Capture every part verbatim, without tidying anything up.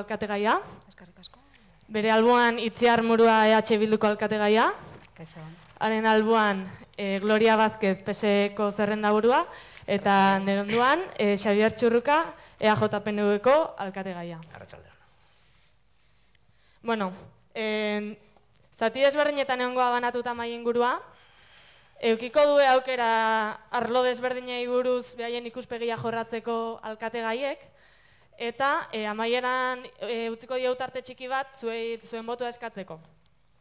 alkategaia. Bere alboan Itziar Murua E H Bilduko alkategaia. Haren alboan e, Gloria Vázquez P S Eko zerrendaburua. Eta nire onduan e, Xabier Txurruka E A J P N Uko alkategaia. Arratsaldeon. Bueno, e, zati desberdinetan egongoa banatuta mai ingurua. Eukiko du aukera arlo desberdinei buruz behaien ikuspegia jorratzeko alkategaiek. Eta e, amaieran e, utziko diautarte txiki bat zuei, zuen botoa eskatzeko.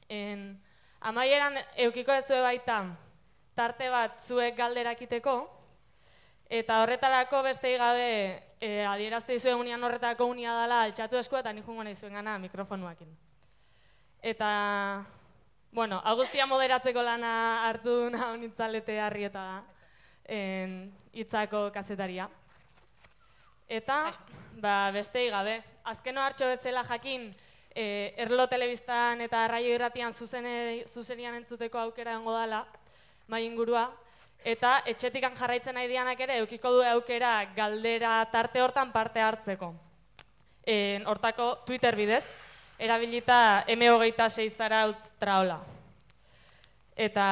En, amaieran eukiko ezue baita tarte bat zuek galderakiteko, eta horretarako bestei gabe e, adierazte izuen unian horretako unia dela altxatu esku eta nijungo nahi zuen gana mikrofonuakin. Eta, bueno, Agustia moderatzeko lana hartu duna honitzalete harrieta da, hitzako kazetaria. Eta, ba, bestei gabe, azkeno hartxo bezala jakin, e, Erlo Telebistan eta Raio Irratian zuzenian entzuteko aukera egongo dela, mai ingurua, eta etxetikan jarraitzen nahi dianak ere, eukiko du aukera galdera tarte hortan parte hartzeko. E, hortako Twitter bidez, erabilita M hogeita sei zarautz traola. Eta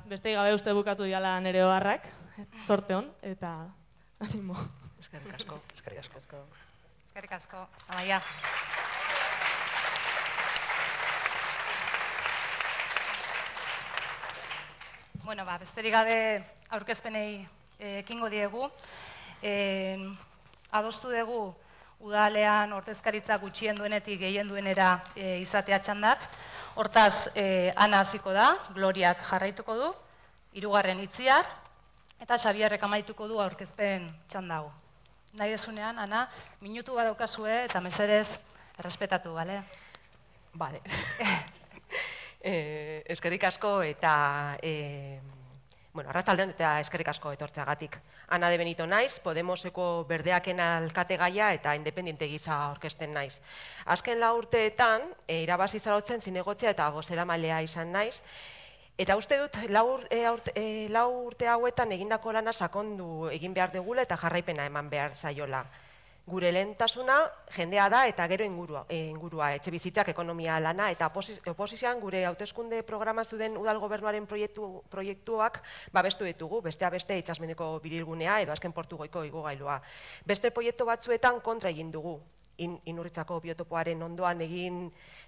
bestei gabe uste bukatu diala nire oharrak, sorte hon, eta animo. Eskerrik asko. Eskerrik asko. Eskerrik asko. Amaia. Bueno, ba, besterik gabe aurkezpenei ekingo diegu. E, adostu dugu udalean ordezkaritza gutxien duenetik gehien duenera e, izatea txandak. Hortaz, e, Ana hasiko da, Gloriak jarraituko du, hirugarren Itziar, eta Xabierrek amaituko du aurkezpen txandago. Nahi desunean, Ana, minutu bat daukazue eta mesedez errespetatu, bale? Bale. eh, eskerrik asko eta eh, bueno, arratsaldeon eta eskerrik asko etortzeagatik. Ana de Benito naiz, Podemoseko berdeaken alkategaia eta independiente gisa aurkezten naiz. Azken lau urteetan, e, irabazi zaratzen zinegotzea eta bozeramailea izan naiz. Eta uste dut, lau urte hauetan egindako lana sakondu egin behar dugula eta jarraipena eman behar zaiola. Gure lehentasuna jendea da eta gero ingurua, ingurua etxe bizitzak ekonomia lana eta oposizioan gure hauteskunde programa zuden udal gobernuaren proiektu, proiektuak babestu ditugu, bestea beste itsasmendeko birilgunea edo azken portugoiko igogailua. Beste proiektu batzuetan kontra egin dugu. In, inurritzako biotopoaren ondoan egin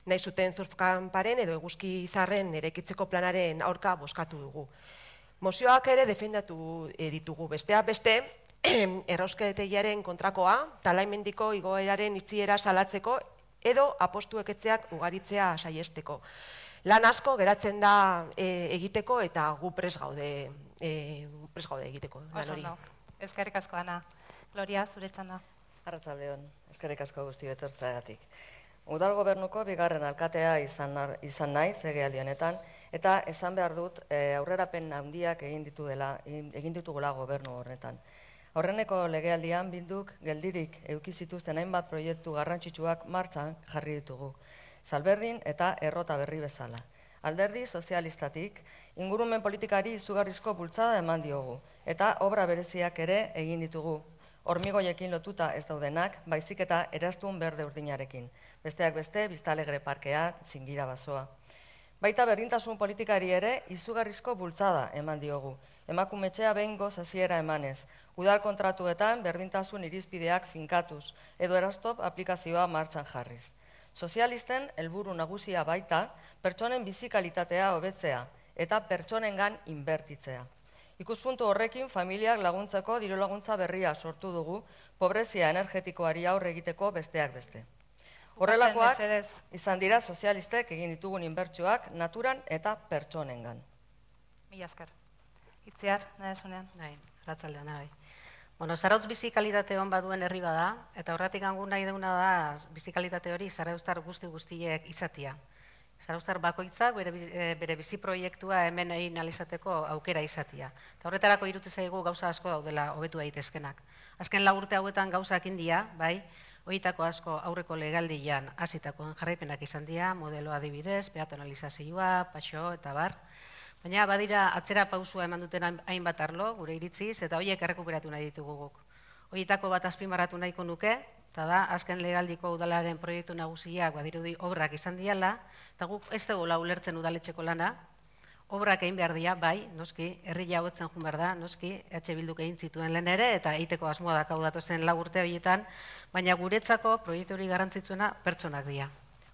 nahi zuten surfkamparen edo eguzki izarren eraikitzeko planaren aurka bozkatu dugu. Mozioak ere defendatu ditugu, bestea beste errauskategiaren kontrakoa, Talaimendiko igoeraren itxiera salatzeko edo apostueketzeak ugaritzea saiesteko. Lan asko geratzen da e, egiteko eta gu pres gaude, e, pres gaude egiteko. Oso ondo. Eskerrik asko, Ana. Gloria, zure txanda. Arratsaldeon, eskerrik asko guzti etortzeagatik. Udal gobernuko bigarren alkatea izan, izan naiz legealdi honetan, eta esan behar dut e, aurrerapen handiak egin ditu dela, egin ditugula gobernu horretan. Aurreneko legealdian Bilduk geldirik eduki zituzten hainbat proiektu garrantzitsuak martxan jarri ditugu. Salberdin eta errota berri bezala. Alderdi sozialistatik ingurumen politikari izugarrizko bultzada eman diogu, eta obra bereziak ere egin ditugu. Hormigoiekin lotuta ez daudenak, baizik eta eraztun berde urdinarekin. Besteak beste, Biztalegre parkea, Txingira basoa. Baita berdintasun politikari ere, izugarrizko bultzada eman diogu. Emakumetxea behingoz hasiera emanez. Udal kontratuetan berdintasun irizpideak finkatuz, edo erastop aplikazioa martxan jarriz. Sozialisten helburu nagusia baita, pertsonen bizikalitatea hobetzea, eta pertsonengan inbertitzea. Ikuspuntu horrekin familiak laguntzeko diru laguntza berria sortu dugu, pobrezia energetikoari aurre egiteko besteak beste. Horrelakoak izan dira sozialistek egin ditugun inbertsioak naturan eta pertsonengan. Mila esker. Itziar, nahi esunean? Nahi, arratsaldean nahi. Bueno, Zarautz bizikalitate hon baduen herri bada, eta horretik gangun nahi deuna da bizikalitate hori Zarauztar guzti guztiek izatia. Zarauztar bakoitzak bere, bere bizi proiektua hemen egin alizateko aukera izatia. Eta horretarako irute zaigu gauza asko daudela hobetu daitezkenak. Azken lau urte hauetan gauzak india, bai, horietako asko aurreko legaldian hasitakoen jarraipenak izan dira, modelo adibidez, peatonalizazioa, paxo eta bar. Baina badira atzera pausua eman duten hainbat arlo, gure iritziz, eta horiek errekuperatu nahi ditugu guk. Horietako bat azpimarratu nahiko nuke, eta da, azken legaldiko udalaren proiektu nagusiak badirudi obrak izan diala, eta guk ez dugu ulertzen udaletxeko lana, obrak egin behar dira, bai, noski, herria hobetzen joan behar da, noski, E H Bilduk egin zituen lehen ere, eta egiteko asmoa dakau datozen lau urte horietan, baina guretzako proiektu hori garrantzitsuena pertsonak dira.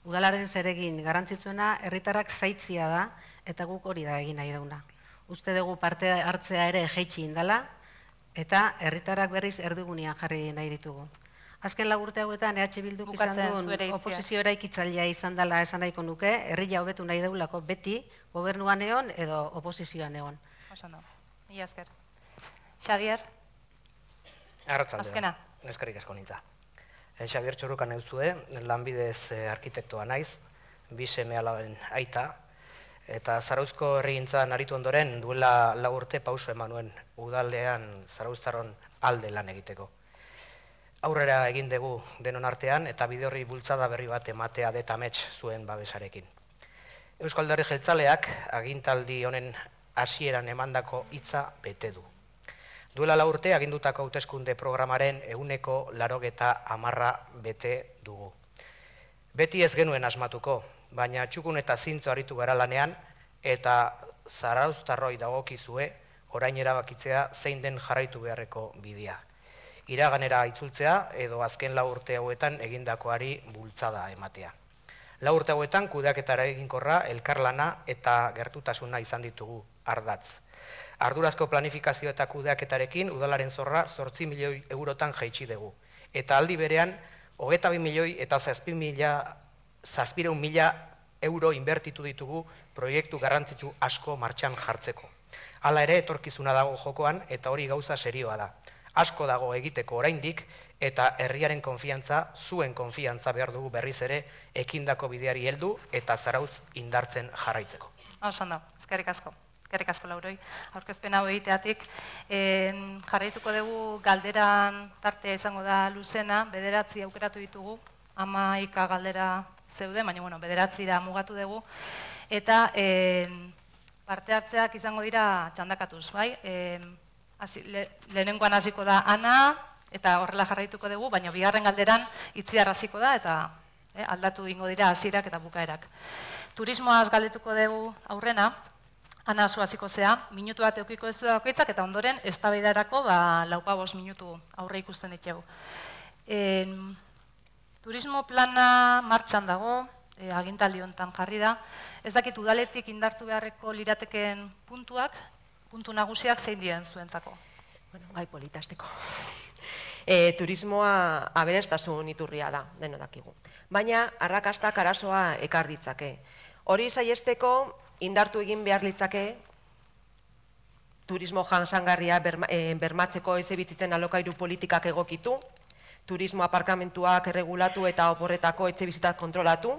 Udalaren zeregin garrantzitsuena herritarrak zaitzia da, eta guk hori da egin nahi dauna. Uste dugu parte hartzea ere jeitsi indala, eta herritarrak berriz erdigunean jarri nahi ditugu. Azken lau urte hauetan E H Bilduk izan duen oposizio eraikitzailea izan dela esan nahiko nuke, herria hobetu nahi deulako beti, gobernuan egon edo oposizioan egon. Osando, mila esker. Xavier? Arratzaldea, eskerrik asko nintza. Xavier Txurrukan euzue, lanbidez arkitektoa naiz, bi seme alaben aita, eta Zarauzko herrigintzan aritu ondoren duela lau urte pauso eman nuen udaldean Zarauztarron alde lan egiteko. Aurrera egin dugu denon artean eta bide horri bultzada berri bat ematea detamets zuen babesarekin. Eusko Alderdi Jeltzaleak agintaldi honen hasieran emandako hitza bete du. Duela lau urte agindutako hauteskunde programaren ehuneko laurogeta hamarra bete dugu. Beti ez genuen asmatuko, baina txukun eta zintzo aritu gara lanean eta Zarauztarroi dagokizue orain erabakitzea zein den jarraitu beharreko bidea. Iraganera itzultzea edo azken lau urte hauetan egindakoari bultzada ematea. Lau urte hauetan kudeaketara eginkorra, elkarlana eta gertutasuna izan ditugu ardatz. Ardurazko planifikazio eta kudeaketarekin udalaren zorra zortzi milioi eurotan jaitsi dugu. Eta aldi berean, hogeita bi milioi eta zazpireun mila euro inbertitu ditugu proiektu garrantzitsu asko martxan jartzeko. Hala ere, etorkizuna dago jokoan eta hori gauza serioa da. Asko dago egiteko oraindik eta herriaren konfiantza, zuen konfiantza behar dugu berriz ere ekindako bideari heldu eta Zarautz indartzen jarraitzeko. Osando, eskerrik asko. Eskerrik asko Lauroi. Aurkezpen hau egiteatik jarraituko dugu galderan tartea izango da luzena, bederatzi aukeratu ditugu, hamaika galdera zeuden, baina bueno, bederatzira mugatu dugu, eta parte hartzeak izango dira txandakatuz, bai? Lehenengoan hasiko da Ana, eta horrela jarraituko dugu, baina bigarren galderan itziar hasiko da, eta aldatu ingo dira hasierak eta bukaerak. Turismoaz galdetuko dugu aurrena, Ana zu hasiko zea, minutu bat eukiko ez du bakoitzak, eta ondoren eztabaidarako laupa bost minutu aurre ikusten ditugu. Turismo plana martxan dago, agintaldi honetan jarri da. Ez dakit udaletik indartu beharreko lirateken puntuak, puntu nagusiak zein dien zuentzako? Bueno, gai politasteko. Turismoa aberestasun iturria da, deno dakigu. Baina, arrakastak arazoa ekar ditzake. Hori saiesteko indartu egin behar litzake, turismo jasangarria bermatzeko etxebizitzen alokairu politikak egokitu, turismo aparkamentuak erregulatu eta oporretako etxebizitak kontrolatu,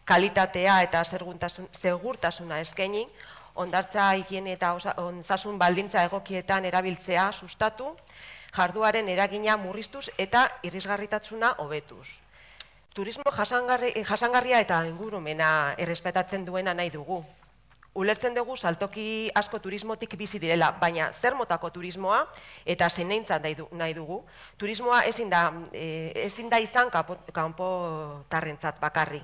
kalitatea eta segurtasuna eskaini, hondartza higiene eta osasun baldintza egokietan erabiltzea sustatu, jarduaren eragina murriztuz eta irisgarritasuna hobetuz. Turismo jasangarria eta ingurumena errespetatzen duena nahi dugu. Ulertzen dugu saltoki asko turismotik bizi direla, baina zer motako turismoa eta zeineintzat nahi dugu. Turismoa ezin da izan kanpotarrentzat bakarri.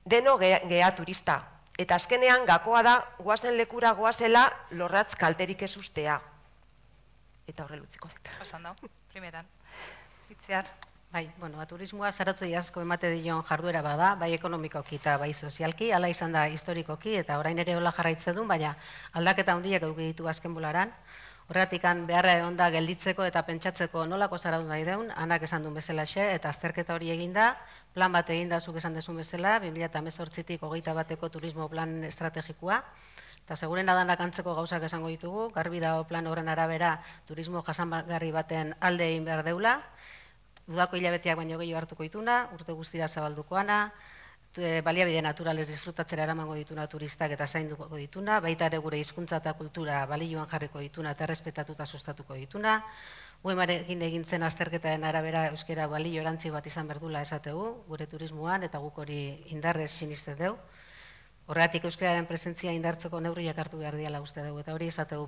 Deno gea turista. Eta azkenean gakoa da goazen lekura goazela lorratz kalterik ez ustea. Eta horre lutziko dut. Osan da, primeran. Itziar. Bai, bueno, turismoa zaratzoi asko emate dion jarduera bada, bai ekonomikoki eta bai sozialki, hala izan da historikoki eta orain ere hola jarraitzen du, baina aldaketa handiak eduki ditu azken bolaran. Horregatik beharra egon da gelditzeko eta pentsatzeko nolako zarauz nahi deun, Anak esan duen bezalaxe, eta azterketa hori eginda, plan bat eginda zuk esan dezun bezala, bi mila hemezortzitik hogeita bateko turismo plan estrategikoa, eta seguren adanak antzeko gauzak esango ditugu, garbi dago plan horren arabera turismo jasangarri baten alde egin behar deula, udako hilabeteak baino gehiago hartuko dituna, urte guztira zabaldukoana, baliabide naturalez disfrutatzera eramango dituna turistak eta zainduko dituna, baita ere gure hizkuntza eta kultura balioan jarriko dituna eta errespetatuta sustatuko dituna, Uemarekin egin zen azterketaren arabera euskera balio erantzi bat izan berdula esategu, gure turismoan eta guk hori indarrez sinisten dugu. Horregatik euskararen presentzia indartzeko neurriak hartu behar diala uste dugu, eta hori esategu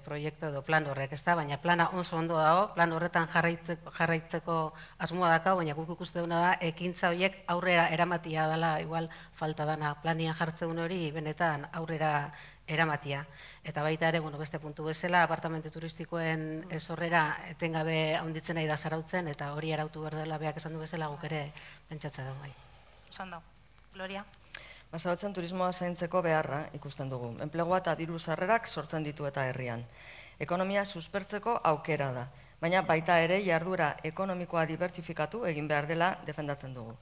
proiektu edo plan horrek, ez da? Baina plana oso ondo dago, plan horretan jarraitzeko asmoa daka, baina guk ikuste duna da, ekintza horiek aurrera eramatia dela, igual falta dana planian jartzeun hori benetan aurrera eramatia. Eta baita ere, beste puntu bezala, apartamentu turistikoen sorrera etengabe handitzen nahi da zarautzen, eta hori arautu behar dela beak esan du bezala guk ere pentsatzea dugu. Osan da. Gloria? Basabatzen turismoa zaintzeko beharra ikusten dugu. Enplegua eta diru sarrerak sortzen ditu eta herrian. Ekonomia suspertzeko aukera da, baina baita ere jarduera ekonomikoa dibertsifikatu egin behar dela defendatzen dugu.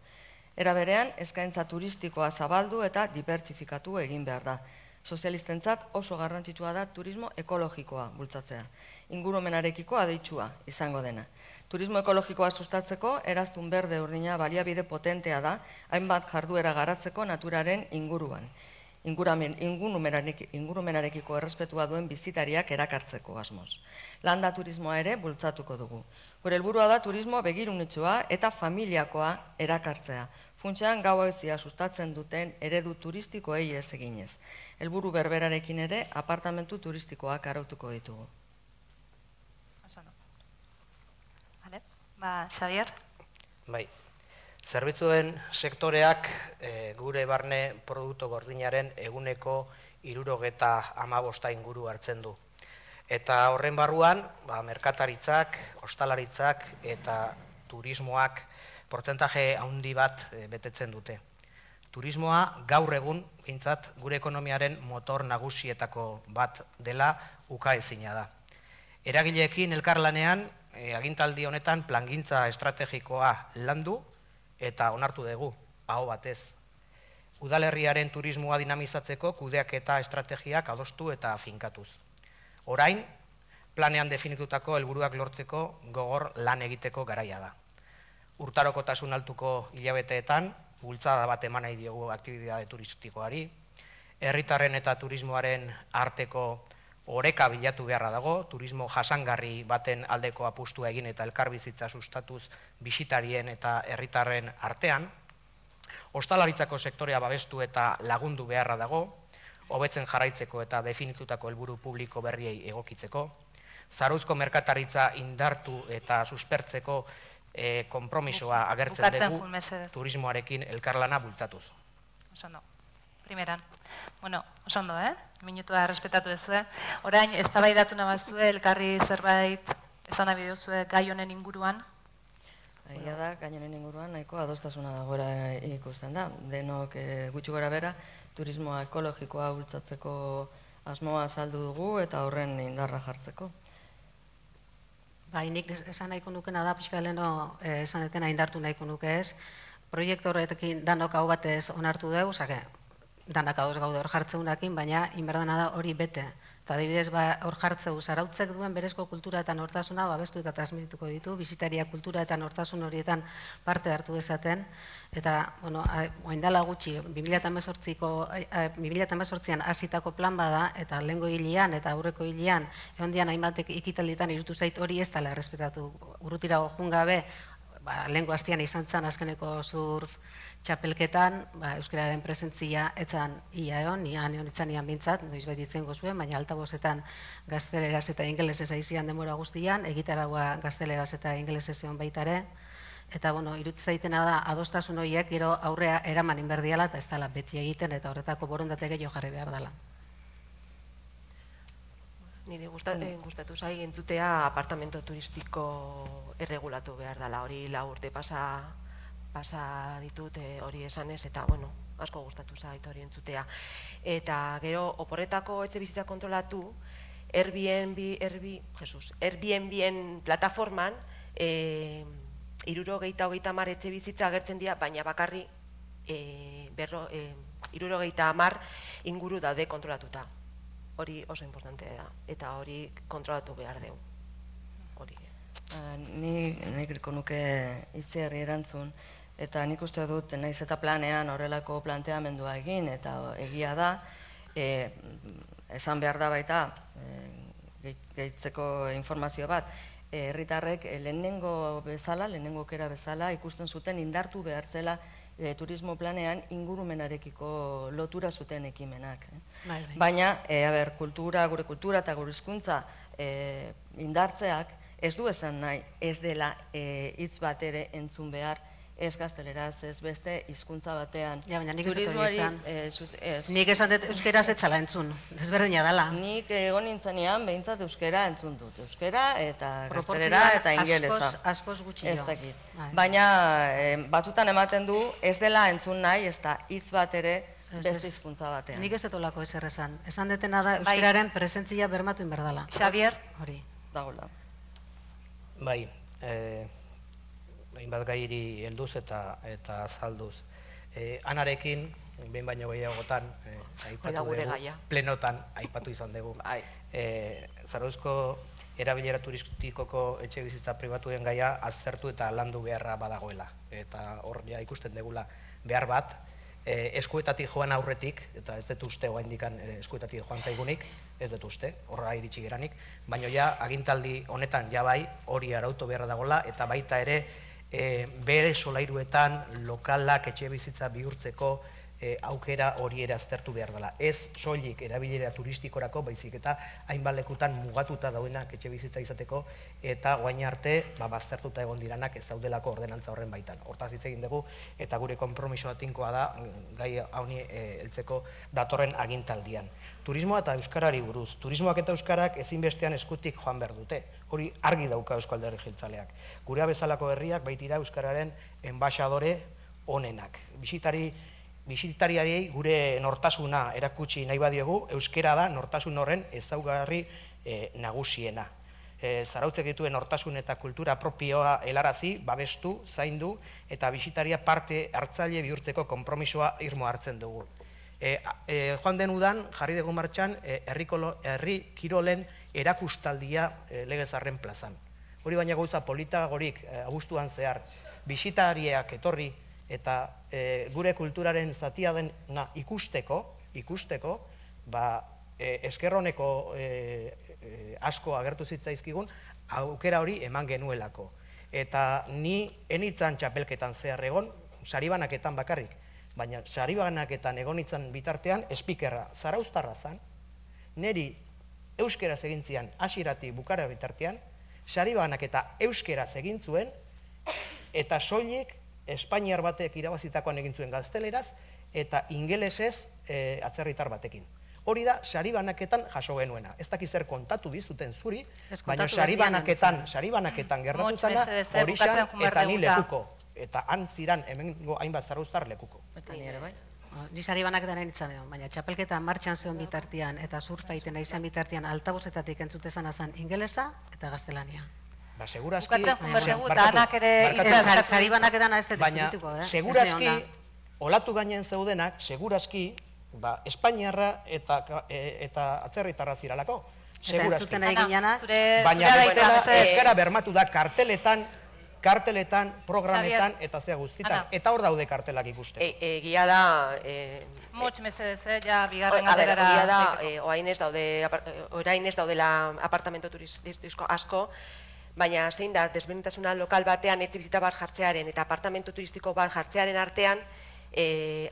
Era berean, eskaintza turistikoa zabaldu eta dibertsifikatu egin behar da. Sozialistentzat oso garrantzitsua da turismo ekologikoa bultzatzea. Ingurumenarekiko adeitsua izango dena. Turismo ekologikoa sustatzeko, eraztun berde urdina baliabide potentea da, hainbat jarduera garatzeko naturaren inguruan. Ingurumenarekiko errespetua duen bizitariak erakartzeko asmoz. Landa turismoa ere bultzatuko dugu. Gure helburua da turismo begirunetsua eta familiakoa erakartzea. Funtsean gauezia sustatzen duten eredu turistikoei ez eginez. Helburu berberarekin ere apartamentu turistikoak arautuko ditugu. Ba, Xavier? Bai, zerbitzuen sektoreak gure barne produktu gordinaren eguneko hirurogeta hamabosta inguru hartzen du. Eta horren barruan, merkataritzak, ostalaritzak eta turismoak portzentaje handi bat betetzen dute. Turismoa gaur egun, bintzat, gure ekonomiaren motor nagusietako bat dela ukaezina da. Eragileekin elkarlanean, agintaldi honetan plangintza estrategikoa landu eta onartu dugu, aho batez. Udalerriaren turismoa dinamizatzeko kudeaketa estrategiak adostu eta finkatuz. Orain, planean definitutako helburuak lortzeko gogor lan egiteko garaia da. Urtarokotasun altuko hilabeteetan, bultzada bat eman nahi diogu aktibitate turistikoari, herritarren eta turismoaren arteko oreka bilatu beharra dago, turismo jasangarri baten aldeko apustua egin eta elkarbizitza sustatuz bisitarien eta herritarren artean, ostalaritzako sektorea babestu eta lagundu beharra dago, hobetzen jarraitzeko eta definitutako helburu publiko berriei egokitzeko, zarauzko merkataritza indartu eta suspertzeko konpromisoa agertzen dugu turismoarekin elkarlana bultzatuz. Osondo. Primeran. Bueno, osondo, eh? Minutua errespetatu duzue. Orain, eztabaidatu nabazue, elkarri zerbait esan nahi duzue gai honen inguruan? Egia da, gai honen inguruan nahiko adostasuna dagoela ikusten da. Denok gutxi gora bera, turismoa ekologikoa bultzatzeko asmoa azaldu dugu eta horren indarra jartzeko. Bai, nik esan nahiko nukena da, pixka leheno esan detena indartu nahiko nuke ez. Proiektu horretekin danok hau batez onartu dugu, zake, danak ados gaude hor jartzeunakin, baina inberdana da hori bete. Eta adibidez, hor jartzeu zarautzek duen berezko kultura eta nortasuna babestu eta transmitituko ditu, bizitaria kultura eta nortasun horietan parte hartu dezaten. Eta, bueno, oindala gutxi, bi mila hemezortzian hasitako plan bada, eta lehengo hilian eta aurreko hilian, egon dian hainbatek ikitaldietan irutu zait hori ez dela errespetatu. Urrutirago jungabe, lehenko hastian izan zen azkeneko surf txapelketan, euskararen presentzia etzan ia egon, ian egon etzan ian bintzat, noiz bai ditzen gozuen, baina altabozetan gazteleraz eta ingelesez aizian demora guztian, egitaragua gazteleraz eta ingelesez egon baitare, eta, bueno, irutu zaitena da, adostasun horiek gero aurrea eraman inberdiala eta ez dela beti egiten eta horretako borondate gehiago jarri behar dela. Nire gustatu zai entzutea apartamento turistiko erregulatu behar dela, hori lau urte pasa ditut hori esanez, eta, bueno, asko gustatu zait hori entzutea. Eta gero, oporretako etxe bizitza kontrolatu, Airbnb-en plataforman, hirurogeita hogeita hamar etxe bizitza agertzen dira, baina bakarri hirurogeita hamar inguru daude kontrolatuta. Hori oso importantea da, eta hori kontrolatu behar dugu. Nik nahiko nuke itziarri erantzun, eta nik uste dut naiz eta planean horrelako planteamendua egin, eta egia da, esan behar da baita, gehitzeko informazio bat, herritarrek lehenengo bezala, lehenengo okera bezala, ikusten zuten indartu behar zela turismo planean ingurumenarekiko lotura zuten ekimenak. Bai, bai. Baina, a ber, kultura, gure kultura eta gure hizkuntza indartzeak ez du esan nahi ez dela hitz bat ere entzun behar, ez gazteleraz, ez beste hizkuntza batean. Ja, baina nik ez dut hori esan. Nik esan dut euskeraz etzala entzun, ezberdina dela. Nik egon nintzenean behintzat euskera entzun dut. Euskera eta gaztelera eta ingelesa. Askoz gutxi jo. Ez dakit. Baina batzutan ematen du ez dela entzun nahi, ez da hitz bat ere beste hizkuntza batean. Nik ez dut olako ezer esan. Esan detena da euskeraren presentzia bermatu inberdala. Xavier? Hori. Dagoela. Bai, hainbat gairi helduz eta azalduz. Anarekin, behin baino gehiagotan, aipatu dugu, plenotan aipatu izan dugu. Zarauzko erabilera turistikoko etxe bizitza pribatuen gaia aztertu eta landu beharra badagoela. Eta hor ja ikusten degula behar bat, eskuetatik joan aurretik, eta ez dut uste oaindikan eskuetatik joan zaigunik, ez dut uste, horra iritsi geranik, baina ja agintaldi honetan ja bai hori arautu beharra dagoela, eta baita ere bere solairuetan lokalak etxe bizitza bihurtzeko aukera hori ere aztertu behar dela. Ez soilik erabilera turistikorako, baizik eta hainbat lekutan mugatuta daudenak etxe bizitza izateko, eta guain arte baztertuta egon diranak ez daudelako ordenantza horren baitan. Hortaz hitz egin dugu, eta gure konpromisoa tinkoa da gai hauni heltzeko datorren agintaldian. Turismoa eta euskarari buruz. Turismoak eta euskarak ezinbestean eskutik joan behar dute. Hori argi dauka Eusko Alderdi Jeltzaleak. Gurea bezalako herriak baitira euskararen enbaxadore onenak. Bisitari Bisitariari gure nortasuna erakutsi nahi badiogu, euskera da nortasun horren ezaugarri nagusiena. Zarautzek dituen nortasun eta kultura propioa helarazi, babestu, zaindu, eta bisitaria parte hartzaile bihurtzeko konpromisoa irmo hartzen dugu. Joan den udan, jarri dugu martxan, herri kirolen erakustaldia Legezarren plazan. Hori baina gauza politagorik abuztuan zehar, bisitariak etorri, eta gure kulturaren zatia dena ikusteko, ikusteko, eskerroneko asko agertu zitzaizkigun, aukera hori eman genuelako. Eta ni enitzan txapelketan zehar egon, saribanaketan bakarrik, baina saribanaketan egon itzan bitartean, espikerra zarauztarra zan, neri euskeraz egin zian hasieratik bukara bitartean, saribanaketa euskeraz egin zuen, eta soilik Espainiar batek irabazitakoan egin zuen gazteleraz, eta ingelesez atzerritar batekin. Hori da, saribanaketan jaso genuena. Ez dakiz zer kontatu dizuten zuri, baina saribanaketan, saribanaketan gerratu zana, hori xan, eta ni lekuko. Eta antziran, hemengo hainbat zarauztar lekuko. Eta ni ere bai. Ni saribanaketan enitzan egon, baina txapelketa martxan zeon bitartian, eta surfaiten izan bitartian, altabozetatik entzutezan azan ingelesa eta gaztelania. Ba, segurazki... Bukatzen jumerregu eta anak ere... Saribanaketan ez dut dituko, eh? Baina, segurazki, olatu gainen zeudenak, segurazki, Espainiarra eta atzerritarra ziralako. Eta entzuten egin jana... Baina, euskara bermatu da karteletan, karteletan, programetan, eta zea guztitan. Eta hor daude kartelak ikusten. Egia da... Motx mesedez, ja, bigarren galderara... Egia da, orain ez daudela apartamento turistiko asko, baina zein da, desberdintasuna lokal batean etxe bizita bat jartzearen eta apartamento turistiko bat jartzearen artean,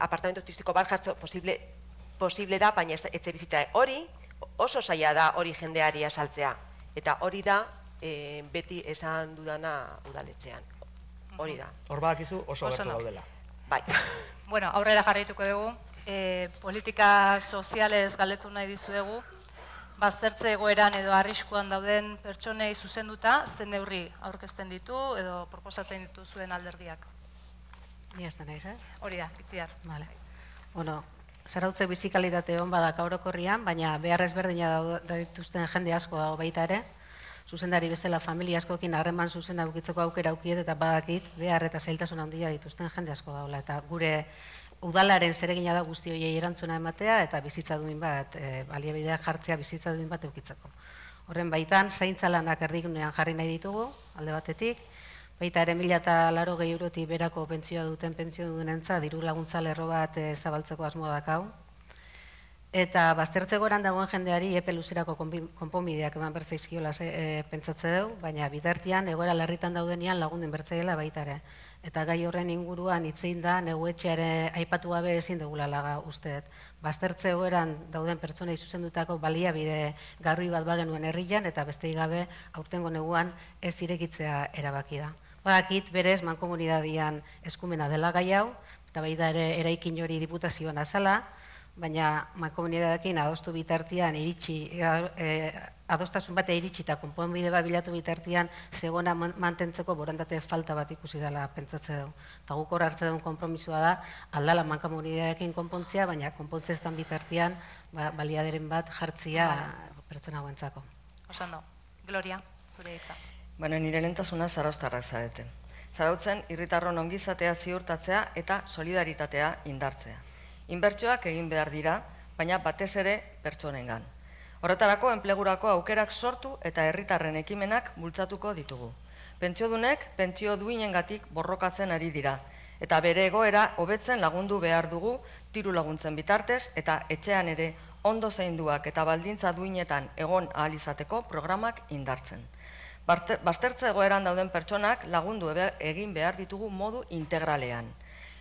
apartamento turistiko bat jartze posible da, baina etxe bizitza hori oso zaila da hori jendeari asaltzea. Eta hori da beti esan dudana udaletxean. Hori da. Hor badakizu oso gertu daudela. Bai. Bueno, aurrera jarraituko dugu. Politika sozialez galdetu nahi dizuegu. Baztertze egoeran edo arriskuan dauden pertsonei zuzenduta, zen neurri aurkezten ditu edo proposatzen ditu zuen alderdiak. Ni ez da naiz, eh? Hori da, Itziar. Vale. Bueno, zarautzek bizikalitate hon badak orokorrian, baina behar ezberdina dituzten jende asko dago baita ere. Zuzendari bezala familia askokin harreman zuzena ukitzeko aukera aukiet eta badakit behar eta zailtasun handia dituzten jende asko dagoela. Eta gure udalaren zeregina da guzti horiei erantzuna ematea eta bizitza duin bat, baliabideak jartzea bizitza duin bat eukitzeko. Horren baitan, zaintza lanak erdigunean jarri nahi ditugu, alde batetik, baita ere mila eta laro gehi eurotik berako pentsioa duten pentsio duenentza, diru laguntza lerro bat zabaltzeko asmoa dakau. Eta baztertze goran dagoen jendeari epe luzerako konponbideak eman berzaizkiola pentsatze dugu, baina bitartian egoera larritan daudenean lagundu inbertzaiela baita ere. eta gai horren inguruan hitzein da, neguetxeare aipatu gabe ezin dugula laga usteet. Baztertze egoeran dauden pertsonei zuzendutako baliabide garbi bat bagenuen herrian, eta besteik gabe aurtengo neguan ez irekitzea erabaki da. Badakit berez mankomunidadian eskumena dela gai hau, eta baita ere eraikin hori diputazioan azala, baina mankomunidadekin adostu bitartian iritsi, adostasun bate iritsi eta konponbide bat bilatu bitartian zegona mantentzeko borondate falta bat ikusi dela pentsatze dugu. Eta guk hor hartze duen konpromisoa da, aldala mankomunidadekin konpontzea, baina konpontze ez dan bitartian baliaderen bat jartzia pertsona guentzako. Osando, Gloria, zure hitza. Bueno, nire lehentasuna zarauztarrak zarete. Zarautzen, irritarron ongizatea ziurtatzea eta solidaritatea indartzea. Inbertsioak egin behar dira, baina batez ere pertsonengan. Horretarako, enplegurako aukerak sortu eta herritarren ekimenak bultzatuko ditugu. Pentsiodunek, pentsio duinengatik borrokatzen ari dira, eta bere egoera hobetzen lagundu behar dugu diru laguntzen bitartez, eta etxean ere ondo zainduak eta baldintza duinetan egon ahal izateko programak indartzen. Baztertze egoeran dauden pertsonak lagundu egin behar ditugu modu integralean.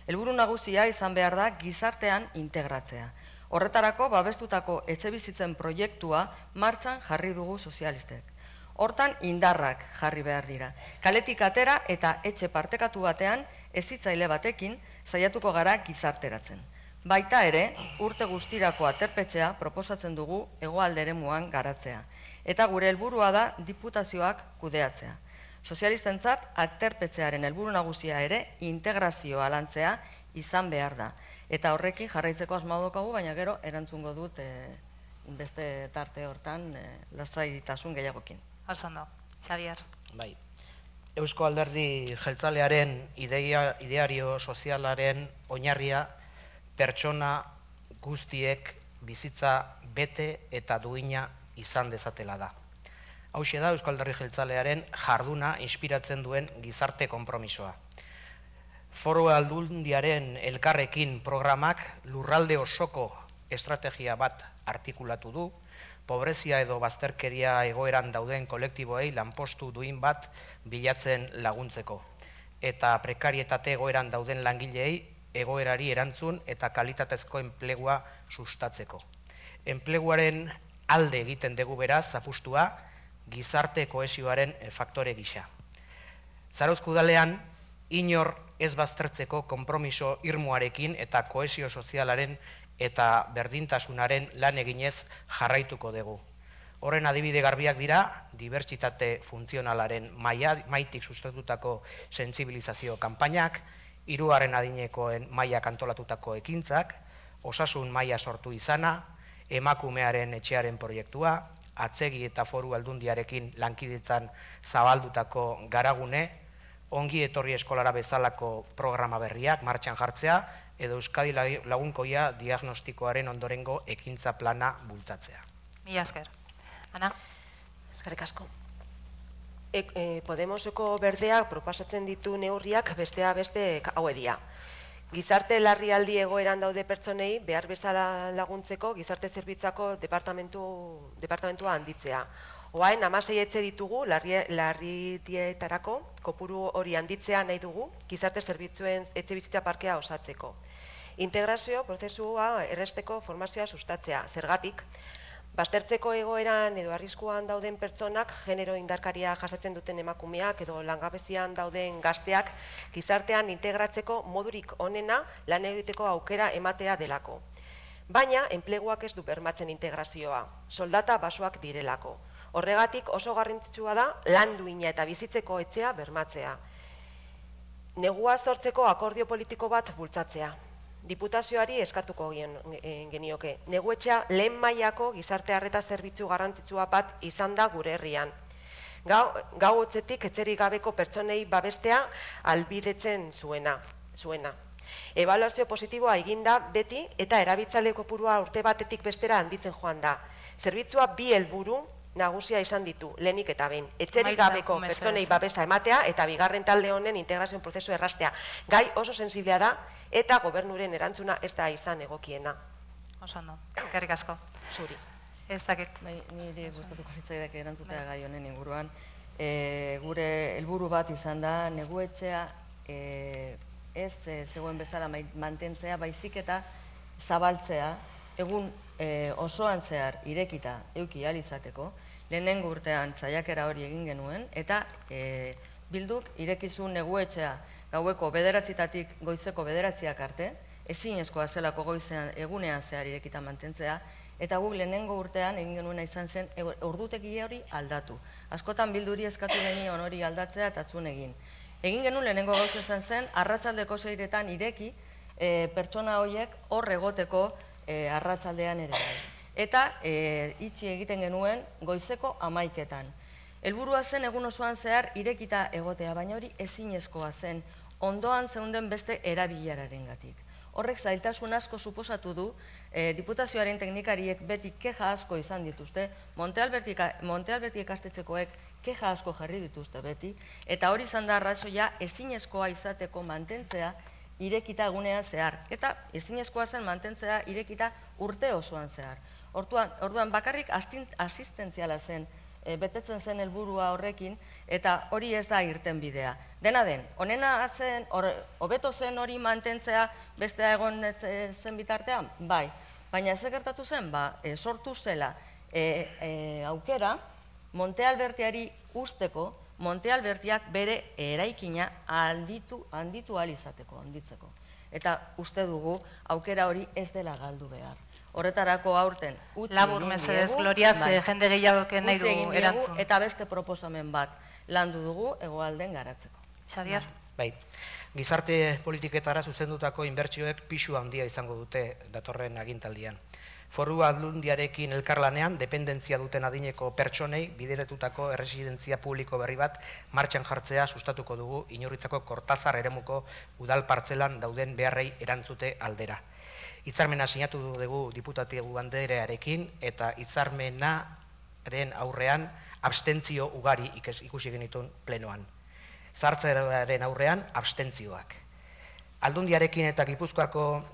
Helburu nagusia izan behar da gizartean integratzea. Horretarako babestutako etxebizitzen proiektua martxan jarri dugu sozialistek. Hortan indarrak jarri behar dira. Kaletik atera eta etxe partekatu batean hezitzaile batekin saiatuko gara gizarteratzen. Baita ere, urte guztirako aterpetxea proposatzen dugu hegoalde eremuan garatzea. Eta gure helburua da diputazioak kudeatzea. Sozialistentzat, aterpetxearen helburu nagusia ere integrazioa lantzea izan behar da. Eta horrekin jarraitzeko asmoa daukagu, baina gero erantzungo dut beste tarte hortan lasaitasun gehiagokin. Osondo, Xavier. Bai. Eusko Alderdi Jeltzalearen ideario sozialaren oinarria pertsona guztiek bizitza bete eta duina izan dezatela da. Hauxe da Eusko Alderdi Jeltzalearen jarduna inspiratzen duen gizarte konpromisoa. Foru Aldundiaren elkarrekin programak lurralde osoko estrategia bat artikulatu du, pobrezia edo bazterkeria egoeran dauden kolektiboei lanpostu duin bat bilatzen laguntzeko, eta prekarietate egoeran dauden langileei egoerari erantzun eta kalitatezko enplegua sustatzeko. Enpleguaren alde egiten dugu beraz apustua, gizarte kohesioaren faktore gisa. Zarauzko udalean, inor ez baztertzeko konpromiso irmoarekin eta kohesio sozialaren eta berdintasunaren lan eginez jarraituko dugu. Horren adibide garbiak dira, dibertsitate funtzionalaren maitik sustatutako sentsibilizazio kanpainak, hirugarren adinekoen mailak antolatutako ekintzak, osasun maila sortu izana, emakumearen etxearen proiektua, atzegi eta foru aldundiarekin lankidetzan zabaldutako garagune, ongi etorri eskolara bezalako programa berriak martxan jartzea, edo Euskadi lagunkoia diagnostikoaren ondorengo ekintza plana bultzatzea. Mila esker. Ana? Eskerrik asko. Podemoseko berdeak proposatzen ditu neurriak bestea beste hauedia. Gizarte larrialdi egoeran daude pertsonei behar bezala laguntzeko gizarte zerbitzuako departamentua handitzea. Oain, hamasei etxe ditugu larrietarako kopuru hori handitzea nahi dugu gizarte zerbitzuen etxe bizitza parkea osatzeko. Integrazio prozesua erresteko formazioa sustatzea. Zergatik, baztertzeko egoeran edo arriskuan dauden pertsonak, genero indarkaria jasatzen duten emakumeak edo langabezian dauden gazteak gizartean integratzeko modurik onena lan egiteko aukera ematea delako. Baina, enpleguak ez du bermatzen integrazioa, soldata basoak direlako. Horregatik oso garrantzitsua da lan duina eta bizitzeko etxea bermatzea. Negua sortzeko akordio politiko bat bultzatzea. Diputazioari eskatuko genioke. Neguetxea lehen mailako gizarte arreta zerbitzu garrantzitsua bat izan da gure herrian. Gau hotzetik etxerik gabeko pertsonei babestea albidetzen zuena. Ebaluazio positiboa eginda beti eta erabiltzaile kopurua urte batetik bestera handitzen joan da. Zerbitzua bi helburu nagusia izan ditu, lehenik eta behin. Etxerik gabeko pertsonei babesa ematea eta bigarren talde honen integrazioen prozesu errastea. Gai oso sensiblea da eta gobernuren erantzuna ez da izan egokiena. Oso ondo, eskerrik asko. Zuri. Ez dakit. Niri gustatuko litzaidak erantzutea gai honen inguruan. Gure helburu bat izan da neguetxea ez zegoen bezala mantentzea, baizik eta zabaltzea, egun osoan zehar irekita euki alizateko, lehenengo urtean saiakera hori egin genuen, eta Bilduk irekizun neguetxea gaueko bederatzitatik goizeko bederatziak arte, ezinezkoa zelako goizean egunean zehar irekita mantentzea, eta guk lehenengo urtean egin genuena izan zen ordutegi hori aldatu. Askotan Bilduri eskatu genion hori aldatzea eta atzun egin. Egin genuen lehenengo gauza izan zen, arratsaldeko seiretan ireki pertsona horiek hor egoteko arratsaldean ere. Eta itxi egiten genuen goizeko hamaiketan. Helburua zen egun osoan zehar irekita egotea, baina hori ezinezkoa zen ondoan zeunden beste erabilerarengatik. Horrek zailtasun asko suposatu du, diputazioaren teknikariek beti keja asko izan dituzte, Monte Alberti ikastetxekoek keja asko jarri dituzte beti, eta hori izan da arrazoia ezinezkoa izateko mantentzea irekita egunean zehar, eta ezinezkoa zen mantentzea irekita urte osoan zehar. Orduan bakarrik asistentziala zen, betetzen zen helburua horrekin, eta hori ez da irten bidea. Dena den, honena zen, hobeto zen hori mantentzea bestea egon zen bitartean? Bai, baina ez gertatu zen, sortu zela aukera Monte Albertiari usteko, Monte Albertiak bere eraikina handitu ahal izateko, handitzeko. Eta uste dugu aukera hori ez dela galdu behar. Horretarako aurten utzi Labur, mesedez, Gloria, ze jende gehiagoken nahi du erantzun. Eta beste proposamen bat landu dugu hegoalden garatzeko. Xabier? Bai, gizarte politiketara zuzendutako inbertsioek pisu handia izango dute datorren agintaldian. Foru Aldundiarekin elkarlanean, dependentzia duten adineko pertsonei bideratutako erresidentzia publiko berri bat martxan jartzea sustatuko dugu Inurritzako Kortazar eremuko udal partzelan dauden beharrei erantzute aldera. Hitzarmena sinatu dugu diputatibu banderearekin eta hitzarmenaren aurrean abstentzio ugari ikusi genituen plenoan. Zartzearen aurrean abstentzioak. Aldundiarekin eta Gipuzkoako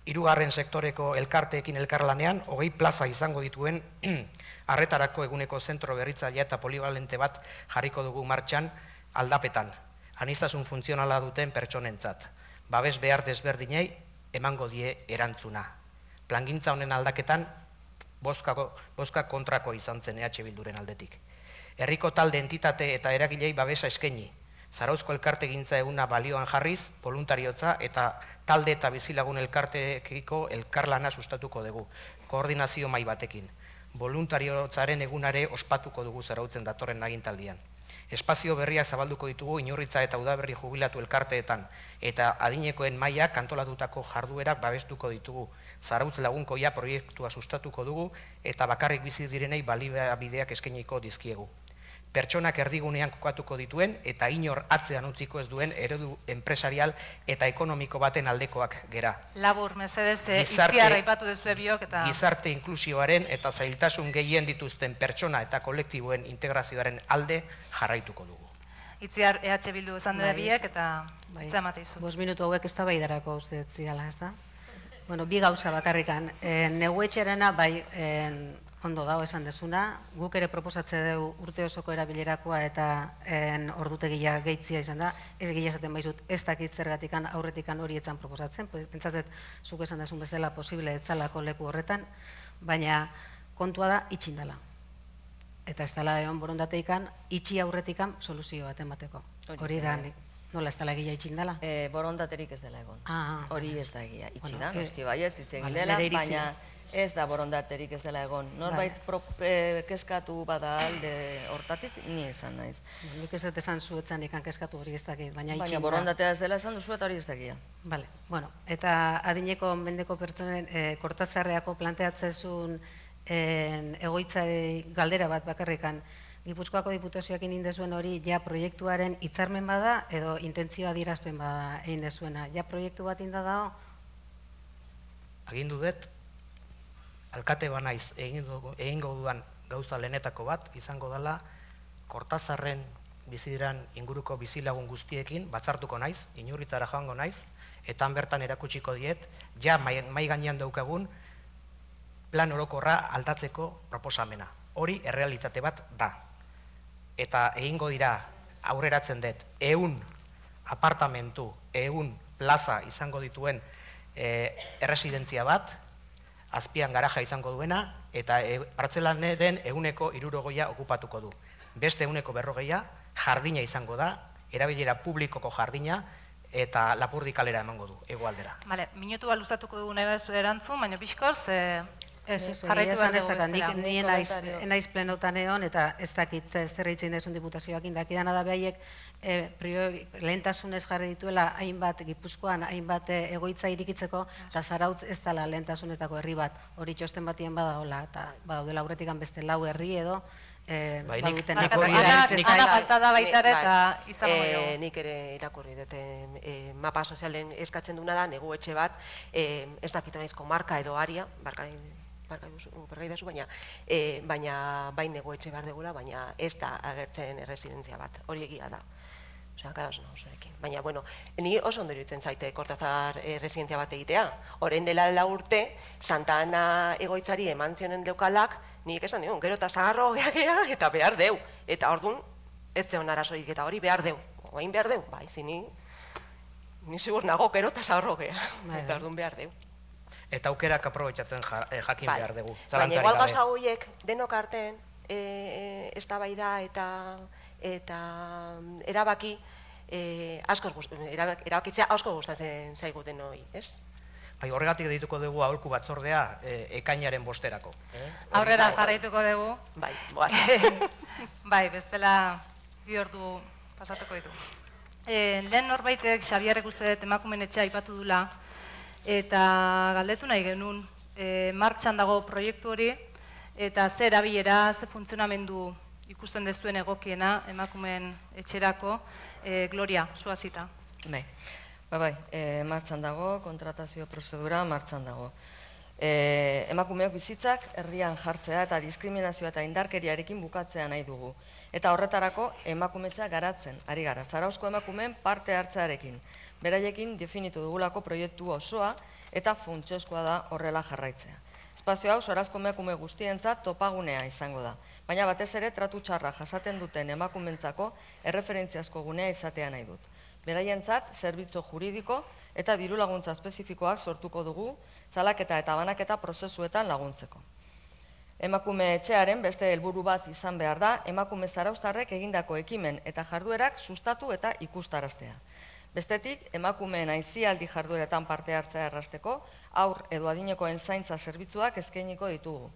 hirugarren sektoreko elkarteekin elkarlanean hogei plaza izango dituen arretarako eguneko zentro berritzailea eta polivalente bat jarriko dugu martxan aldapetan, aniztasun funtzionala duten pertsonentzat. Babes behar desberdinei emango die erantzuna. Plangintza honen aldaketan bozka kontrako izan zen E H Bilduren aldetik. Herriko talde entitate eta eragilei babesa eskaini. Zarauzko elkartegintza eguna balioan jarriz, voluntariotza eta talde eta bizilagun elkartekiko elkarlana sustatuko dugu, koordinazio mai batekin. Voluntariotzaren egunare ospatuko dugu zarautzen datorren agintaldian. Espazio berriak zabalduko ditugu Inurritza eta Udaberri jubilatu elkarteetan, eta adinekoen mailak antolatutako jarduerak babestuko ditugu. Zarautz lagunkoia proiektua sustatuko dugu, eta bakarrik bizi direnei baliabideak eskainiko dizkiegu. Pertsonak erdigunean kokatuko dituen eta inor atzean utziko ez duen eredu enpresarial eta ekonomiko baten aldekoak gera. Labur, mesedez, itziar aipatu duzue biok eta... Gizarte inklusioaren eta zailtasun gehien dituzten pertsona eta kolektiboen integrazioaren alde jarraituko dugu. Itziar E H Bildu esan dira biek eta itza emate izu. Bost minutu hauek ez da baidarako uste zidala, ez da? Bueno, bi gauza bakarrikan. Neguetxerena, bai, ondo dago esan dezuna, guk ere proposatze dugu urte osoko erabilerakoa eta ordutegia gehitzia izan da, ez gila esaten baizut ez dakit zergatikan aurretikan hori etzan proposatzen, pentsatzet zuk esan dezun bezala posible etzalako leku horretan, baina kontua da itxindala. Eta ez dela egon borondateikan, itxi aurretikan soluzio bat emateko. Hori da, nola ez dela egia itxindala? Borondaterik ez dela egon. Hori ez da egia itxi da, noski baiet, itzen dela, baina ez da borondaterik ez dela egon. Norbait keskatu bada alde hortatik, ni esan naiz. Nik ez dut esan zuetzan ikan keskatu hori ez dakit, baina itxin da. Baina borondatea ez dela esan duzu eta hori ez dakia. Bale, bueno, eta adineko mendeko pertsonen Kortazarreako planteatzezun egoitzari galdera bat bakarrikan, Gipuzkoako diputazioak egin dezuen hori ja proiektuaren hitzarmen bada edo intentzioa adierazpen bada egin dezuena. Ja proiektu bat inda dago? Agindu dut, alkate banaiz egingo dudan gauza lehenetako bat, izango dela Kortazarren biziran inguruko bizilagun guztiekin batzartuko naiz, Inurritzara joango naiz, eta bertan erakutsiko diet, ja mai gainean daukagun plan orokorra aldatzeko proposamena. Hori errealitate bat da. Eta egingo dira aurreratzen dut, ehun apartamentu, ehun plaza izango dituen erresidentzia bat, azpian garaja izango duena, eta partzelaneren ehuneko hirurogeia okupatuko du. Beste ehuneko berrogeia jardina izango da, erabilera publikoko jardina, eta Lapurdi kalera emango du, hegoaldera. Bale, minutu bat luzatuko dugu nahi baduzu erantzun, baina pixkor, ze... Ez, ez, egia esan ez dakit, nik naiz plenotan egon, eta ez dakit zer eitzen desun diputazioak indakidana da behaiek lehentasunez jarri dituela hainbat Gipuzkoan, hainbat egoitza irikitzeko, eta Zarautz ez dela lehentasunetako herri bat, hori txosten batien badagoela, eta badaudela aurretik beste lau herri edo, baduten Ana falta da baitare eta izango dugu. Nik ere irakurri dute mapa sozialen eskatzen duna da, negu etxe bat, ez dakit naizko marka edo aria, baina bain negu etxe behar degula, baina ez da agertzen erresidentzia bat, hori egia da. Baina, bueno, ni oso ondo iruditzen zaite Kortazar erresidentzia bat egitea. Orain dela lau urte, Santa Ana egoitzari eman zionen deukalak, nik esan nion, gero eta zaharro geha eta behar deu. Eta orduan, ez zeon arazorik eta hori behar deu. Oain behar deu, bai, zini, ni zigur nago, gero eta zaharro geha. Eta orduan behar deu. Eta aukerak aprobetxatzen jakin behar dugu. Baina igual gauza horiek denok artean, eztabaida eta erabaki, erabakitzea asko gustatzen zaiguten hori, ez? Bai, horregatik dituko dugu aholku batzordea ekainaren bosterako. Aurrera jarraituko dugu. Bai, boaz. Bai, bestela bi ordu pasatuko ditu. Lehen norbaitek, Xabierrek uste dut emakumeen etxea aipatu dula, eta galdetu nahi genuen, martxan dago proiektu hori, eta ze erabilera, ze funtzionamendu ikusten dezuen egokiena emakumeen etxerako, Gloria, zuazita. Bai, bai, martxan dago, kontratazio prozedura martxan dago. Emakumeok bizitzak herrian jartzea eta diskriminazioa eta indarkeriarekin bukatzea nahi dugu. Eta horretarako emakumetza garatzen, ari gara, Zarauzko emakumeen parte hartzearekin. Beraiekin definitu dugulako proiektu osoa eta funtsezkoa da horrela jarraitzea. Espazio hau Zarauzko emakume guztientzat topagunea izango da, baina batez ere tratu txarra jasaten duten emakumentzako erreferentziazko gunea izatea nahi dut. Beraientzat zerbitzu juridiko eta diru laguntza espezifikoak sortuko dugu, salaketa eta banaketa prozesuetan laguntzeko. Emakume etxearen beste helburu bat izan behar da, emakume zarauztarrek egindako ekimen eta jarduerak sustatu eta ikustaraztea. Bestetik, emakumeen aisialdi jardueretan parte hartzea errazteko, aur edo adinekoen zaintza zerbitzuak eskainiko ditugu.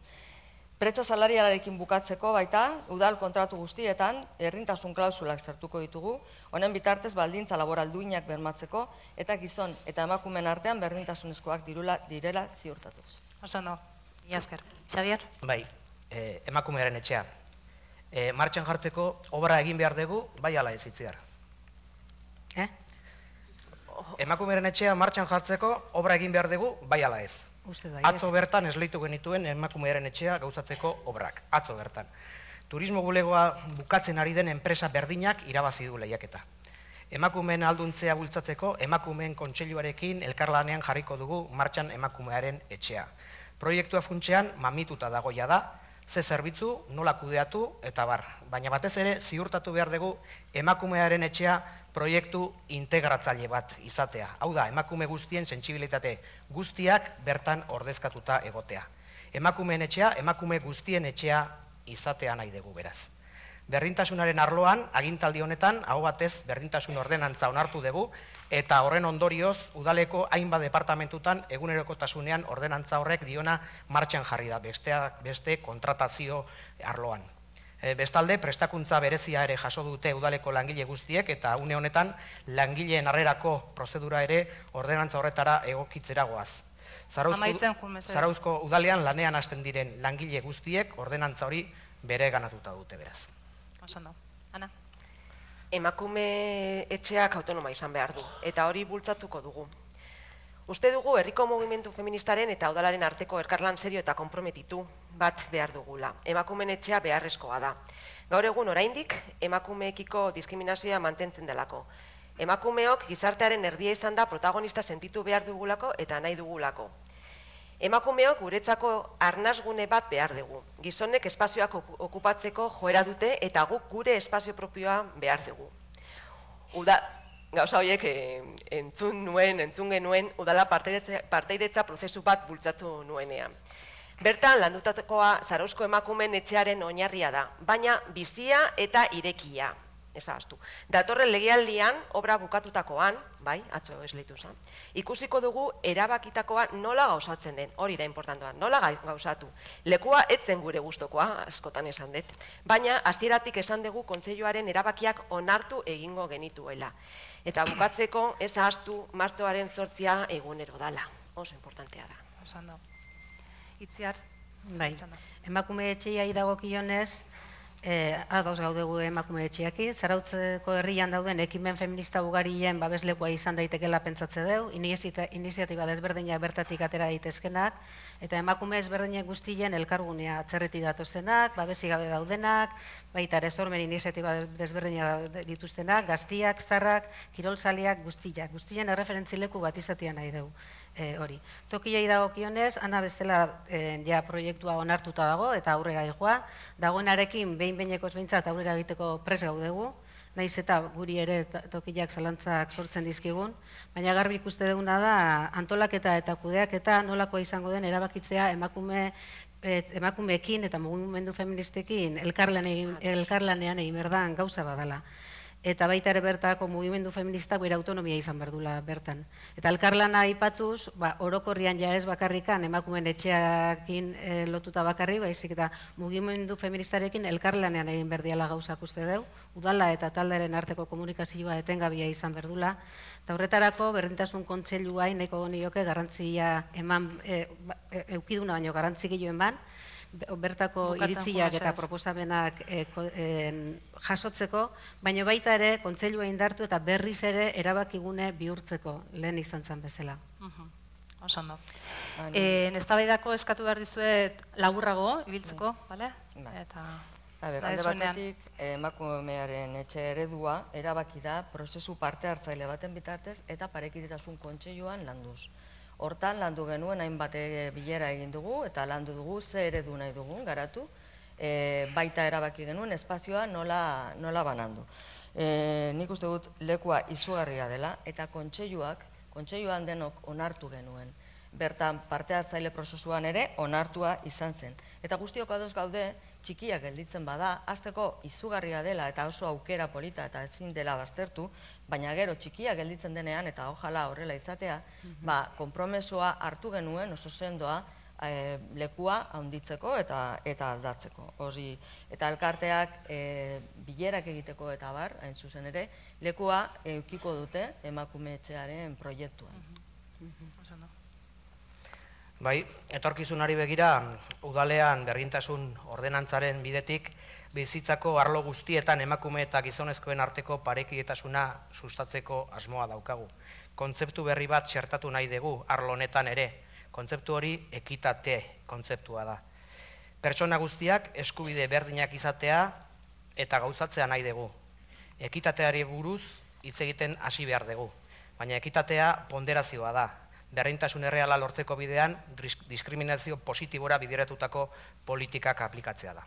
Pretso salarialarekin bukatzeko baita, udal kontratu guztietan, errintasun klausulak sartuko ditugu, honen bitartez baldintza laboral duinak bermatzeko, eta gizon eta emakumeen artean berdintasunezkoak direla ziurtatuz. Oso no, iasker. Xabier? Bai, emakumearen etxea. Martxan jartzeko obra egin behar dugu, bai ala ez itziar. Eh? Emakumearen etxea martxan jartzeko obra egin behar dugu, bai ala ez. Atzo bertan esleitu genituen emakumearen etxea gauzatzeko obrak. Atzo bertan. Turismo bulegoa bukatzen ari den enpresa berdinak irabazi du lehiaketa. Emakumeen alduntzea bultzatzeko emakumeen kontseiluarekin elkarlanean jarriko dugu martxan emakumearen etxea. Proiektua funtsean mamituta dagoia da, ze zerbitzu, nola kudeatu eta bar. Baina batez ere ziurtatu behar dugu emakumearen etxea proiektu integratzaile bat izatea. Hau da, emakume guztien sentsibilitate guztiak bertan ordezkatuta egotea. Emakumeen etxea, emakume guztien etxea izatea nahi dugu beraz. Berdintasunaren arloan, agintaldi honetan, hau batez berdintasun ordenantza onartu dugu, eta horren ondorioz, udaleko hainbat departamentutan egunerokotasunean ordenantza horrek diona martxan jarri da, beste kontratazio arloan. Bestalde, prestakuntza berezia ere jaso dute udaleko langile guztiek eta une honetan langileen harrerako prozedura ere ordenantza horretara egokitzera goaz. Zarauzko udalean lanean hasten diren langile guztiek ordenantza hori bere ganatuta dute beraz. Osondo. Ana? Emakume etxeak autonoma izan behar du eta hori bultzatuko dugu. Uste dugu herriko mugimendu feministaren eta udalaren arteko elkarlan serio eta konprometitu bat behar dugula. Emakumeen etxea beharrezkoa da. Gaur egun oraindik emakumeekiko diskriminazioa mantentzen delako. Emakumeok gizartearen erdia izan da protagonista sentitu behar dugulako eta nahi dugulako. Emakumeok guretzako arnasgune bat behar dugu. Gizonek espazioak okupatzeko joera dute eta guk gure espazio propioa behar dugu. gauza horiek entzun nuen, entzun genuen, udala parteidetza prozesu bat bultzatu nuenean. Bertan, landutakoa Zarauzko emakumeen etxearen oinarria da, baina bizia eta irekia. Ezagaztu. Datorren legealdian, obra bukatutakoan, bai, atzo esleitu zan, ikusiko dugu erabakitakoa nola gauzatzen den, hori da importantoa, nola gauzatu. Lekua etzen gure gustokoa, askotan esan dut, baina hasieratik esan dugu kontseiluaren erabakiak onartu egingo genituela. Eta bukatzeko, ez ahaztu martxoaren zortzia egunero dala. Oso importantea da. Osan da. Itziar? Bai, emakume etxeai dagokionez, ados gaudegu emakume etxeaki, Zarautzeko herrian dauden ekimen feminista ugarien babeslekoa izan daitekela pentsatze deu, iniziatiba desberdinak bertatik atera daitezkenak, eta emakume ezberdinak guztien elkargunea atzerreti datozenak, babesi gabe daudenak, baita ere sormen iniziatiba desberdinak dituztenak, gaztiak, zarrak, kirolzaliak, guztiak, guztien erreferentzileku bat izatea nahi dugu. Hori. Tokiei dagokionez, ana bestela ja proiektua onartuta dago eta aurrera egoa. Dagoenarekin behin-behinekoz behintzat aurrera egiteko pres gaudegu, nahiz eta guri ere tokiak zalantzak sortzen dizkigun, baina garbi ikuste duguna da antolaketa eta kudeaketa nolakoa izango den erabakitzea emakumeekin eta mugimendu feministekin elkarlanean egin berdan gauza badala. Eta baita ere bertako mugimendu feministak bere autonomia izan berdula bertan. Eta elkarlana aipatuz, orokorrian ja ez bakarrikan emakumeen etxeakin lotuta bakarri, baizik eta mugimendu feministarekin elkarlanean egin berdiala gauzak uste deu, udala eta talderen arteko komunikazioa etengabia izan berdula, eta horretarako berdintasun kontseilua nahiko nioke garrantzia eman, eukiduna baino garrantzi gehiago eman, bertako iritziak eta proposamenak jasotzeko, baina baita ere kontseilua indartu eta berriz ere erabakigune bihurtzeko lehen izan zen bezala. Osondo. Eztabaidako eskatu behar dizuet laburrago, ibiltzeko, bale? Alde batetik, emakumearen etxe eredua erabaki da prozesu parte hartzaile baten bitartez eta parekidetasun kontseiluan landuz. Hortan landu genuen hainbat bilera egin dugu eta landu dugu ze eredu nahi dugun garatu, baita erabaki genuen espazioa nola banandu. Nik uste dut lekua izugarria dela eta kontseiluak, kontseiluan denok onartu genuen. Bertan parte hartzaile prozesuan ere onartua izan zen. Eta guztiok ados gaude, txikiak gelditzen bada, hasteko izugarria dela eta oso aukera polita eta ezin dela baztertu, baina gero txikiak gelditzen denean eta ojala horrela izatea, konpromesoa hartu genuen oso sendoa lekua handitzeko eta aldatzeko. Eta elkarteak bilerak egiteko eta bar, hain zuzen ere, lekua eukiko dute emakume etxearen proiektuan. Bai, etorkizunari begira, udalean berdintasun ordenantzaren bidetik bizitzako arlo guztietan emakume eta gizonezkoen arteko parekidetasuna sustatzeko asmoa daukagu. Kontzeptu berri bat txertatu nahi dugu arlo honetan ere. Kontzeptu hori ekitate kontzeptua da. Pertsona guztiak eskubide berdinak izatea eta gauzatzea nahi dugu. Ekitateari buruz hitz egiten hasi behar dugu, baina ekitatea ponderazioa da. Berdintasun erreala lortzeko bidean diskriminazio positibora bideratutako politikak aplikatzea da.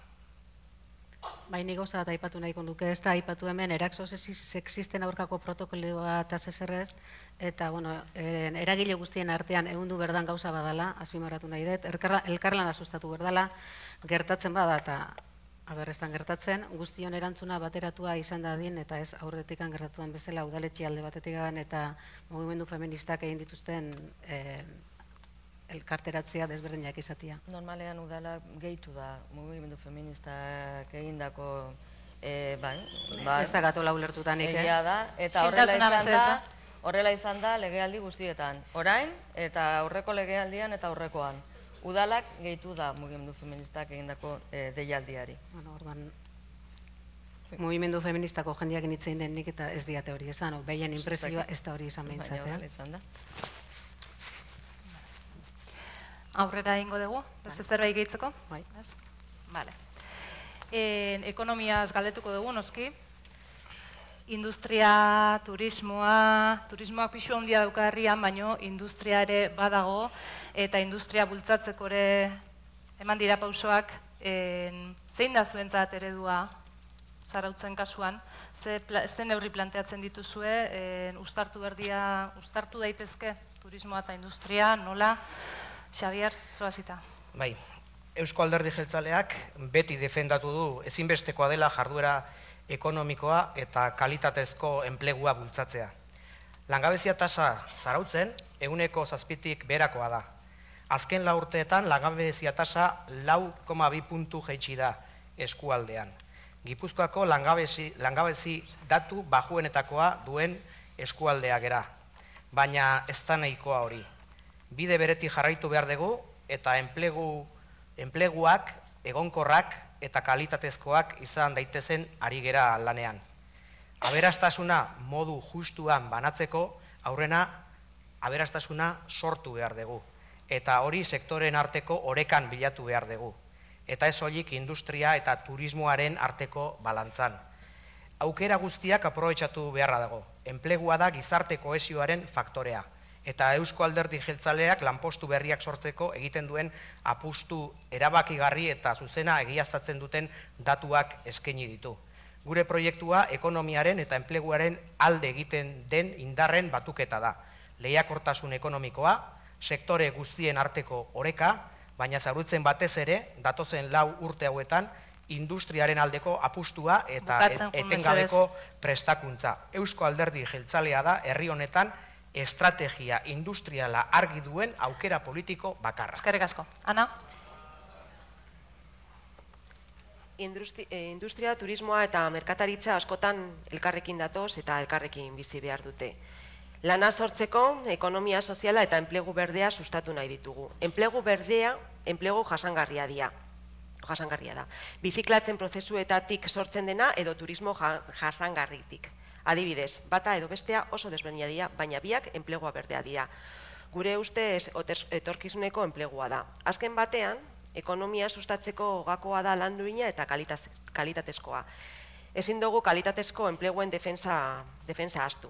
Baina goza eta aipatu nahiko nuke, ez da aipatu hemen erakso sexisten aurkako protokoloa eta zezerrez, eta eragile guztien artean ehundu berdan gauza badala, azpimarratu nahi dut, elkarlana sustatu berdala, gertatzen bada eta aberrestan gertatzen, guztion erantzuna bateratua izan dadin eta ez aurretikan gertatuan bezala udaletxe alde batetik eta mugimendu feministak egin dituzten elkarteratzea desberdinak izatea. Normalean udala gehitu da mugimendu feministak egindako ez da gatola ulertutanik, egia da, eta horrela izan da legealdi guztietan. Orain eta aurreko legealdian eta aurrekoan. Udalak gehitu da mugimendu feministak egindako deialdiari. Mugimendu feministako jendeak nitzein den nik eta ez diate hori esan, behien impresioa ez da hori izan behintzat. Baina horrela izan da. Aurrera egingo dugu, beste zerbait gehitzeko? Bai. Bale. Ekonomiaz galdetuko dugu, noski. Industria, turismoa, turismoak pixu handia dauka herrian, baino industria ere badago, eta industria bultzatzeko ere eman dira pausoak, zein da zuentzat eredua Zarautzen kasuan, ze, ze neurri planteatzen dituzue, uztartu berdia, uztartu daitezke turismoa eta industria, nola? Xabier, zoazita. Bai, Eusko Alderdi Jeltzaleak beti defendatu du ezinbestekoa dela jarduera ekonomikoa eta kalitatezko enplegua bultzatzea. Langabezia tasa Zarautzen ehuneko zazpitik beherakoa da. Azken lau urteetan langabezia tasa lau koma bi puntu jaitsi da eskualdean. Gipuzkoako langabezi, langabezi datu bajuenetakoa duen eskualdea gera. Baina ez da nahikoa hori. Bide beretik jarraitu behar dugu eta enplegu, enpleguak, egonkorrak eta kalitatezkoak izan daitezen ari gera lanean. Aberastasuna modu justuan banatzeko aurrena aberastasuna sortu behar dugu. Eta hori sektoren arteko orekan bilatu behar dugu. Eta ez soilik industria eta turismoaren arteko balantzan. Aukera guztiak aprobetxatu beharra dago. Enplegua da gizarte kohesioaren faktorea. Eta Eusko Alderdi Jeltzaleak lanpostu berriak sortzeko egiten duen apustu erabakigarri eta zuzena egiaztatzen duten datuak eskaini ditu. Gure proiektua ekonomiaren eta enpleguaren alde egiten den indarren batuketa da. Lehiakortasun ekonomikoa, sektore guztien arteko oreka, baina Zarautzen batez ere, datozen lau urte hauetan, industriaren aldeko apustua eta etengabeko prestakuntza. Eusko Alderdi Jeltzalea da herri honetan estrategia industriala argi duen aukera politiko bakarra. Eskerrik asko. Ana? Industria, turismoa eta merkataritza askotan elkarrekin datoz eta elkarrekin bizi behar dute. Lana sortzeko, ekonomia soziala eta enplegu berdea sustatu nahi ditugu. Enplegu berdea, enplegu jasangarria dira. jasangarria da. Biziklatzen prozesuetatik sortzen dena edo turismo jasangarritik. Adibidez, bata edo bestea oso desberdina dira, baina biak enplegua berdea dira. Gure ustez etorkizuneko enplegua da. Azken batean, ekonomia sustatzeko gakoa da lan duina eta kalitatezkoa. Ezin dugu kalitatezko enpleguen defensa ahaztu.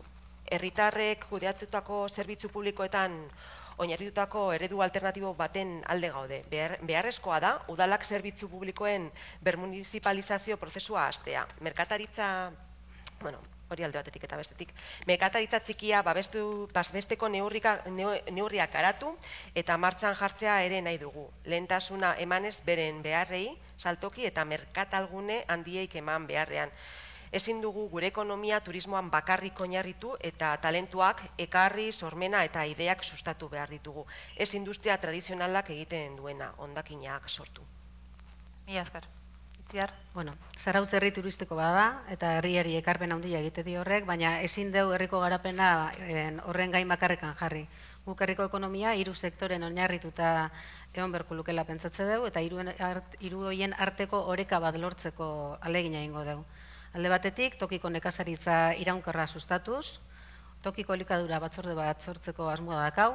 Herritarrek kudeatutako zerbitzu publikoetan oinarritutako eredu alternatibo baten alde gaude. Beharrezkoa da, udalak zerbitzu publikoen bermunizipalizazio prozesua hastea. Merkataritza, bueno, hori alde batetik eta bestetik, merkataritza txikia babesteko neurriak garatu eta martxan jartzea ere nahi dugu. Lehentasuna emanez beren beharrei, saltoki eta merkatalgune handieik eman beharrean. Ezin dugu gure ekonomia turismoan bakarrik oinarritu eta talentuak ekarri, sormena eta ideak sustatu behar ditugu. Ez industria tradizionalak egiten duena, hondakinak sortu. Mila esker. Itziar? Bueno, Zarautz herri turistiko bada eta herriari ekarpen handia egite di horrek, baina ezin deu herriko garapena horren gain bakarrekan jarri. Guk herriko ekonomia hiru sektoren oinarrituta egon beharko lukela pentsatze dugu eta hiru horien arteko oreka bat lortzeko ahalegina egingo dugu. Alde batetik, tokiko nekazaritza iraunkorra sustatuz, tokiko elikadura batzorde bat sortzeko asmoa dakau,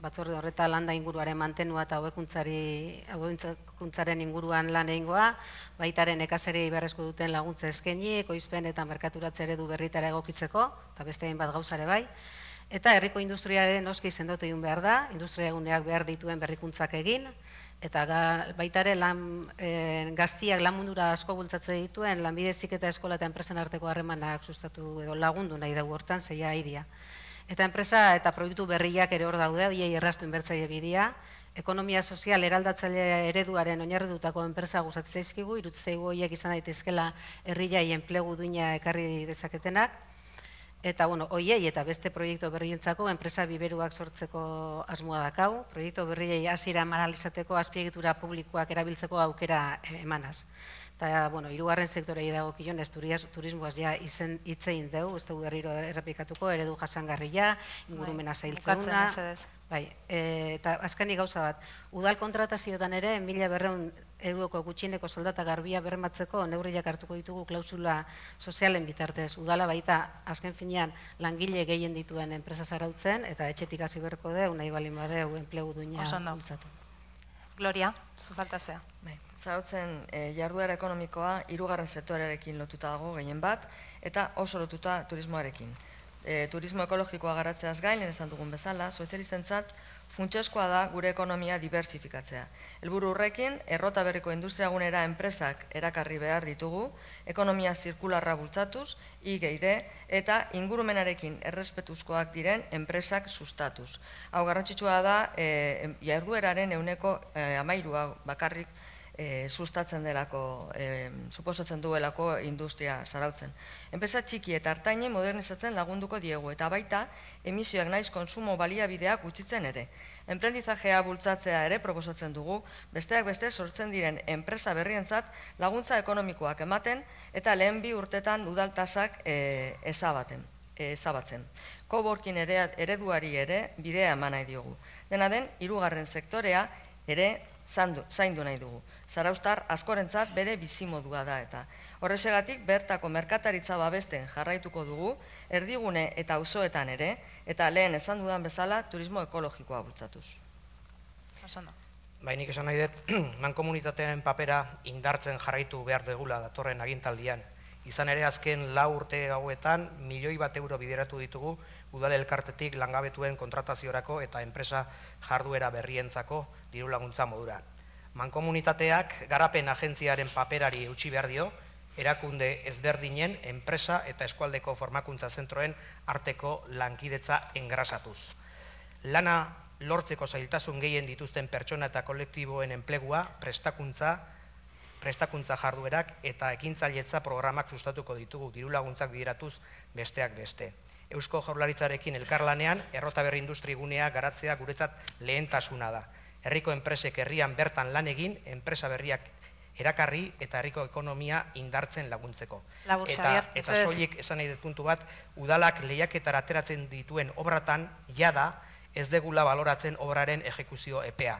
batzorde horreta landa inguruaren mantenua eta hobekuntzaren inguruan lan egingoa, baitaren nekazari beharrezko duten laguntza eskaini, ekoizpen eta merkaturatze eredu berritara egokitzeko, eta beste egin bat gauzare bai, eta herriko industriaren oski sendotu egin behar da, industria eguneak behar dituen berrikuntzak egin, eta baitare gaztiak lan mundura asko bultzatze dituen lanbide heziketa eskola eta enpresen arteko harremanak sustatu edo lagundu nahi dugu hortan, zeia idia. Eta enpresa eta proiektu berriak ere hor daude, horiei erraztu inbertzaile bidea, ekonomia sozial eraldatzaile ereduaren oinarritutako enpresa gustatzen zaizkigu, iruditzen zaigu horiek izan daitezkela herriai enplegu duina ekarri dezaketenak. Eta, bueno, hoiei eta beste proiektu berrientzako enpresa biberuak sortzeko asmoa dakau, proiektu berriei hasiera maralizateko azpiegitura publikoak erabiltzeko aukera emanaz. Eta, bueno, hirugarren sektorei dagokionez turismoaz ja hitz egin dugu, ez dugu berriro errepikatuko, eredu jasangarria, ingurumena zailtzeguna. Bai, eta azkenik gauza bat, udal kontratazioetan ere, mila berrehun euroko gutxieneko soldata garbia bermatzeko neurriak hartuko ditugu klausula sozialen bitartez. Udala baita, azken finean, langile gehien dituen enpresa Zarautzen, eta etxetik hasi beharko deu, nahi balin badeu, enplegu duina bultzatu. Gloria, zu faltazea. Zarautzen jarduera ekonomikoa hirugarren sektorearekin lotuta dago gehien bat, eta oso lotuta turismoarekin. E, turismo ekologikoa garatzeaz gain, lehen esan dugun bezala, sozialistentzat funtsezkoa da gure ekonomia diversifikatzea. Helburu horrekin, errota berriko industriagunera enpresak erakarri behar ditugu, ekonomia zirkularra bultzatuz, I G D, eta ingurumenarekin errespetuzkoak diren enpresak sustatuz. Hau garrantzitsua da, e, jardueraren ehuneko e, hamairua bakarrik E, sustatzen delako, e, suposatzen duelako industria zarautzen. Enpresa txiki eta hartaini modernizatzen lagunduko diegu eta baita emisioak naiz konsumo baliabideak gutxitzen ere. Enprendizajea bultzatzea ere proposatzen dugu, besteak beste sortzen diren enpresa berrientzat laguntza ekonomikoak ematen eta lehen bi urtetan udaltasak e, ezabaten. ezabatzen. Coworking ereduari ere bidea eman nahi diogu. Dena den, hirugarren sektorea ere zaindu nahi dugu. Zarauztar askorentzat bere bizimodua da eta. Horrexegatik bertako merkataritza babesten jarraituko dugu, erdigune eta auzoetan ere, eta lehen esan dudan bezala turismo ekologikoa bultzatuz. Bainik esan nahi dut, mankomunitatearen papera indartzen jarraitu behar degula datorren agintaldian. Izan ere azken lau urte hauetan milioi bat euro bideratu ditugu udal elkartetik langabetuen kontrataziorako eta enpresa jarduera berrientzako diru laguntza modura. Mankomunitateak garapen agentziaren paperari eutsi behar dio, erakunde ezberdinen enpresa eta eskualdeko formakuntza zentroen arteko lankidetza engrasatuz. Lana lortzeko zailtasun gehien dituzten pertsona eta kolektiboen enplegua, prestakuntza, prestakuntza jarduerak eta ekintzailetza programak sustatuko ditugu diru laguntzak bideratuz besteak beste. Eusko Jaurlaritzarekin elkarlanean errota berri industri gunea garatzea guretzat lehentasuna da. Herriko enpresek herrian bertan lan egin, enpresa berriak erakarri eta herriko ekonomia indartzen laguntzeko. Eta, eta soilik esan nahi dut puntu bat, udalak lehiaketara ateratzen dituen obratan jada ez degula baloratzen obraren ejekuzio epea.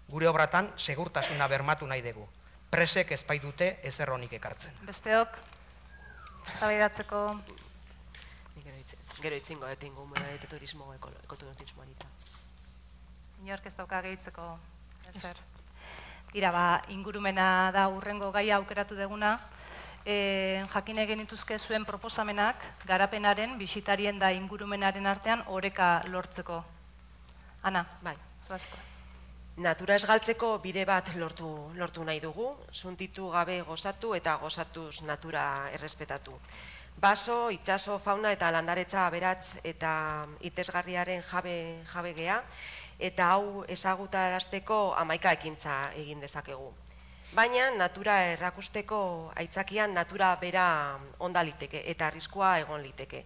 Gure obratan segurtasuna bermatu nahi dugu. Presek ezpai dute ezer honik ekartzen. Besteok, eztabaidatzeko Gero itzingo etingo umena eta turismo ekoturismo anita. Inork ez dauka gehitzeko ezer. Tira, ba, ingurumena da urrengo gaia aukeratu deguna. Jakin egin dituzke zuen proposamenak garapenaren, bisitarien da ingurumenaren artean oreka lortzeko. Ana, bai, zoazko. Natura esgaltzeko bide bat lortu, lortu nahi dugu, suntitu gabe gozatu eta gozatuz natura errespetatu. Baso, itxaso, fauna eta landaretza aberatz eta itesgarriaren jabe, jabe gea, eta hau ezagutarazteko hamaika ekintza egin dezakegu. Baina natura errakusteko aitzakian natura bera onda liteke eta arriskua egon liteke.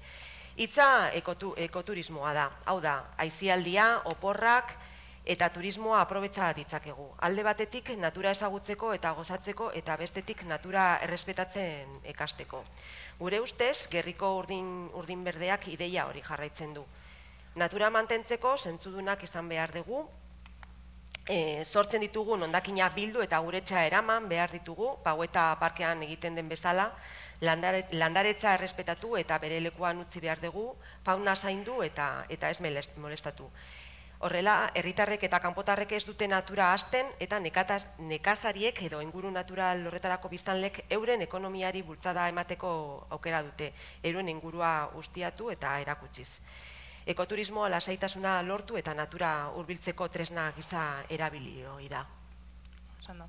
Hitza ekotu, ekoturismoa da, hau da, aisialdia, oporrak, eta turismoa aprobetsa ditzakegu. Alde batetik natura ezagutzeko eta gozatzeko eta bestetik natura errespetatzen ekasteko. Gure ustez, gerriko urdin, urdin berdeak ideia hori jarraitzen du. Natura mantentzeko zentzudunak izan behar dugu, e, sortzen ditugun hondakinak bildu eta guretxa eraman behar ditugu, Paueta parkean egiten den bezala, landare, landaretza errespetatu eta bere lekuan utzi behar dugu, fauna zaindu eta, eta ez molestatu. Horrela, herritarrek eta kanpotarrek ez dute natura hasten eta nekataz, nekazariek edo inguru natural horretarako biztanlek euren ekonomiari bultzada emateko aukera dute, euren ingurua ustiatu eta erakutsiz. Ekoturismoa lasaitasuna lortu eta natura hurbiltzeko tresna giza erabilioi da. Ondo.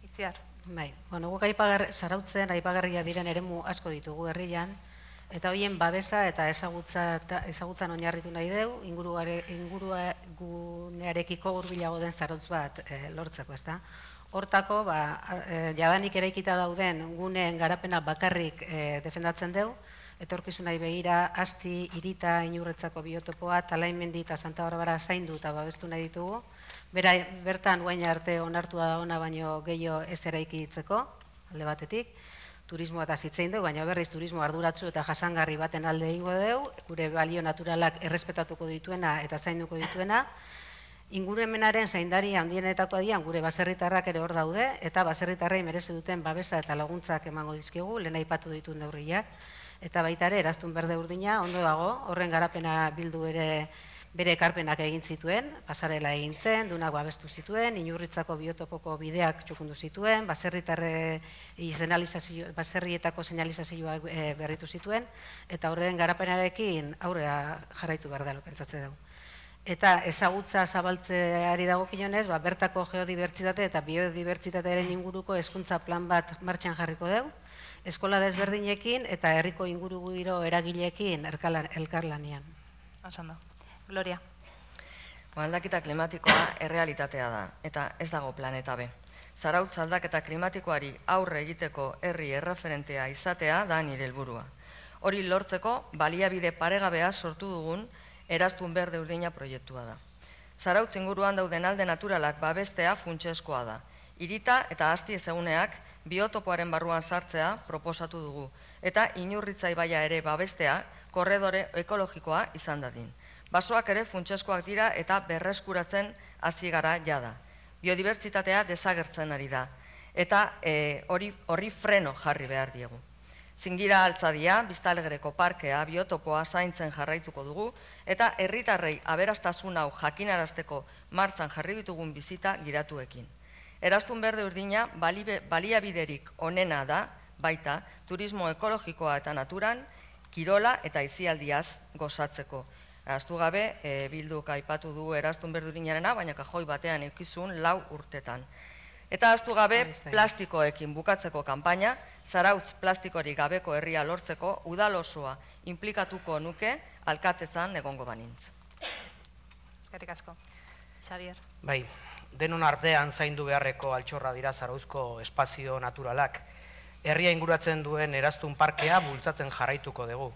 Itziar. Bai, bueno, guk aipagar, zarautzen aipagarria diren eremu asko ditugu herrian, eta horien babesa eta ezagutza, ezagutzan oinarritu nahi deu, inguruarekiko hurbilago den zarautz bat e, lortzeko, ezta? Hortako, ba, e, jadanik eraikita dauden guneen garapena bakarrik e, defendatzen deu, etorkizunai begira, Asti, Irita, Inurretzako biotopoa, Talaimendi eta Santa Barbara zaindu eta babestu nahi ditugu. Bera, bertan guain arte onartua da ona baino gehiago ez eraiki ditzeko, alde batetik. Turismoa eta zitzein dugu, baina berriz turismo arduratsu eta jasangarri baten alde egingo dugu, gure balio naturalak errespetatuko dituena eta zainduko dituena. Ingurumenaren zaindari handienetako adian gure baserritarrak ere hor daude, eta baserritarrei merezi duten babesa eta laguntzak emango dizkigu, lehen aipatu dituen neurriak, eta baita ere eraztun berde urdina, ondo dago, horren garapena bildu ere bere ekarpenak egin zituen, pasarela egin zen, dunak babestu zituen, Inurritzako biotopoko bideak txukundu zituen, baserrietako señalizazioak berritu zituen, eta horren garapenarekin aurrera jarraitu behar dela pentsatze dugu. Eta ezagutza zabaltzeari dagokionez, bertako geodibertsitate eta biodibertsitatearen inguruko hezkuntza plan bat martxan jarriko dugu, eskola desberdinekin eta herriko ingurugiro eragileekin elkarlanean. Oso ondo. Gloria. Aldaketa klimatikoa errealitatea da, eta ez dago planeta B. Zarautz aldaketa klimatikoari aurre egiteko herri erreferentea izatea da nire helburua. Hori lortzeko baliabide paregabea sortu dugun Eraztun Berde Urdina proiektua da. Zarautz inguruan dauden alde naturalak babestea funtsezkoa da. Hirita eta asti ezaguneak biotopoaren barruan sartzea proposatu dugu, eta Inurritza ibaia ere babestea korredore ekologikoa izan dadin. Basoak ere funtsezkoak dira eta berreskuratzen hasi gara jada. Biodibertsitatea desagertzen ari da, eta hori freno jarri behar diegu. Zingira Altzadia, Biztanlegereko parkea, biotopoa zaintzen jarraituko dugu, eta herritarrei aberastasun hau jakinarazteko martxan jarri ditugun bizita gidatuekin. Eraztun Berde Urdina baliabiderik onena da, baita, turismo ekologikoa eta naturan, kirola eta aisialdiaz gozatzeko. Ahaztu gabe, Bilduk aipatu du Eraztun Berde Urdinarena, baina kajoi batean eukizun lau urtetan. Eta ahaztu gabe, plastikoekin bukatzeko kanpaina, Zarautz plastikorik gabeko herria lortzeko udal osoa inplikatuko nuke alkatetzan egongo banintz. Eskerrik asko. Xabier. Bai, denon artean zaindu beharreko altxorra dira Zarauzko espazio naturalak. Herria inguratzen duen Eraztun parkea bultzatzen jarraituko dugu.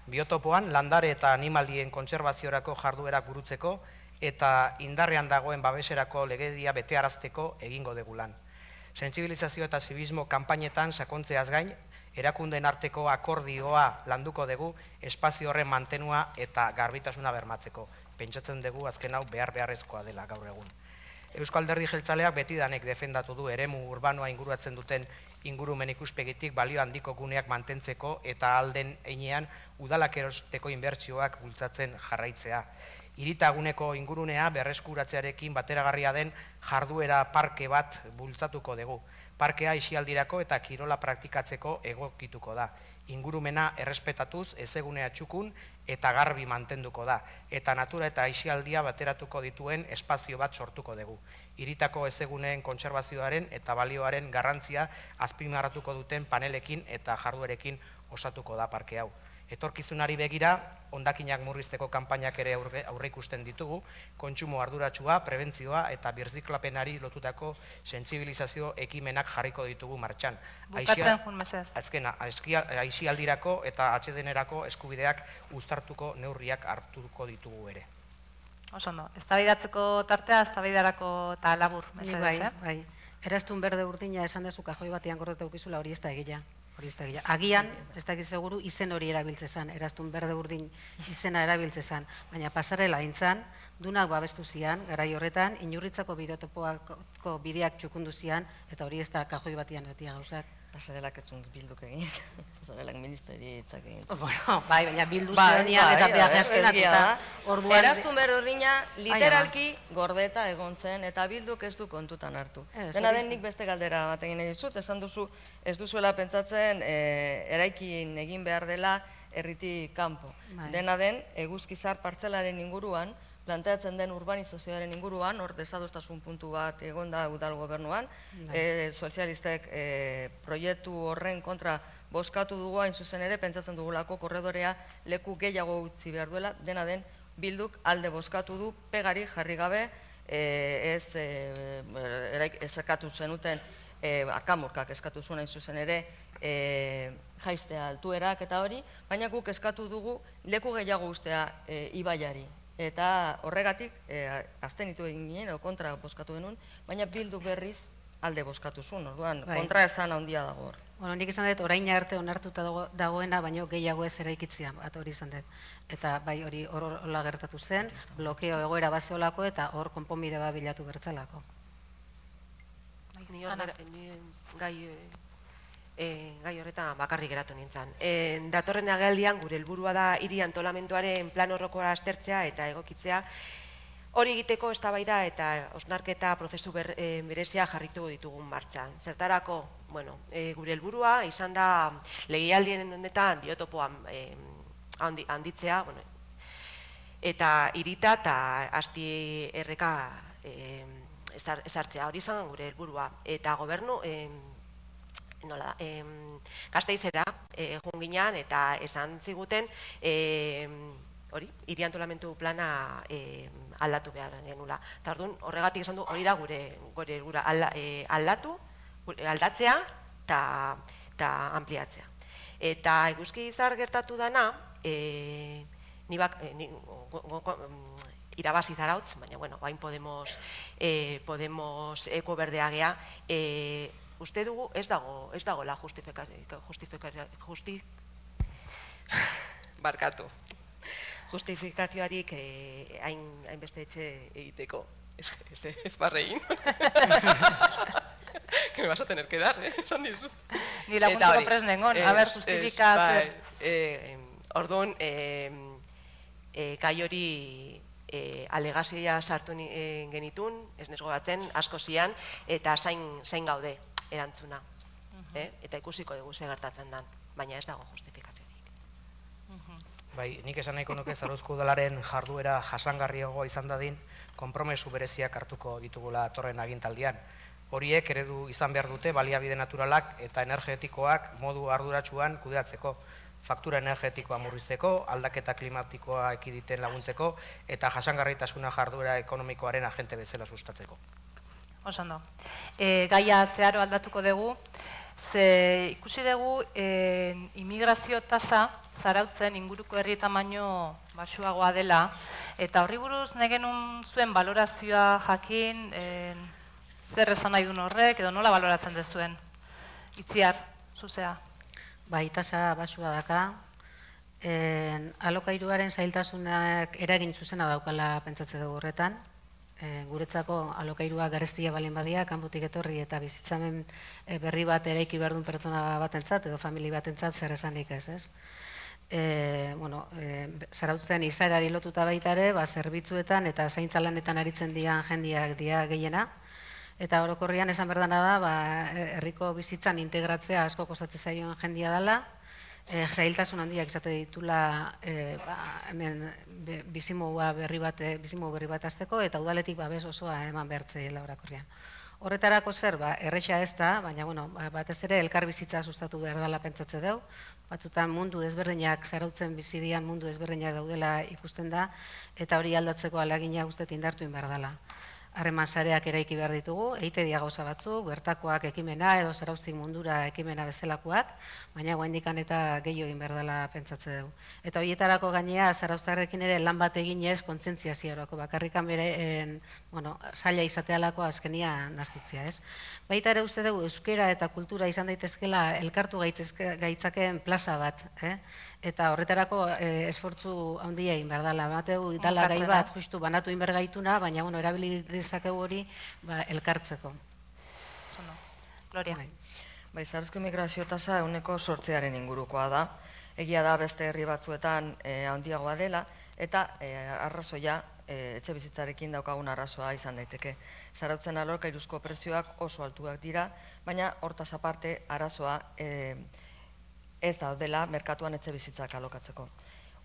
Biotopoan landare eta animalien kontserbaziorako jarduerak burutzeko eta indarrean dagoen babeserako legedia betearazteko egingo dugu lan. Sentsibilizazio eta zibismo kanpainetan sakontzeaz gain, erakundeen arteko akordioa landuko dugu espazio horren mantenua eta garbitasuna bermatzeko. Pentsatzen dugu azken hau behar beharrezkoa dela gaur egun. Eusko Alderdi Jeltzaleak betidanek defendatu du eremu urbanoa inguratzen duten ingurumen ikuspegitik balio handiko guneak mantentzeko eta alden einean udalak erosteko inbertsioak bultzatzen jarraitzea. Hiritaguneko ingurunea berreskuratzearekin bateragarria den jarduera parke bat bultzatuko dugu. Parkea aisialdirako eta kirola praktikatzeko egokituko da. Ingurumena errespetatuz, ezegunea txukun eta garbi mantenduko da. Eta natura eta aisialdia bateratuko dituen espazio bat sortuko dugu. Hiritako ezeguneen kontserbazioaren eta balioaren garrantzia azpimarratuko duten panelekin eta jarduerekin osatuko da parke hau. Etorkizunari begira, hondakinak murrizteko kanpainak ere aurre ikusten ditugu, kontsumo arduratsua, prebentzioa eta birziklapenari lotutako sentsibilizazio ekimenak jarriko ditugu martxan. Bukatzen jun mesedez. Azkena, aisialdirako eta atsedenerako eskubideak uztartuko neurriak hartuko ditugu ere. Oso ondo, eztabaidatzeko tartea, eztabaidarako eta labur mesedez, eh? Bai, Eraztun Berde Urdina esan dezu kajoi batean gordeta ukizula hori ez da egia. Agian, ez dakit seguru, izen hori erabiltzezan, Eraztun Berde Urdin izena erabiltzezan, baina pasarela intzan, dunak babestu zian, garai horretan, Inurritzako bideotopoako bideak txukundu zian, eta hori ez da kajoi batean etia gauzak. Pasarelak ez zuen Bilduk egin, pasarelak ministeritzak egin. Bueno, bai, baina Bildu zeonian eta peaje askenatuta. Eraztun Berde Urdina literalki gordeta egon zen, eta Bilduk ez du kontutan hartu. Dena den nik beste galdera bat egin edizut, esan duzu ez duzuela pentsatzen eraikin egin behar dela herritik kanpo. Dena den, Eguzkizar partzelaren inguruan, planteatzen den urbanizazioaren inguruan, hor desadostasun puntu bat egon da udal gobernuan, sozialistek proiektu horren kontra bozkatu dugu hain zuzen ere, pentsatzen dugulako korredorea leku gehiago utzi behar duela, dena den Bilduk alde bozkatu du, pegari jarri gabe, ez eskatu zenuten, akamurkak eskatu zuen hain zuzen ere, jaistea altuerak eta hori, baina guk eskatu dugu leku gehiago ustea ibaiari. Eta horregatik, abstenitu egin ginen, kontra bozkatu genuen, baina Bilduk berriz alde bozkatu zuen, orduan, kontra esan handia dago hor. Bueno, nik izan dut, orain arte onartuta dagoena, baina gehiago ez eraikitzea, bat hori izan dut. Eta bai hori horrela gertatu zen, blokeo egoera bazeolako eta hor konponbide bat bilatu bertzalako. Ni gai gai horretan bakarrik geratu nintzen. Datorren agerraldian gure helburua da hiri antolamenduaren plan orokorra aztertzea eta egokitzea. Hori egiteko eztabaida eta hausnarketa prozesu berezia jarritu ditugun martxan. Zertarako, bueno, gure helburua izan da legealdien honetan biotopoa handitzea, bueno, eta hirita eta asti erreka ezartzea, hori izan gure helburua. Eta gobernu, nola da, Gasteizera joan ginean eta esan ziguten hori, hiri antolamendu plana aldatu behar genula. Eta orduan, horregatik esan du, hori da gure helburua, aldatu, aldatzea eta ampliatzea. Eta eguzki izar gertatu dana, irabazi Zarautz, baina, bueno, bain Podemos eko berdea gea, uste dugu ez dago, ez dago la justifikazio, barkatu, justifikazioarik hainbeste etxe egiteko, ez barrein. Que me vas a tener que dar, eh, esan dizu. Ni laguntzeko prest nengon, a ber, justifikazio. Orduan, gai hori alegazioa sartu genitun, ez nesgo batzen, asko zian, eta zain gaude erantzuna. Eta ikusiko dugu ze gertatzen den, baina ez dago justifikaziorik. Bai, nik esan nahiko nuke Zarauzko udalaren jarduera jasangarriagoa izan dadin, konpromesu bereziak hartuko ditugula atorren agintaldian. Horiek eredu izan behar dute baliabide naturalak eta energetikoak modu arduratsuan kudeatzeko, faktura energetikoa murrizteko, aldaketa klimatikoa ekiditen laguntzeko eta jasangarritasuna jarduera ekonomikoaren agente bezala sustatzeko. Oso ondo. Gaia zeharo aldatuko dugu, ze ikusi dugu immigrazio tasa Zarautzen inguruko herrietan baino baxuagoa dela, eta horri buruz negenun zuen balorazioa jakin, zer esan nahi duen horrek, edo nola baloratzen dezuen? Itziar, zuzea. Bai, tasa baxua daka. Alokairuaren zailtasunak eragin zuzena daukala pentsatze dugu horretan. Guretzako alokairua garestia balin badia, kanpotik etorri eta bizitzamen berri bat eraiki behar duen pertsona batentzat, edo famili batentzat zer esanik ez, ez? Zarautzen izaerari lotuta baita ere, zerbitzuetan eta zaintza lanetan aritzen dian jendiak dia gehiena, eta orokorrian esan berdana da, herriko bizitzan integratzea asko kostatzen zaioen jendia dela, zailtasun handiak izate ditula bizimogu berri bat azteko, eta udaletik babes osoa eman behartzeela orokorrian. Horretarako zer, erresa ez da, baina batez ere elkar bizitza sustatu behar dela pentsatze dugu, batzutan mundu desberdinak, Zarautzen bizidian mundu desberdinak daudela ikusten da, eta hori aldatzeko alagina guztet indartu behar dela. Harreman sareak eraiki behar ditugu, eite dia gauza batzuk, bertakoak ekimena edo Zarauztik mundura ekimena bezalakoak, baina guaindikan eta gehiago egin behar dela pentsatze dugu. Eta horietarako gainea Zarauztarrekin ere lan bat eginez kontzientziaziorako, bakarrikan bere zaila izatealako azkenia naztutzia, ez? Baita ere uste dugu euskera eta kultura izan daitezkela elkartu gaitzakeen plaza bat, eta horretarako esfortzu handia egin behar dela. Bateu, dala gai bat justu banatu egin behar gaituna, baina erabili dezakegu hori elkartzeko. Gloria. Bai, Zarauzko migrazio tasa ehuneko sortzearen ingurukoa da. Egia da beste herri batzuetan handiagoa dela, eta arrazoia etxe bizitzarekin daukagun arrazoa izan daiteke. Zarautzen alokairuzko prezioak oso altuak dira, baina hortaz aparte arazoa ez daudela merkatuan etxe bizitzak alokatzeko.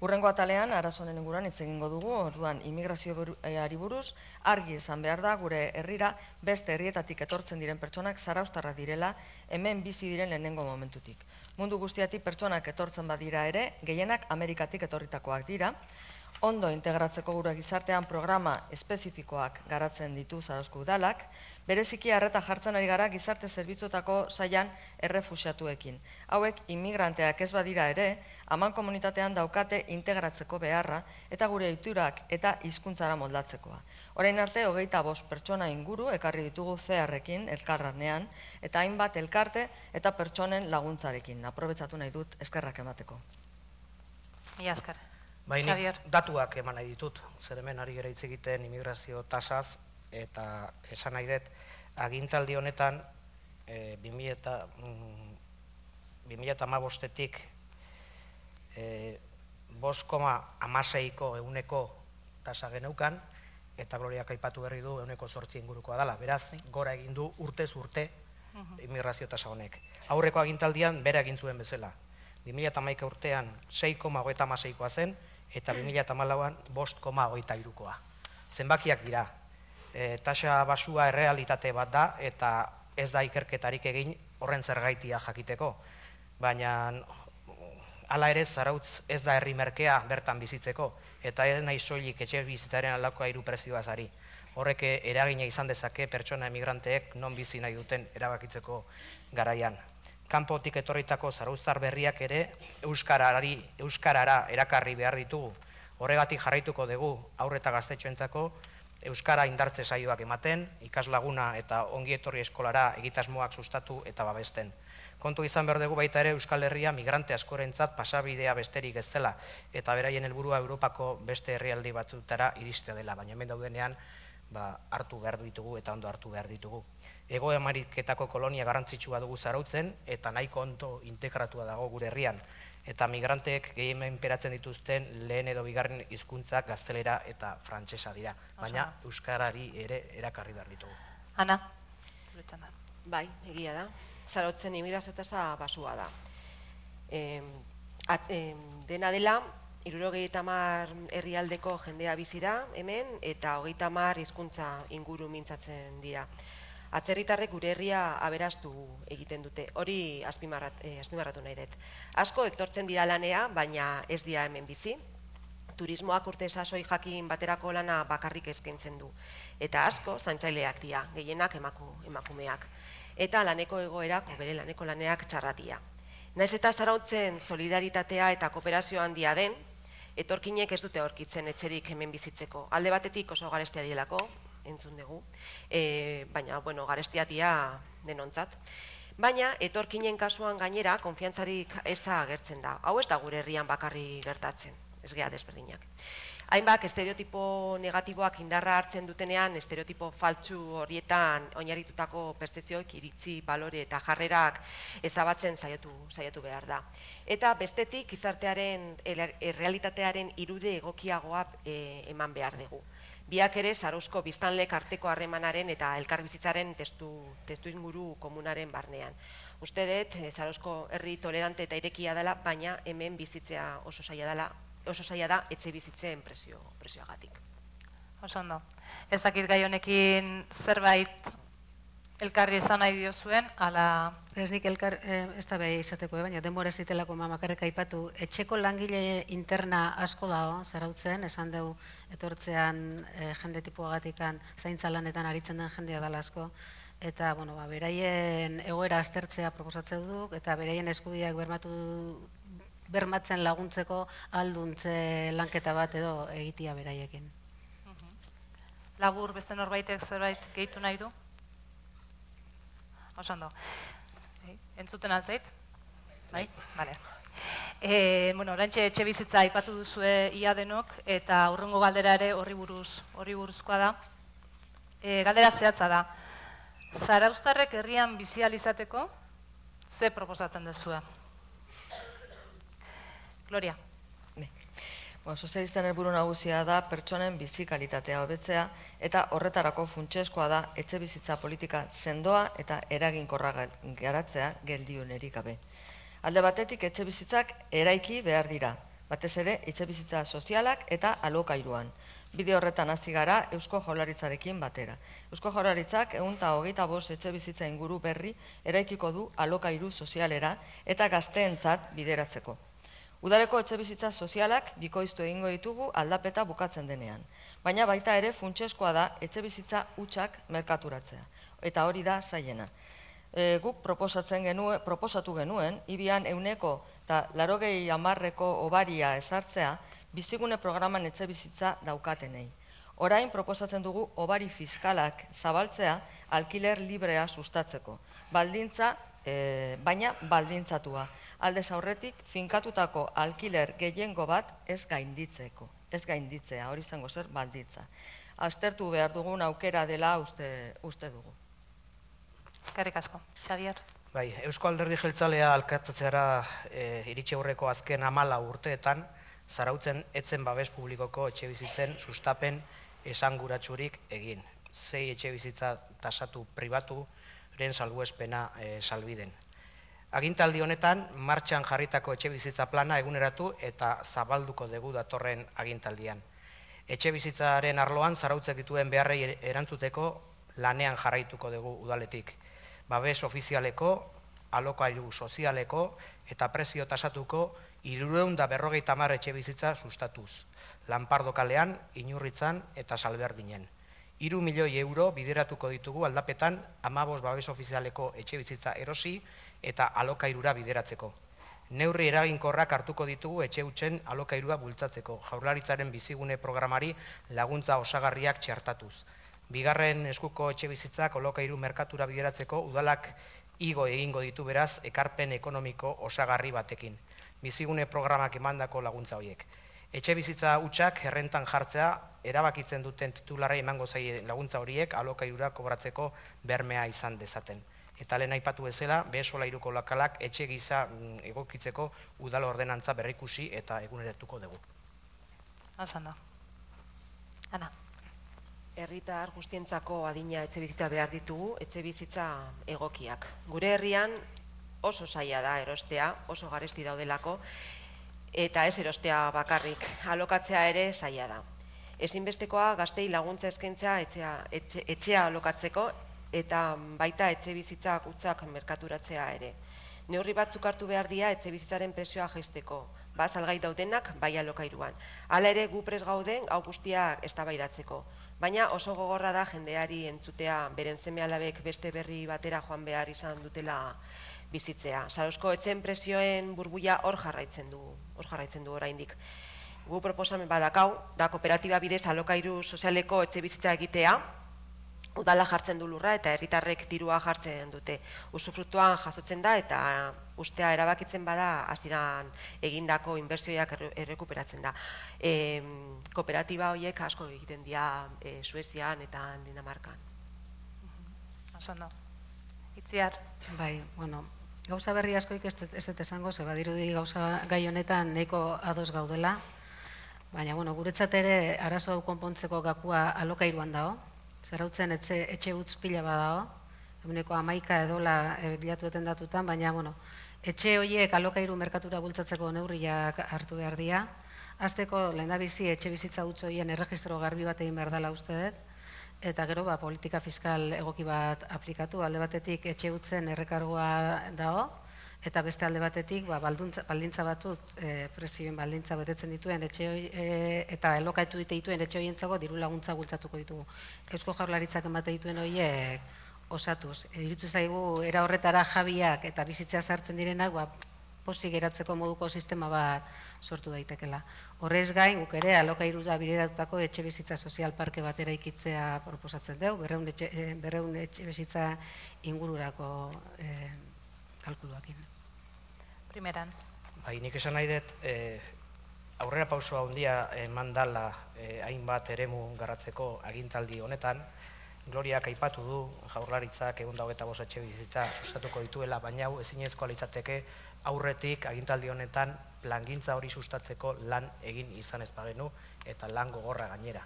Hurrengo atalean, arazonen inguruan hitz egingo dugu, orduan immigrazioari buruz, argi izan behar da gure herrira beste herrietatik etortzen diren pertsonak zarauztarrak direla, hemen bizi diren lehenengo momentutik. Mundu guztiatik pertsonak etortzen badira ere, gehienak Amerikatik etorritakoak dira, ondo integratzeko gure gizartean programa espezifikoak garatzen ditu Zarauzko udalak, bereziki arreta jartzen ari gara gizarte zerbitzuetako sailan errefuxiatuekin. Hauek immigranteak ez badira ere, haman komunitatean daukate integratzeko beharra eta gure ohiturak eta hizkuntzara moldatzekoa. Orain arte, hogeita bost pertsona inguru ekarri ditugu C R-ekin elkarranean eta hainbat elkarte eta pertsonen laguntzarekin. Aprobetxatu nahi dut eskerrak emateko. Mila esker. Baina datuak eman nahi ditut, zer hemen ari gara hitz egiten immigrazio tasaz, eta esan nahi dut, agintaldi honetan, bi mila bi mila hamabostetik bost koma hamaseiko ehuneko tasa geneukan, eta Gloriak aipatu berri du ehuneko zortzi ingurukoa dela. Beraz, gora egin du urtez urte immigrazio tasa honek. Aurreko agintaldian bere egin zuen bezala. bi mila hamaika urtean sei koma hogeita hamaseikoa zen, eta bi mila hamalauan bost koma hogeita hirukoa. Zenbakiak dira. Tasa basua errealitate bat da, eta ez da ikerketarik egin horren zergaitia jakiteko. Baina hala ere, Zarautz ez da herri merkea bertan bizitzeko, eta ez nahi soilik etxe bizitzaren aldakoa hiru prezioaz ari. Horrek eragina izan dezake pertsona emigranteek non bizi nahi duten erabakitzeko garaian. Kanpotik etorritako zarauztar berriak ere euskarara erakarri behar ditugu. Horregatik jarraituko dugu haur eta gaztetxoentzako euskara indartze saioak ematen, ikaslaguna eta ongi etorri eskolara egitasmoak sustatu eta babesten. Kontu izan behar dugu baita ere Euskal Herria migrante askorentzat pasabidea besterik ez dela, eta beraien helburua Europako beste herrialde batzutara iristea dela, baina hemen daudenean hartu behar ditugu eta ondo hartu behar ditugu. Hego Ameriketako kolonia garrantzitsua dugu Zarautzen, eta nahiko ondo integratua dago gure herrian, eta migranteek gehien menperatzen dituzten lehen edo bigarren hizkuntzak gaztelera eta frantsesa dira, baina euskarari ere erakarri behar ditugu. Ana? Bai, egia da. Zarautzen immigrazio tasa basua da. Dena dela, hirurogeita hamar herrialdeko jendea bizi da hemen, eta hogeita hamar hizkuntza inguru mintzatzen dira. Atzerritarrek gure herria aberastu egiten dute, hori azpimarratu nahi dut. Asko etortzen dira lanea, baina ez dira hemen bizi. Turismoak urte sasoi jakin baterako lana bakarrik eskaintzen du. Eta asko zaintzaileak dira, gehienak emakumeak. Eta laneko egoerak, bere laneko laneak txarratia. Naiz eta Zarautzen solidaritatea eta kooperazio handia den, etorkinek ez dute aurkitzen etxerik hemen bizitzeko. Alde batetik oso garestia dielako, entzun dugu, baina, bueno, garestia dia denontzat. Baina, etorkinen kasuan gainera, konfiantzarik eza agertzen da. Hau ez da gure herrian bakarri gertatzen, ez gea desberdinak. Hainbak, estereotipo negatiboak indarra hartzen dutenean, estereotipo faltsu horietan oinarritutako pertzepzioak, iritzi, balore eta jarrerak ezabatzen saiatu behar da. Eta bestetik, gizartearen, errealitatearen irude egokiagoa eman behar dugu. Biak ere, Zarauzko biztanlek arteko harremanaren eta elkarbizitzaren testu inguru komunaren barnean. Uste dut, Zarauzko herri tolerante eta irekia dela, baina hemen bizitzea oso zaila dela, oso zaila da etxe bizitzen prezioagatik. Oso ondo. Ez dakit gai honekin zerbait elkarri esan nahi diozuen, ala... Ez nik elkar, ez da behi izateko, baina denbora ez ditelako mamakarrek aipatu, etxeko langile interna asko dago, Zarautzen, esan dugu etortzean jende tipuagatikan zaintza lanetan aritzen den jendea dela asko, eta, bueno, beraien egoera aztertzea proposatzen duk, eta beraien eskubideak bermatu bermatzen laguntzeko alduntze lanketa bat edo egitea beraiekin. Labur, beste norbaitek zerbait gehitu nahi du? Oso ondo. Entzuten altzait? Bai? Bale. Bueno, orantxe etxe bizitza aipatu duzue ia denok, eta hurrengo galdera ere horri buruzkoa da. Galdera zehatza da. Zarauztarrek herrian bizi ahal izateko ze proposatzen duzue? Gloria. Sozialisten helburu nagusia da pertsonen bizi kalitatea hobetzea, eta horretarako funtsezkoa da etxe bizitza politika sendoa eta eraginkorra garatzea geldiunerik gabe. Alde batetik etxe bizitzak eraiki behar dira, batez ere etxe bizitza sozialak eta alokairuan. Bide horretan hasi gara Eusko Jaurlaritzarekin batera. Eusko Jaurlaritzak ehun eta hogeita bost etxe bizitza inguru berri eraikiko du alokairu sozialera eta gazteentzat bideratzeko. Udaleko etxe bizitza sozialak bikoiztu egingo ditugu aldapeta bukatzen denean. Baina baita ere funtsezkoa da etxe bizitza hutsak merkaturatzea. Eta hori da zailena. Guk proposatu genuen, ibian euneko eta larogei hamarreko obaria ezartzea bizigune programan etxe bizitza daukatenei. Orain proposatzen dugu obari fiskalak zabaltzea alkiler librea sustatzeko. Baldintza, baina baldintzatua. Aldez aurretik, finkatutako alkiler gehiengo bat ez gainditzeko. Ez gainditzea, hori izango zer balditza. Aztertu behar dugun aukera dela uste dugu. Eskerrik asko. Xabier? Bai, Eusko Alderdi Jeltzalea alkatetzeara iritsi aurreko azken hamala urteetan, Zarautzen etzen babes publikoko etxebizitzen sustapen esanguratsurik egin. Sei etxebizitza tasatu pribaturen salbuespena salbiden. Agintaldi honetan, martxan jarritako etxebizitza plana eguneratu eta zabalduko dugu datorren agintaldian. Etxebizitzaren arloan zarautzek dituen beharrei erantzuteko lanean jarraituko dugu udaletik. Babes ofizialeko, alokairu sozialeko eta prezio tasatuko hirurehun eta berrogeita hamar etxebizitza sustatuz. Lanpardo kalean, Inurritzan eta Salberdinen. Hiru milioi euro bideratuko ditugu aldapetan hamabost babes ofizialeko etxebizitza erosi eta alokairura bideratzeko. Neurri eraginkorrak hartuko ditugu etxe hutsen alokairua bultzatzeko, Jaurlaritzaren bizigune programari laguntza osagarriak txertatuz. Bigarren eskuko etxebizitzak alokairu merkatura bideratzeko udalak igo egingo ditu beraz ekarpen ekonomiko osagarri batekin. Bizigune programak emandako laguntza horiek. Etxebizitza hutsak errentan jartzea erabakitzen duten titularrei emango zaie laguntza horiek alokairura kobratzeko bermea izan dezaten. Eta lehen aipatu bezala, behe-solairuko lokalak etxe gisa egokitzeko udal ordenantza berrikusi eta eguneratuko dugu. Hasan da. Ana. Herritar guztientzako adina etxebizitza behar ditugu, etxebizitza egokiak. Gure herrian oso zaila da erostea, oso garesti daudelako, eta ez erostea bakarrik, alokatzea ere zaila da. Ezinbestekoa gaztei laguntza eskaintzea etxea, etxe, etxea alokatzeko eta baita etxe bizitza hutsak merkaturatzea ere. Neurri batzuk hartu behar dira etxe bizitzaren prezioa jaisteko, ba salgai daudenak bai alokairuan. Hala ere gu prest gauden hau guztiak eztabaidatzeko, baina oso gogorra da jendeari entzutea beren seme-alabek beste berri batera joan behar izan dutela bizitzea. Zarauzko etxeen prezioen burbuia hor jarraitzen du, hor jarraitzen du oraindik. Gu proposamen badakau, da kooperatiba bidez alokairu sozialeko etxe bizitza egitea, udala jartzen du lurra eta herritarrek dirua jartzen dute. Usufrutuan jasotzen da eta ustea erabakitzen bada hasieran egindako inbertsioak errekuperatzen da. E, kooperatiba horiek asko egiten dira e, Suezian eta Dinamarkan. Oso no. Itziar. Bai, bueno, gauza berri askoik ez dut esango, ze badirudi gauza gai honetan nahiko ados gaudela, baina bueno, guretzat ere arazo hau konpontzeko gakua alokairuan dago. Zarautzen etxe, etxe utz pila badao, eguneko hamaika edola e, bilatueten datutan, baina bueno, etxe horiek alokairu merkatura bultzatzeko neurriak hartu behar dira. Hasteko lehendabizi etxe bizitza utz horien erregistro garbi bat egin behar dela uste dut, eta gero ba, politika fiskal egoki bat aplikatu, alde batetik etxe utzen errekargoa dago, eta beste alde batetik ba, balduntza, baldintza batut e, prezioen baldintza betetzen dituen etxe hoi, e, eta elokaitu dite dituen etxe horientzako diru laguntza bultzatuko ditugu. Eusko Jaurlaritzak emate dituen horiek osatuz. Iruditu zaigu era horretara jabiak eta bizitzea sartzen direnak ba, pozik geratzeko moduko sistema bat sortu daitekela. Horrez gain, guk ere alokairura bideratutako etxe bizitza sozial parke bat eraikitzea proposatzen dugu, berrehun etxe, berrehun etxe bizitza ingururako e, kalkuluakin. Primeran. Bai, nik esan nahi dut, eh, aurrera pausoa handia eman dala eh, hainbat eremu garratzeko agintaldi honetan. Gloriak aipatu du, Jaurlaritzak ehun eta hogeita bost etxe bizitza sustatuko dituela, baina hau ezinezkoa litzateke aurretik agintaldi honetan plangintza hori sustatzeko lan egin izan ez bagenu eta lan gogorra gainera.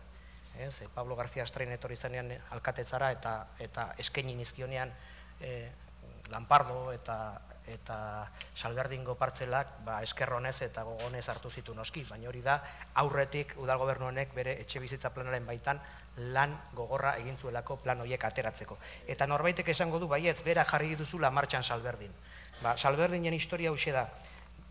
Ez, Pablo García Astrain etorri zanean alkatetzara eta, eta eskaini nizkionean eh, Lanpardo eta eta Salberdingo partzelak ba, eskerronez eta gogonez hartu zitu noski, baina hori da aurretik udal gobernu honek bere etxe bizitza planaren baitan lan gogorra egin zuelako plan horiek ateratzeko. Eta norbaitek esango du baietz bera jarri duzula martxan Salberdin. Ba, Salberdinen historia hauxe da,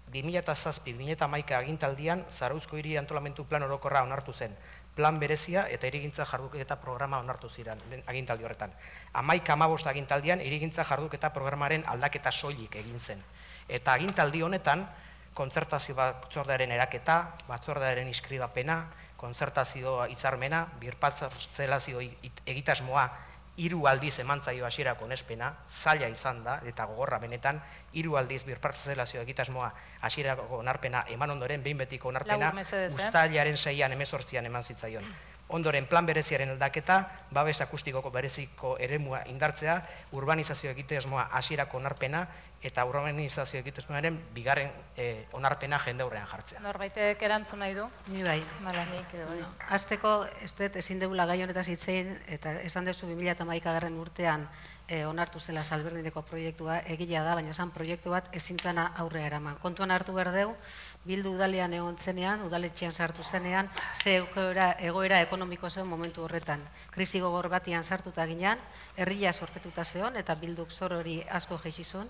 bi mila zazpi bi mila hamaika agintaldian Zarauzko hiri antolamentu plan orokorra onartu zen. Plan berezia eta hirigintza jarduketa programa onartu ziren agintaldi horretan. Hamaika hamabost agintaldian hirigintza jarduketa programaren aldaketa soilik egin zen. Eta agintaldi honetan kontzertazio batzordearen eraketa, batzordearen inskribapena, kontzertazio hitzarmena, birparzelazio egitasmoa hiru aldiz emantzaio hasierako onespena, zaila izan da eta gogorra benetan, hiru aldiz birparzelazio egitasmoa hasierako onarpena eman ondoren behin betiko onarpena uztailaren seian hemezortzian eman zitzaion. Ondoren plan bereziaren aldaketa, babes akustikoko bereziko eremua indartzea, urbanizazio egitasmoa hasierako onarpena eta urbanizazio egitasmoaren bigarren onarpena jende aurrean jartzea. Norbaitek erantzun nahi du? Ni bai. Nik ere bai. Azteko, ez dut ezin degula gai honetaz hitzein, eta esan duzu bi mila hamaikagarren urtean onartu zela Salberdineko proiektua, egila da, baina esan proiektu bat ezintzana aurrea eraman. Kontuan hartu behar deu, Bildu udalean egon zenean, udaletxean sartu zenean, ze egoera ekonomiko zen momentu horretan. Krisi gogor batian sartuta ginean, herria zorpetuta zeon, eta Bilduk zor hori asko jeizizun,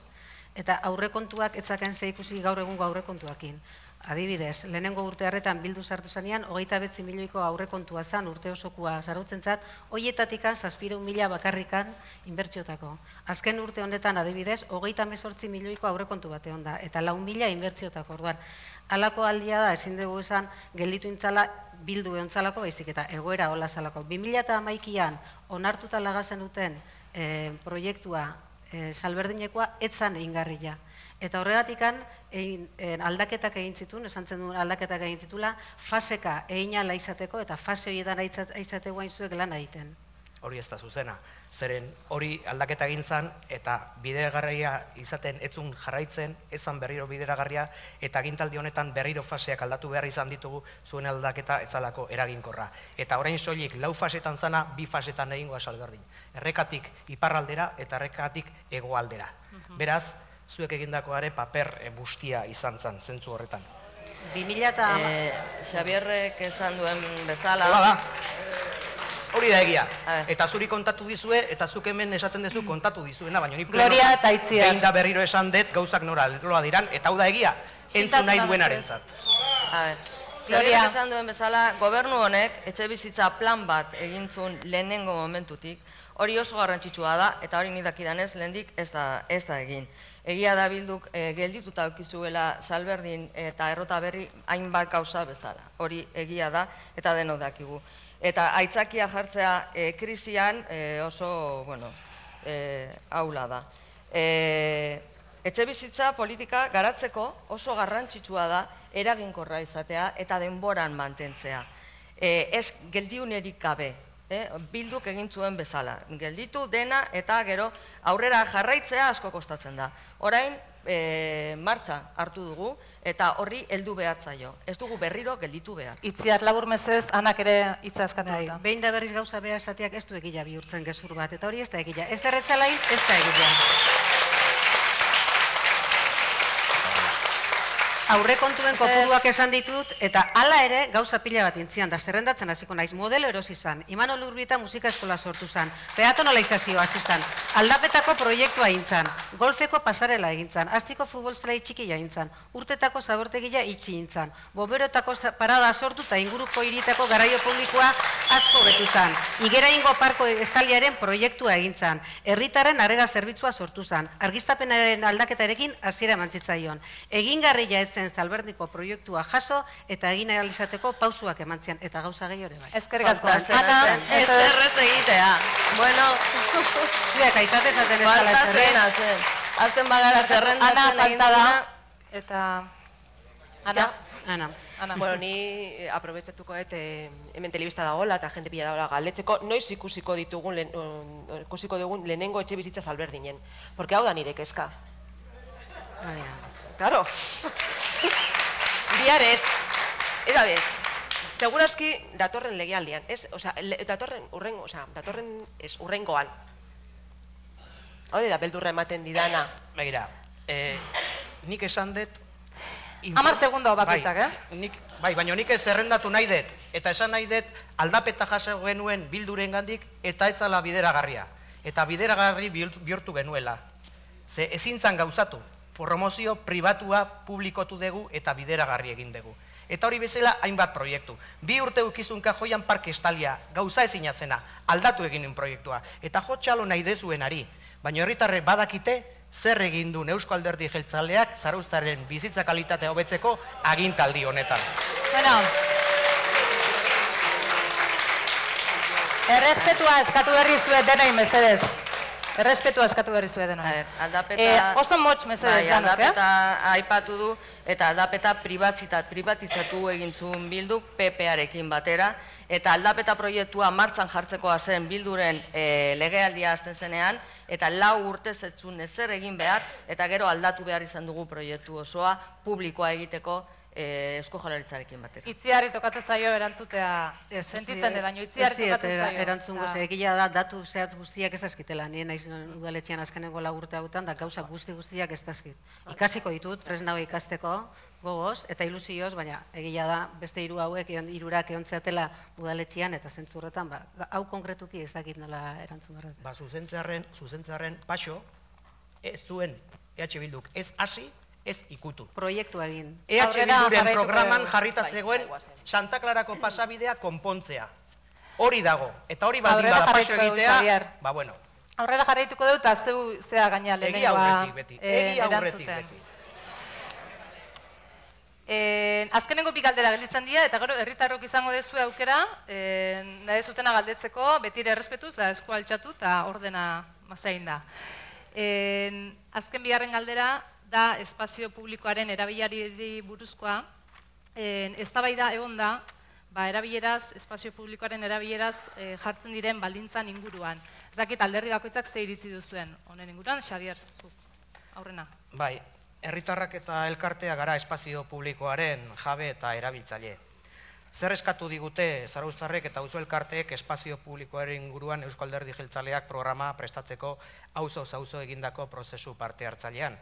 eta aurrekontuak etzaken ze ikusi gaur egungo aurrekontuakin. Adibidez, lehenengo urte harretan Bildu sartu zenean, hogeita bederatzi milioiko aurrekontua zan urte osokua zarautzen zat, hoietatikan zazpiehun mila bakarrikan inbertsiotako. Azken urte honetan adibidez, hogeita hemezortzi milioiko aurrekontu bate onda, eta lau mila inbertsiotako orduan. Halako aldia da, ezin dugu esan, gelditu intzala Bildu eontzalako baizik eta egoera hola zalako. bi mila hamaikaan onartuta lagazen duten proiektua Salberdinekoa etzan egingarria. Eta horregatikan aldaketak egin zituen, esan zen duen aldaketak egin zitula, faseka egin ala izateko eta fase horietan aizateko hain zuek lan egiten. Hori ez da zuzena. Zeren hori aldaketa egin zen eta bideragarria izaten etzun jarraitzen, ezan berriro bideragarria eta agintaldi honetan berriro faseak aldatu behar izan ditugu zuen aldaketa etzalako eraginkorra. Eta orain soilik lau fasetan zana, bi fasetan egingoa Salberdin. Errekatik iparraldera eta errekatik hegoaldera. Beraz, zuek egindakoare paper bustia izan zen, zentzu horretan. bi mila Xabierrek esan duen bezala... Hola da, hori da egia. Eta zuri kontatu dizue, eta zuk hemen esaten duzu kontatu dizuena, baina ni Gloria eta Itziar. behin da berriro esan dut gauzak nora loa diran, eta hau da egia, entzun nahi duenarentzat. Xabierrek esan duen bezala, gobernu honek etxe bizitza plan bat egintzun lehenengo momentutik, hori oso garrantzitsua da, eta hori nidakidanez lehendik ez da egin. Egia da Bilduk geldituta aukizuela Salberdin eta Errota Berri hainbat gauza bezala. Hori egia da eta denok dakigu. Eta aitzakia jartzea krisian oso, bueno, aula da. Etxe bizitza politika garatzeko oso garrantzitsua da eraginkorra izatea eta denboran mantentzea. Ez geldiunerik gabe. Bilduk egin zuen bezala. Gelditu dena eta gero aurrera jarraitzea asko kostatzen da. Orain martxa hartu dugu eta horri heldu behar zaio. Ez dugu berriro gelditu behar. Itziar labur mezez, Anak ere hitza eskatu da. Behin da berriz gauza beha esateak ez du egila bihurtzen gezur bat, eta hori ez da egila. Ez erretzalain, ez da egila. Aurrekontuen kopuruak esan ditut, eta hala ere gauza pila bat intzian, da zerrendatzen hasiko naiz, modelo erosi zan, Imanol Urbieta musika eskola sortu zan, peatonalizazioa hasi zan, aldapetako proiektua egin zan, golfeko pasarela egin zan, astiko futbol zelai txikia egin zan, urtetako zabortegia itxi egin zan, boberotako parada sortu eta inguruko hirietako garaio publikoa asko betu zan, Igeraingo parko estaliaren proiektua egin zan, herritarren harrera zerbitzua sortu zan, argiztapenaren aldaketarekin hasiera emantzaitzaion, egingarria ez Salberdiko proiektua jaso eta egin ahal izateko pausuak emantzian eta gauza gehi hori bai. Eskerrik asko. Ana, ez errez egitea. Bueno, zuek aizate esaten ez dala falta zena zen. Azten bagara zerrendatzen egin duna. Eta... Ana? Ana. Bueno, ni aprobetxatuko dut hemen telebista dagoela eta jende pila dagoela galdetzeko, noiz ikusiko ditugun, ikusiko dugun lehenengo etxe bizitza Salberdinen. Porque hau da nire kezka. Claro. Biarez, eta bez, segurazki datorren legealdian, ez, oza, datorren urrengo, oza, datorren ez, urrengoan. Hori da, beldurra ematen didana. Begira, nik esan dut... Hamar segundo bakitzak, eh? Bai, baina nik ez zerrendatu nahi dut, eta esan nahi dut aldapeta jaso genuen Bilduren gandik, eta etzala bideragarria. Eta bideragarri bihurtu genuela. Ze ezin zan gauzatu. Promozio pribatua publikotu dugu eta bideragarri egin dugu. Eta hori bezala hainbat proiektu. Bi urte ukizun kajoian parke estalia, gauza ezina zena, aldatu egin proiektua. Eta jotxalo nahi dezuenari, baina herritarrek badakite zer egin du Eusko Alderdi Jeltzaleak Zarauztarren bizitza kalitatea hobetzeko agintaldi honetan. Bueno, errespetua eskatu berri zuet denoi mesedez. Errespetua eskatu behar izu edenoi. Aldapeta... Oso motx mesedez danok, eh? Aldapeta aipatu du, eta aldapeta privatizatu egin zuen Bilduk P P-arekin batera, eta aldapeta proiektua martxan jartzekoa zen Bilduren legealdia azten zenean, eta lau urtez ez zuen ezer egin behar, eta gero aldatu behar izan dugu proiektu osoa publikoa egiteko Eusko Jaurlaritzarekin batera. Itziarri tokatzen zaio erantzutea sentitzen de, baino itziarri tokatzen zaio. Erantzun goze, egila da, datu zehatz guztiak ez dazkitela. Nien naiz udaletxean azkenengo lau urte hautan, da gauza guzti guztiak ez dazkit. Ikasiko ditut, presnago ikasteko, gogoz, eta ilusioz, baina egila da, beste hiru hauek, hirurak eontzeatela udaletxean, eta zentzurretan, hau konkretuki ez dakit nola erantzun behar. Ba, zuzentzearen paso, ez zuen E H Bilduk ez hasi, ez ikutu. Proiektua egin. E H Bilduren programan jarrita zegoen Santa Clarako pasabidea konpontzea. Hori dago. Eta hori baldin bada paso egitea, ba bueno. Aurrera jarraituko dut, eta zeu zea gaina lehenengoa. Egi aurretik beti. Egi aurretik beti. Azkenengo bi galdera gelditzen dira, eta gero herritarrok izango dezu aukera, nahi zutena galdetzeko, betire errespetuz, da esku altxatu, eta ordena mazain da. Azken bigarren galdera, da espazio publikoaren erabilari buruzkoa, eztabaida egon da, erabileraz, espazio publikoaren erabileraz jartzen diren baldintzan inguruan. Ez dakit alderdi bakoitzak ze iritzi duzuen honen inguruan, Xabier, zu, aurrena. Bai, herritarrak eta elkartea gara espazio publikoaren jabe eta erabiltzaile. Zer eskatu digute Zarauztarrek eta auzo elkarteek espazio publikoaren inguruan Eusko Alderdi Jeltzaleak programa prestatzeko auzoz auzo egindako prozesu parte hartzailean.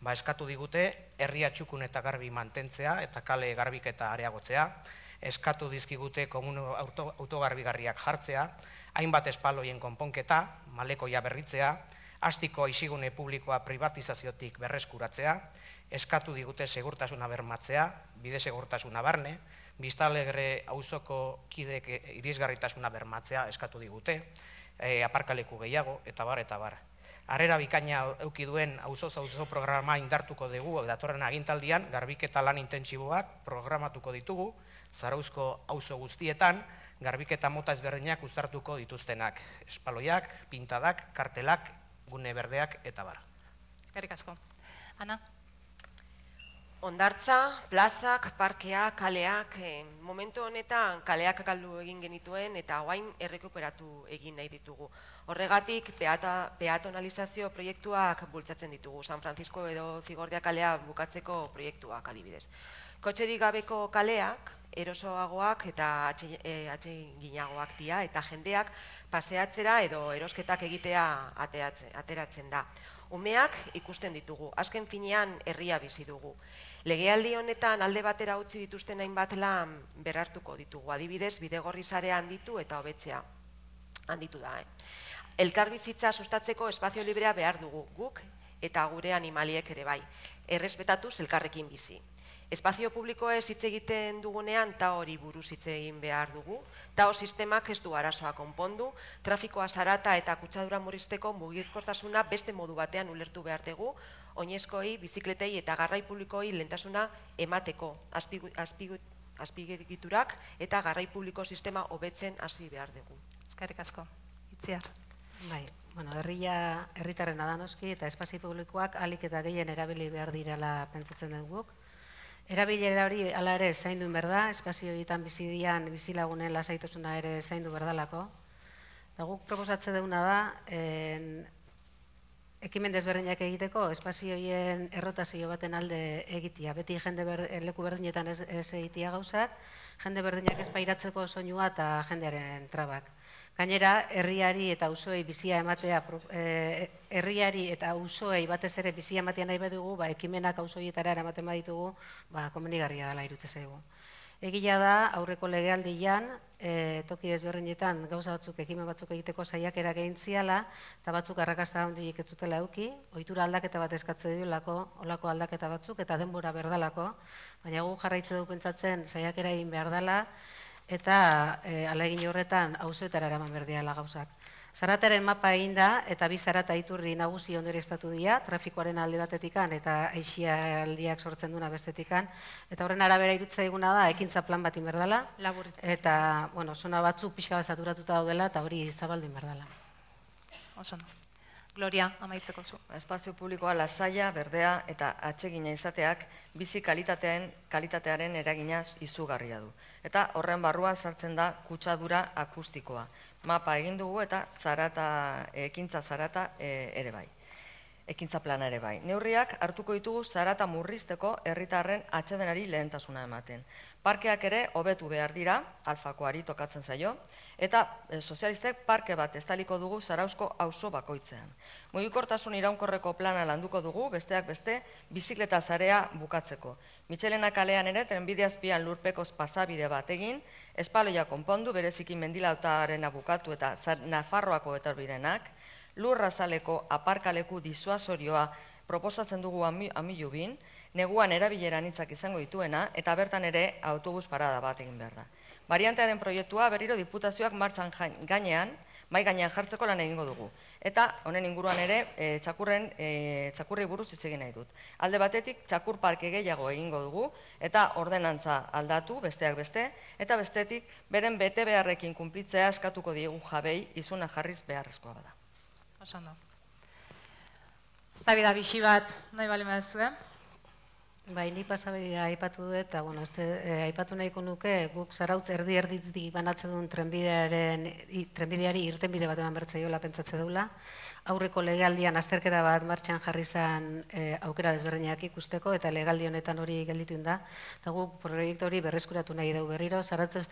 Ba, eskatu digute herria txukun eta garbi mantentzea eta kale garbiketa areagotzea, eskatu dizkigute komuno autogarbigarriak jartzea, hainbat espaloien konponketa, malekoia berritzea, hastiko isigune publikoa privatizaziotik berreskuratzea, eskatu digute segurtasuna bermatzea, bide segurtasuna barne, biztanlegre auzoko kidek irisgarritasuna bermatzea eskatu digute, aparkaleku gehiago, eta bar, eta bar. Harrera bikaina eduki duen auzoz auzo programa indartuko dugu datorren agintaldian, garbiketa lan intentsiboak programatuko ditugu, Zarauzko auzo guztietan, garbiketa mota ezberdinak uztartuko dituztenak, espaloiak, pintadak, kartelak, gune berdeak, eta bar. Eskerrik asko. Ana? Hondartza, plazak, parkeak, kaleak, momentu honetan kaleak galdu egin genituen eta orain errekuperatu egin nahi ditugu. Horregatik peatonalizazio proiektuak bultzatzen ditugu, San Francisco edo Zigordia kalea bukatzeko proiektuak adibidez. Kotxerik gabeko kaleak, erosoagoak eta atseginagoak dira eta jendeak paseatzera edo erosketak egitea ateratzen da. Umeak ikusten ditugu, azken finean herria bizi dugu. Legealdi honetan alde batera utzi dituzten hainbat lan berhartuko ditugu, adibidez bidegorri sarea handitu eta hobetzea handitu da. Elkarbizitza sustatzeko espazio librea behar dugu, guk eta gure animaliek ere bai, errespetatuz elkarrekin bizi. Espazio publikoez hitz egiten dugunean ta hori buruz hitz egin behar dugu, tao sistemak ez du arazoa konpondu, trafikoa zarata eta kutsadura murrizteko mugikortasuna beste modu batean ulertu behar dugu, oinezkoi, bizikletei eta garrai publikoi lehentasuna emateko azpigiturak eta garrai publiko sistema hobetzen hasi behar dugu. Eskerrik asko. Itziar. Bai, bueno, herria herritarren adanoski eta espazio publikoak ahalik eta gehien erabili behar direla pentsatzen dugu. Erabilera hori ala ere zaindu behar da, espazio horietan bizi dian bizilagunen lasaitasuna ere zaindu behar dalako. Eta guk proposatze duguna da, ekimen desberdinak egiteko, espazio horien errotazio baten alde egitea. Beti jende leku berdinetan ez egitea gauzak, jende berdinak ez pairatzeko soinua eta jendearen trabak. Gainera, herriari eta auzoei bizia ematea, herriari eta auzoei batez ere bizia ematea nahi badugu, ekimenak auzoietara eramaten baditugu, komenigarria dela iruditzen zaigu. Egia da, aurreko legealdian, toki desberdinetan gauza batzuk, ekimen batzuk egiteko saiakera egin ziala, eta batzuk arrakasta handirik ez zutela eduki, ohitura aldaketa bat eskatze duelako, olako aldaketa batzuk, eta denbora berdalako, baina gu jarraitze du pentsatzen saiakera egin behar dela, eta ahalegin horretan auzoetara eraman behar direla gauzak. Zarataren mapa egin da, eta bi zarata iturri nagusi ondorioztatu dira, trafikoaren alde batetikan eta aixialdiak sortzen duna bestetikan, eta horren arabera iruditzen zaiguna da, ekintza plan bat behar dela, eta, bueno, zona batzuk pixka bat saturatuta daudela, eta hori zabaldu behar dela. Oso, Gloria, amaitzeko zu. Espazio publikoa lasaia, berdea eta atsegina izateak bizi kalitatean, kalitatearen eragina izugarria du. Eta horren barruan sartzen da kutsadura akustikoa. Mapa egin dugu eta zarata, ekintza zarata e, ere bai. Ekintza plana ere bai. Neurriak hartuko ditugu zarata murrizteko herritarren atsedenari lehentasuna ematen. Parkeak ere hobetu behar dira, alfakoari tokatzen zaio, eta e, sozialistek parke bat estaliko dugu Zarauzko auzo bakoitzean. Mugikortasun iraunkorreko plana landuko dugu, besteak beste, bizikleta zarea bukatzeko. Mitxelena kalean ere trenbide azpian lurpekoz pasabide bat egin, espaloia konpondu, bereziki mendilautaarena bukatu eta Nafarroako etorbidenak, lurrazaleko aparkaleku disuasorioa proposatzen dugu amilubin, neguan erabileran hitzak izango dituena, eta bertan ere autobus parada bat egin behar da. Variantearen proiektua berriro diputazioak martxan gainean, mai gainean jartzeko lan egingo dugu. Eta honen inguruan ere, e, txakurren, e, txakurri buruz hitz egin nahi dut. Alde batetik, txakur parke gehiago egingo dugu, eta ordenantza aldatu, besteak beste, eta bestetik, beren bete beharrekin kunplitzea eskatuko diegu jabei izuna jarriz beharrezkoa bada. Osondo. Zabida bixi bat nahi bali madezue. Bai, ni pasabidea aipatu dut, eta bueno, este, eh, aipatu nahiko nuke, guk Zarautz erdi erditik banatzen duen trenbidearen, i, trenbideari irtenbide bat eman bertzaiola pentsatze dula. Aurreko legaldian azterketa bat martxan jarri zen eh, aukera desberdinak ikusteko, eta legaldi honetan hori gelditu da. Eta guk proiektu hori berreskuratu nahi dugu berriro. Zarautz ez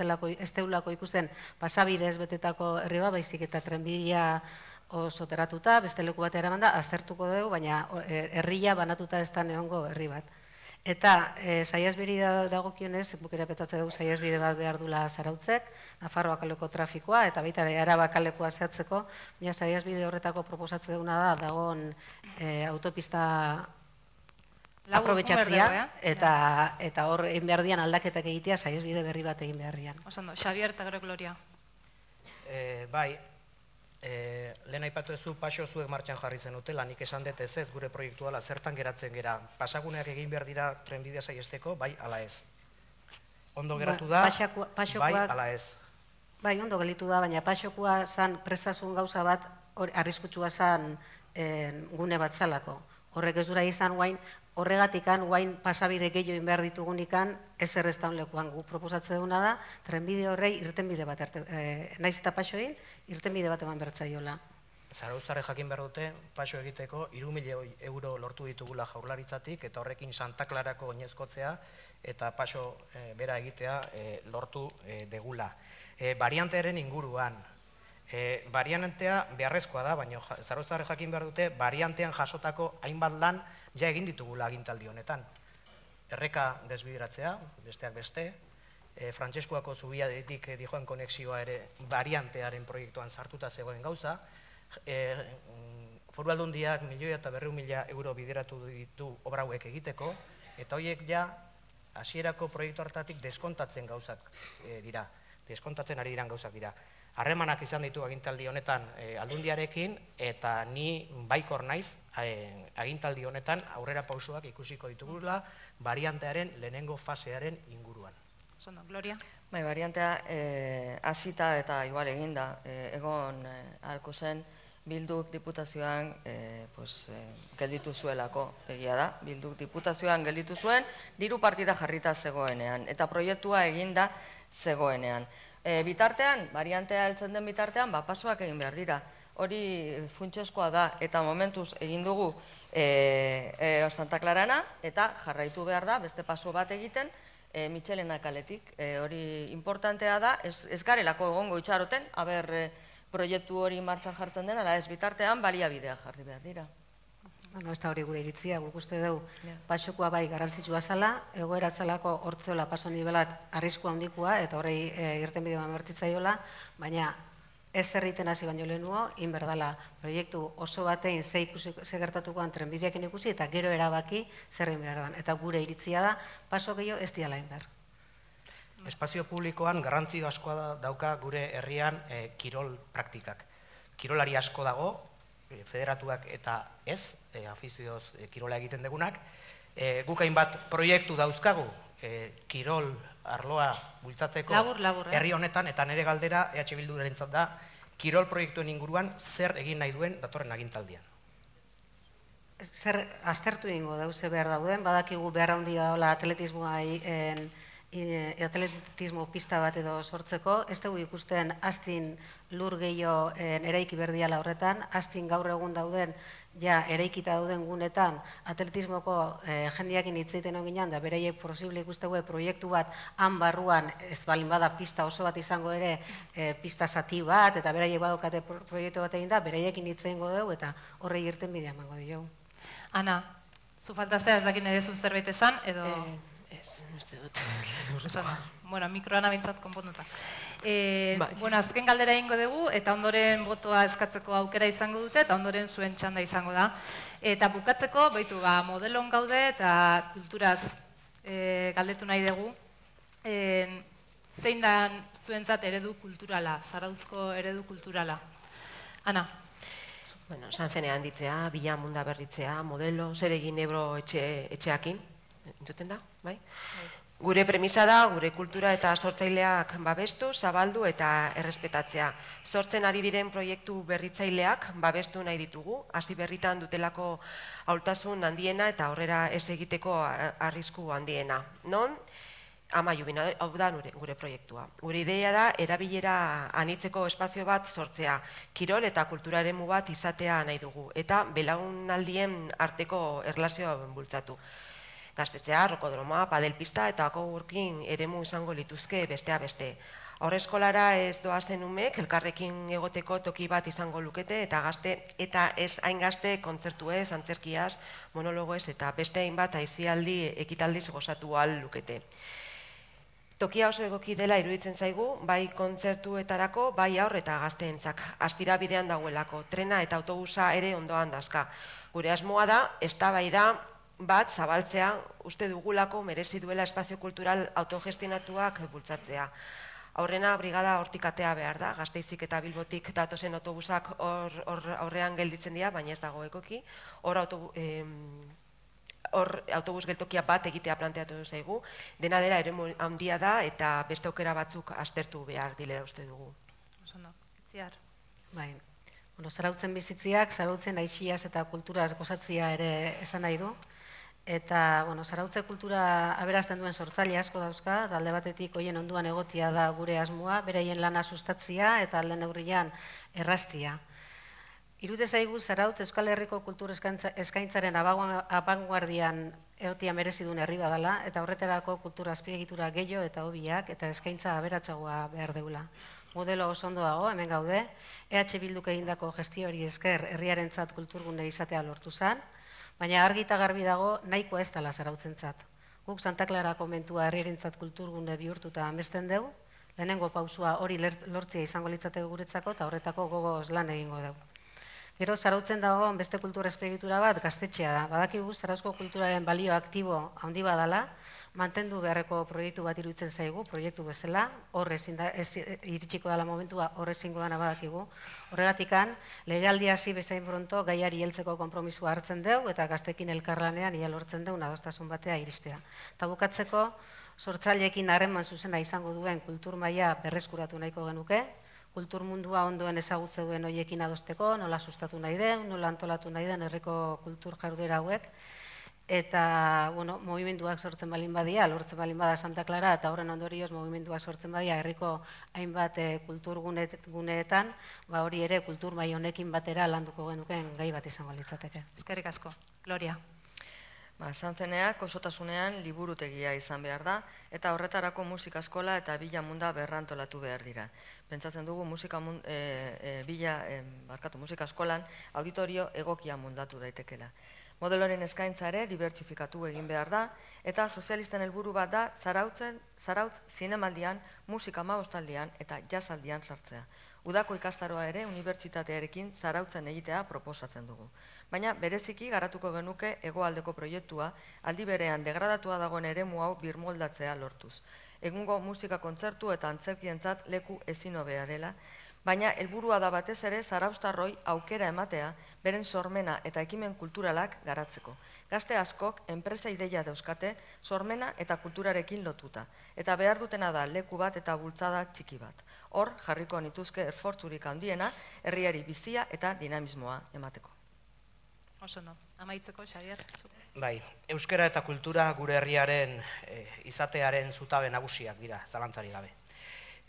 deulako ikusten pasabidez betetako herri bat, baizik eta trenbidea oso teratuta, beste leku bat eraman da, aztertuko dugu, baina herria banatuta ez da neongo herri bat. Eta e, saiasbiri dagokionez, bukera petatze dugu saiasbide bat behar dula Zarautzek, Nafarroa kaleko trafikoa, eta baita Araba kalekoa zehatzeko, baina saiasbide horretako proposatze duguna da, dagoen e, autopista aprobetxatzia, eta, eta hor egin behar dian aldaketak egitea saiasbide berri bat egin beharrian. Osando, Xavier eta gero Gloria. E, bai, E, lehen aipatu ezu paso zuek martxan jarri zenutela, nik esan dut ez ez gure proiektu ala zertan geratzen gera. Pasaguneak egin behar dira trenbidea saiesteko, bai ala ez. Ondo geratu da, Paxakua, bai ala ez. Bai, ondo gelitu da, baina pasokua zan prestasun gauza bat arriskutsua zan e, gune bat zalako. Horrek ez dura izan guain, horregatikan guain pasabide gehiago behar ditugunikan ez erreztaun lekuan gu proposatze duguna da, trenbide horrei irtenbide bat, e, naiz eta paso egin, irtenbide bat eman bertzaiola. Zarauztarre jakin behar dute, paso egiteko, hiru milioi euro lortu ditugula jaurlaritzatik, eta horrekin Santa Clarako oinezkotzea, eta paso e, bera egitea e, lortu e, degula. E, variantearen inguruan, e, variantea beharrezkoa da, baina Zarauztarre jakin behar dute, variantean jasotako hainbat lan ja egin ditugula agintaldi honetan. Erreka desbideratzea, besteak beste, e, Frantseskuako zubiatik dijoan konexioa ere variantearen proiektuan sartuta zegoen gauza, e, Foru Aldundiak milioi eta berrehun mila euro bideratu ditu obra hauek egiteko, eta horiek ja hasierako proiektu hartatik deskontatzen gauzak e, dira, deskontatzen ari diran gauzak dira. Harremanak izan ditu agintaldi honetan e, Aldundiarekin, eta ni baikor naiz e, agintaldi honetan aurrera pausoak ikusiko ditugula variantearen lehenengo fasearen inguruan. Zondo, Gloria? Bai, variantea hasita e, eta igual eginda, e, egon e, ahalko zen Bilduk diputazioan e, pues, e, gelditu zuelako egia da. Bilduk diputazioan gelditu zuen, diru partida jarrita zegoenean, eta proiektua eginda zegoenean. E, bitartean, variantea heltzen den bitartean, ba, pasoak egin behar dira. Hori funtsezkoa da, eta momentuz egin dugu e, e, Santa Clarana, eta jarraitu behar da, beste paso bat egiten, e, Mitxelena kaletik. E, hori importantea da, ez, ez garelako egongo itxaroten, aber e, proiektu hori martxan jartzen dena, ala ez bitartean baliabidea jarri behar dira. Bueno, ez da hori gure iritzia, guk uste dugu pasokoa bai garantzitsua zala, egoera zalako hortzeola paso nivelat arriskua handikua, eta horrei e, irtenbide bat bertitzaiola, baina ez zerriten hasi baino lehenuo, inberdala proiektu oso batein ze, ikusi, ze gertatukoan trenbideekin ikusi, eta gero erabaki zerrin behar dan. Eta gure iritzia da, paso gehiago ez diala inber. Espazio publikoan garrantzi askoa dauka gure herrian e, kirol praktikak. Kirolari asko dago, e, federatuak eta ez, e, afizioz e, kirola egiten degunak. E, guk hainbat proiektu dauzkagu, e, kirol arloa bultzatzeko labur, labur, eh? herri honetan, eta nire galdera E H Bildurentzat da, kirol proiektuen inguruan zer egin nahi duen datorren agintaldian. Zer aztertu ingo dauze behar dauden, badakigu behar handia daula atletismoa atletismo pista bat edo sortzeko, ez dugu ikusten astin lur gehiago eraiki berdiala horretan, astin gaur egun dauden, ja eraikita dauden gunetan, atletismoko jendiakin hitzeiten hon ginen, da bereiek posible ikustegue proiektu bat han barruan, ez balin bada pista oso bat izango ere, pista zati bat, eta beraiek badokate proiektu bat egin da, bereiekin hitzein dugu, eta horrei irten bidea emango dugu. Ana, zu falta zea ez dakin edezu zerbait esan, edo... Ez, ez dut. Bueno, mikroan abintzat konponduta. Bueno, azken galdera ingo dugu, eta ondoren botoa eskatzeko aukera izango dute, eta ondoren zuen txanda izango da. Eta bukatzeko, baitu, modelon gaude eta kulturaz galdetu nahi dugu. Zein da zuentzat eredu kulturala, Zarauzko eredu kulturala? Ana? Bueno, Sanzenean ditzea, bila munda berritzea, modelo, zer egin Ebro etxeakin. Entzuten da, bai? Gure premisa da, gure kultura eta sortzaileak babestu, zabaldu eta errespetatzea. Sortzen ari diren proiektu berritzaileak babestu nahi ditugu, hasi berritan dutelako ahultasun handiena eta aurrera ez egiteko arrisku handiena. Non? Amaiubina, hau da gure proiektua. Gure ideia da, erabilera anitzeko espazio bat sortzea, kirol eta kultura eremu bat izatea nahi dugu, eta belaunaldien arteko erlazioa bultzatu. Gaztetzea, rokodroma, padelpista eta akogurkin eremu izango lituzke bestea beste. Haurreskolara ez doazen umek, elkarrekin egoteko toki bat izango lukete, eta gazte eta ez hain gazte kontzertuez, antzerkiaz, monologoez eta beste hainbat aizialdi ekitaldiz gozatu ahal lukete. Tokia oso egoki dela iruditzen zaigu, bai kontzertuetarako, bai aur eta gazteentzak. Astira bidean dagoelako, trena eta autobusa ere ondoan dazka. Gure asmoa da, eztabaida bat zabaltzea, uste dugulako merezi duela espazio kultural autogestionatuak bultzatzea. Aurrena brigada hortik atea behar da, Gasteizik eta Bilbotik datozen autobusak horrean gelditzen dira, baina ez dago ekoki. Hor autobus geltokia bat egitea planteatu zaigu, dena dela eremu handia da eta beste aukera batzuk aztertu behar dilera uste dugu. Osondo, Itziar. Bai, Zarautzen bizitziak, Zarautzen aixiaz eta kulturaz gozatzia ere esan nahi du. Eta, bueno, Zarautze kultura aberazten duen sortzaile asko dauzka, alde batetik hoien onduan egotia da gure asmoa, beraien lana sustatzia eta alde neurrian erraztia. Irute zaigu Zarautz Euskal Herriko kultur eskaintzaren abanguardian egotia merezi duen herri badala, eta horretarako kultura azpiegitura gehiago eta hobiak eta eskaintza aberatsagoa behar deula. Modelo oso ondo dago, hemen gaude, E H Bilduk egindako gestio hori esker herriarentzat kulturgune izatea lortu zen, baina argi eta garbi dago nahikoa ez dela Zarautzentzat. Guk Santa Clara konbentua herriarentzat kulturgune bihurtuta amesten dugu, lehenengo pausua hori lortzea izango litzateke guretzako eta horretako gogoz lan egingo dugu. Gero Zarautzen dago beste kultura azpiegitura bat gaztetxea da. Badakigu Zarauzko kulturaren balio aktibo handi badala, mantendu beharreko proiektu bat iruditzen zaigu, proiektu bezala, hor iritsiko dela momentua, hor ezingo dana badakigu. Horregatikan, legealdia hasi bezain pronto gaiari heltzeko konpromisua hartzen dugu eta gaztekin elkarlanean ia lortzen dugu adostasun batea iristea. Eta bukatzeko, sortzaileekin harreman zuzena izango duen kultur maila berreskuratu nahiko genuke, kultur mundua ondoen ezagutze duen hoiekin adosteko, nola sustatu nahi den, nola antolatu nahi den herriko kultur jarduera hauek, eta, bueno, movimenduak sortzen balin badia, lortzen balin bada Santa Clara, eta horren ondorioz movimenduak sortzen badia herriko hainbat kultur guneetan, ba hori ere kultur mai honekin batera landuko genuken gai bat izango litzateke. Eskerrik asko. Gloria. Santzeneak osotasunean liburutegia izan behar da, eta horretarako musika eskola eta bila munda berrantolatu behar dira. Pentsatzen dugu musika eskolan auditorio egokia mundatu daitekela. Modeloren eskaintza ere dibertsifikatu egin behar da, eta sozialisten helburu bat da Zarautz zinemaldian, musika hamabostaldian eta jazzaldian sartzea. Udako ikastaroa ere unibertsitatearekin Zarautzen egitea proposatzen dugu. Baina bereziki garatuko genuke hegoaldeko proiektua aldi berean degradatua dagoen eremu hau birmoldatzea lortuz. Egungo musika kontzertu eta antzerkientzat leku ezin hobea dela, baina helburua da batez ere zarauztarroi aukera ematea beren sormena eta ekimen kulturalak garatzeko. Gazte askok enpresa ideia dauzkate sormena eta kulturarekin lotuta, eta behar dutena da leku bat eta bultzada txiki bat. Hor, jarriko nituzke esfortzurik handiena herriari bizia eta dinamismoa emateko. Oso no, amaitzeko, Xabier. Bai, euskara eta kultura gure herriaren izatearen zutabe nagusiak dira, zalantzari gabe.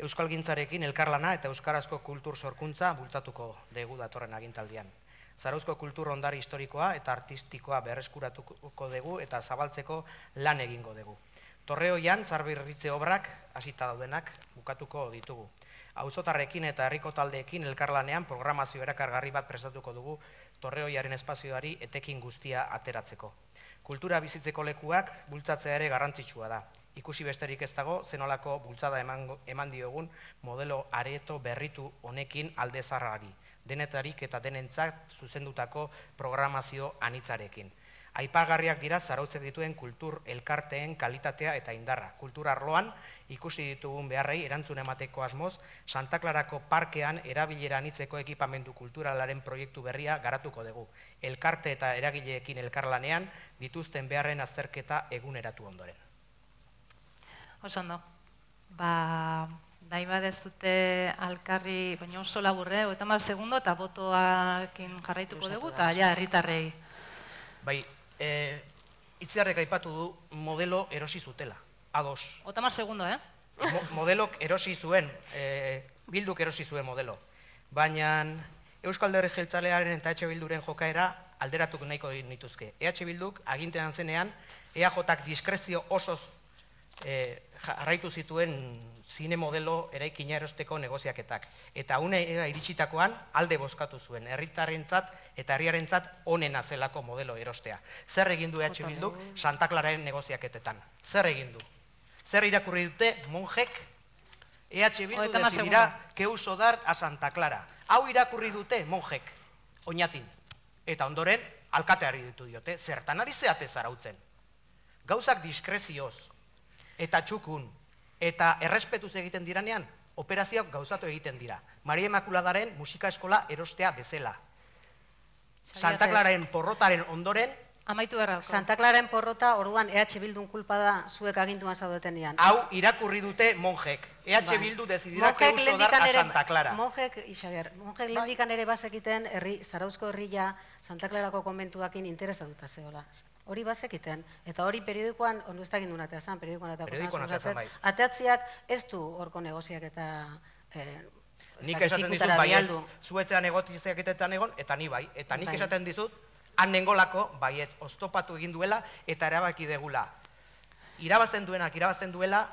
Euskalgintzarekin elkarlana eta euskarazko kultur sorkuntza bultzatuko dugu datorren agintaldian. Zarauzko kultur ondare historikoa eta artistikoa berreskuratuko dugu eta zabaltzeko lan egingo dugu. Torreoian, zarbirritze obrak hasita daudenak bukatuko ditugu. Auzotarrekin eta herriko taldeekin elkarlanean programazio erakargarri bat prestatuko dugu Torreoiaren espazioari etekin guztia ateratzeko. Kultura bizitzeko lekuak bultzatzea ere garrantzitsua da. Ikusi besterik ez dago, zenolako bultzada eman diogun modelo areto berritu honekin alde zarrari, denetarik eta denentzat zuzendutako programazio anitzarekin. Aipagarriak dira zarautzek dituen kultur elkarteen kalitatea eta indarra. Kultur arloan ikusi ditugun beharrei erantzun emateko asmoz, Santa Clarako parkean erabilera anitzeko ekipamendu kulturalaren proiektu berria garatuko dugu. Elkarte eta eragileekin elkarlanean dituzten beharren azterketa eguneratu ondoren. Oso ondo. Ba, nahi badezute alkarri, baina oso laburre, hogeita hamar segundo eta botoakin jarraituko dugu, eta ja, herritarrei. Bai, Itziarrek aipatu du modelo erosi zutela, ados. hogeita hamar segundo, eh? Modelok erosi zuen, Bilduk erosi zuen modelo. Baina Euskal Alderdi Jeltzalearen eta E H Bilduren jokaera alderatuko nahiko nituzke. E H Bilduk agintean zenean, E A Jak diskrezio osoz jarraitu zituen zine modelo eraikina erosteko negoziaketak. Eta une iritsitakoan alde bozkatu zuen, herritarrentzat eta herriarentzat onena zelako modelo erostea. Zer egin du E H Bilduk Santa Clararen negoziaketetan? Zer egin du? Zer irakurri dute monjek? E H Bildu decidirá que uso dar a Santa Clara. Hau irakurri dute monjek, oinatin. Eta ondoren, alkateari ditu diote, zertan ari zeate zarautzen. Gauzak diskrezioz, eta txukun, eta errespetuz egiten diranean, operazioak gauzatu egiten dira. Maria Immaculadaren musika eskola erostea bezala. Santa Clararen porrotaren ondoren, amaitu berrako. Santa Clararen porrota, orduan E H Bildun kulpa da zuek agintuan zaudetenean. Hau irakurri dute monjek. E H Bildu decidirá que uso dar a Santa Clara. Monjek, Xabier, monjek lehendikan ere bazekiten Zarauzko herria Santa Clarako konbentuakin interesatuta zehola. Hori bazekiten, eta hori periodikoan, onu ez da gindun atea zan, periodikoan ateako zan, ateatziak ez du horko negoziak eta nik esaten dizut baietz, zuetzean egotiziak etetan egon, eta ni bai, eta nik esaten dizut, han nengolako baietz, oztopatu egin duela, eta erabaki degula. Irabazten duenak, irabazten duela,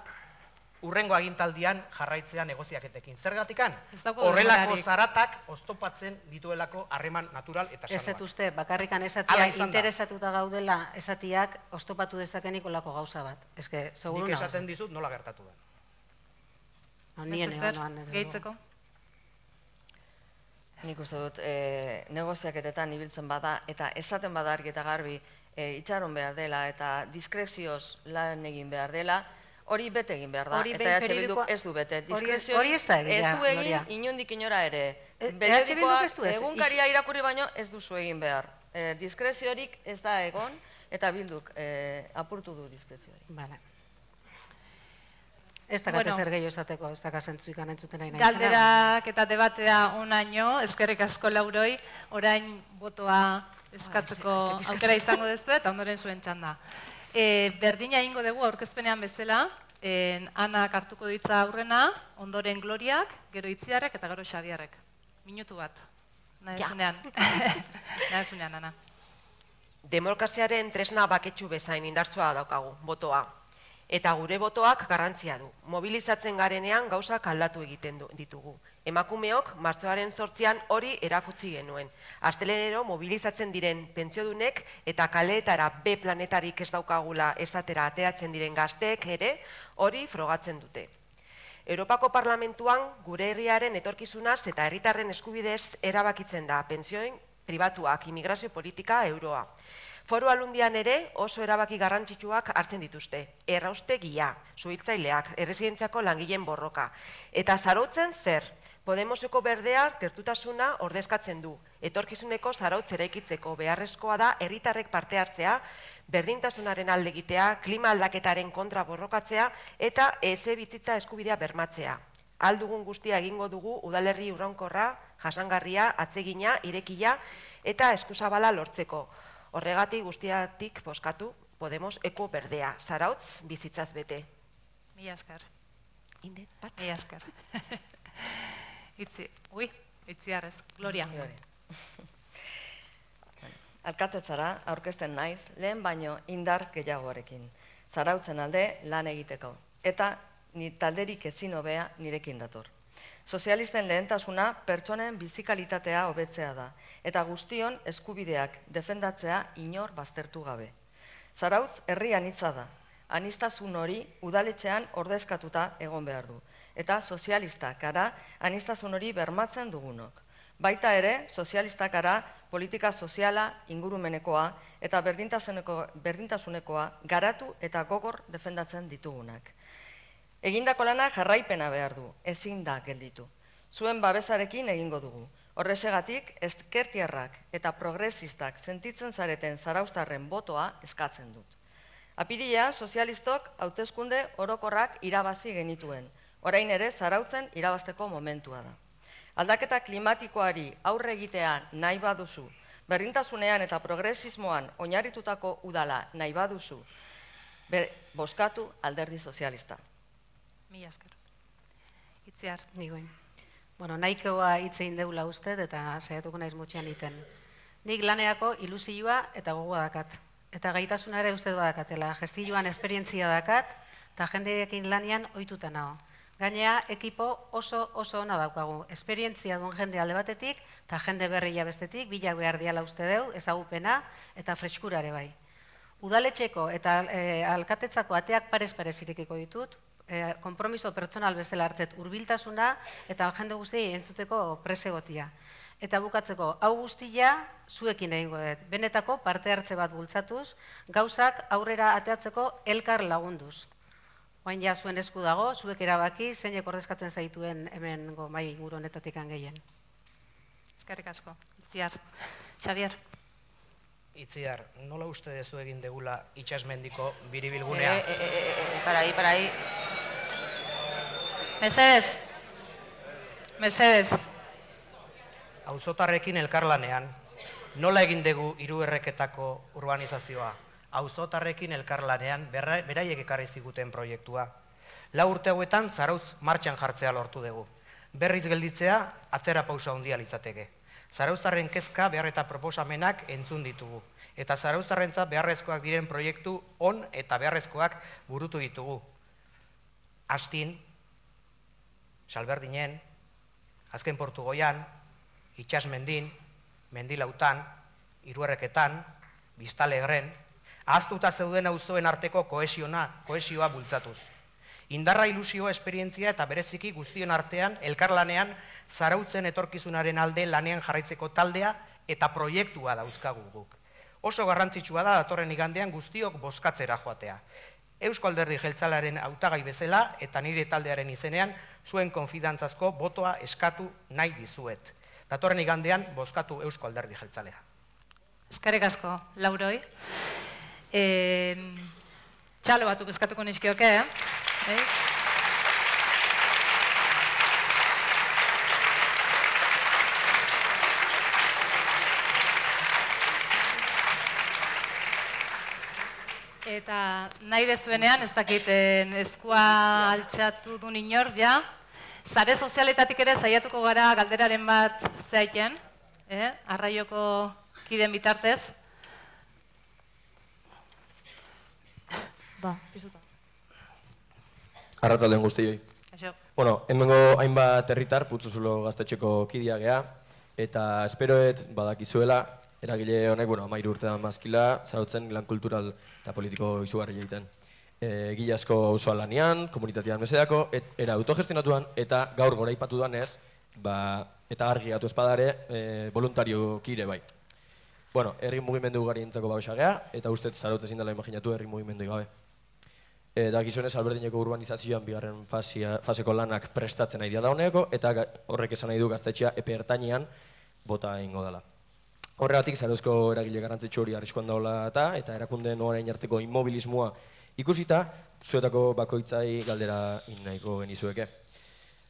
urrengo agintaldian jarraitzea negoziaketekin. Zergatikan? Horrelako zaratak oztopatzen dituelako harreman natural eta sanoa. Ez etuzte, bakarrikan esatia interesatuta gaudela esatiak oztopatu dezakenik olako gauza bat. Nik esaten dizut nola gertatu da. Gehitzeko? Nik uste dut, negoziaketetan ibiltzen bada eta esaten bada argi eta garbi itxaron behar dela eta diskrezioz lan egin behar dela, hori bete egin behar da, eta E H Bilduk ez du bete. Hori ez da egin, ez du egin inondik inora ere. Periodikoak egunkaria irakurri baino ez duzu egin behar. Diskreziorik ez da egon, eta Bilduk apurtu du diskreziorik. Ez dakate zer gehiago esateko, ez dakazentzu ikan entzuten nahi nahi. Galderak eta debatea onaino, eskerrik asko Lauroi, orain botoa eskatzeko aukera izango dezu eta ondoren zuen txanda. Berdina egingo dugu aurkezpenean bezala, Anak hartuko ditza aurrena, ondoren Gloriak, gero Itziarrek eta gero Xabierrek. Minutu bat. Nahezunean. Nahezunean, Ana. Demokraziaren tresna baketsu bezain indartsua daukagu, botoa. Eta gure botoak garrantzia du. Mobilizatzen garenean gauzak aldatu egiten ditugu. Emakumeok martxoaren zortzian hori erakutsi genuen. Astelenero mobilizatzen diren pentsiodunek eta kaleetara B planetarik ez daukagula esatera ateratzen diren gazteek ere hori frogatzen dute. Europako Parlamentuan gure herriaren etorkizunaz eta herritarren eskubidez erabakitzen da pentsioen pribatuak, immigrazio politika, euroa. Foru Aldundian ere oso erabaki garrantzitsuak hartzen dituzte. Erraustegia, suhiltzaileak, erresidentziako langileen borroka. Eta zarautzen zer? Podemoseko berdea gertutasuna ordezkatzen du. Etorkizuneko zarautz eraikitzeko beharrezkoa da herritarrek parte hartzea, berdintasunaren alde egitea, klima aldaketaren kontra borrokatzea eta etxebizitza eskubidea bermatzea. Ahal dugun guztia egingo dugu udalerri iraunkorra, jasangarria, atsegina, irekia eta eskuzabala lortzeko. Horregatik guztiatik bozkatu Podemos eko berdea. Zarautz bizitzaz bete. Mila esker. Inde, bat. Mila esker. Itzi, ui, itziarrez. Gloria. Alkatetzara aurkezten naiz lehen baino indar gehiagoarekin. Zarautzen alde lan egiteko. Eta ni talderik ezin hobea nirekin dator. Sozialisten lehentasuna pertsonen bizikalitatea hobetzea da, eta guztion eskubideak defendatzea inor baztertu gabe. Zarautz herri anitza da, aniztasun hori udaletxean ordezkatuta egon behar du, eta sozialistak gara aniztasun hori bermatzen dugunok. Baita ere, sozialistak gara politika soziala ingurumenekoa eta berdintasunekoa garatu eta gogor defendatzen ditugunak. Egindako lana jarraipena behar du, ezin da gelditu. Zuen babesarekin egingo dugu. Horrexegatik, ezkertiarrak eta progresistak sentitzen zareten zarauztarren botoa eskatzen dut. Apirilean, sozialistok hauteskunde orokorrak irabazi genituen. Orain ere, zarautzen irabazteko momentua da. Aldaketa klimatikoari aurre egitea nahi baduzu, berdintasunean eta progresismoan oinarritutako udala nahi baduzu, bozkatu Alderdi Sozialista. Mila esker. Itziar. Nigoen. Bueno, nahikoa hitz egin deula uste eta saiatuko naiz motxean iten. Nik laneako ilusioa eta gogoa dakat. Eta gaitasuna ere uste badakatela. Gestilloan esperientzia dakat eta jendeekin lanian ohituta nago. Gainea, ekipo oso oso ona daukagu. Esperientzia duen jende alde batetik eta jende berria bestetik, bilak behar diala uste deu, ezagupena eta freskurare bai. Udaletxeko eta alkatetzako ateak parez-parez irekiko ditut, konpromiso pertsonal bezala hartzet hurbiltasuna eta jende guztiei entzuteko presegotia. Eta bukatzeko, hau guztia zuekin egingo dut. Benetako parte hartze bat bultzatuz, gauzak aurrera ateatzeko elkar lagunduz. Oain ja zuen esku dago, zuek erabaki, zeinek ordezkatzen zaituen hemen mai inguru honetatik gehien. Eskerrik asko. Itziar. Xavier. Itziar, nola uste dezu egin degula itxasmendiko biribilgunea? E, e, e, e, parai, parai. Mesedez. Mesedez. Auzotarrekin elkarlanean, nola egin dugu hiruerreketako urbanizazioa? Auzotarrekin elkarlanean beraiek ekarri ziguten proiektua. Lau urte hauetan zarautz martxan jartzea lortu dugu. Berriz gelditzea atzera pausa handia litzateke. Zarauztarren kezka behar eta proposamenak entzun ditugu. Eta zarauztarrentzat beharrezkoak diren proiektu on eta beharrezkoak burutu ditugu. Astin, Salberdinen, Azken Portugoian, Itxasmendin, Mendilautan, Hiruerreketan, Biztalegren, ahaztuta zeuden auzoen arteko kohesioa bultzatuz. Indarra, ilusio, esperientzia eta bereziki guztion artean, elkarlanean, zarautzen etorkizunaren alde lanean jarraitzeko taldea eta proiektua dauzkagu guk. Oso garrantzitsua da datorren igandean guztiok bozkatzera joatea. Eusko Alderdi Jeltzalearen hautagai bezala eta nire taldearen izenean zuen konfidantzazko botoa eskatu nahi dizuet. Datorren igandean bozkatu Eusko Alderdi Jeltzalea. Eskerrik asko, Lauroi. Txalo batzuk eskatuko nizkioke, eh? Eta nahi dezuenean, ez dakiten eskua altxatu du inor, ja. Zare sozialetatik ere saiatuko gara galderaren bat zaiten, arraioko kiden bitartez. Ba, pizuta. Arratzaldeon guztioi. Bueno, hemengo hainbat herritar Putzuzulo gaztetxeko kidia gea, eta esperoet badakizuela, eragile honek, bueno, amairu urtean mazkila, zarautzen lan kultural eta politiko izugarri egiten. Egile asko auzoa lanean, komunitatean mesedako, era autogestionatuan, eta gaur gora ipatu duanez, eta argi gatu espadare, voluntario kire bai. Bueno, herri mugimendu gari entzako babesa gea, eta ustez zarautz ezin dela imaginatu herri mugimendu gabe. Da gizonez alberdineko urbanizazioan bigarren faseko lanak prestatzen nahi da honeko, eta horrek esan nahi du gaztetxea epe ertainean bota egingo dela. Horregatik, Zarauzko eragile garrantzitsu hori arriskuan daula eta erakundeen orain arteko immobilismoa ikusita, zuetako bakoitzai galdera nahiko genizueke.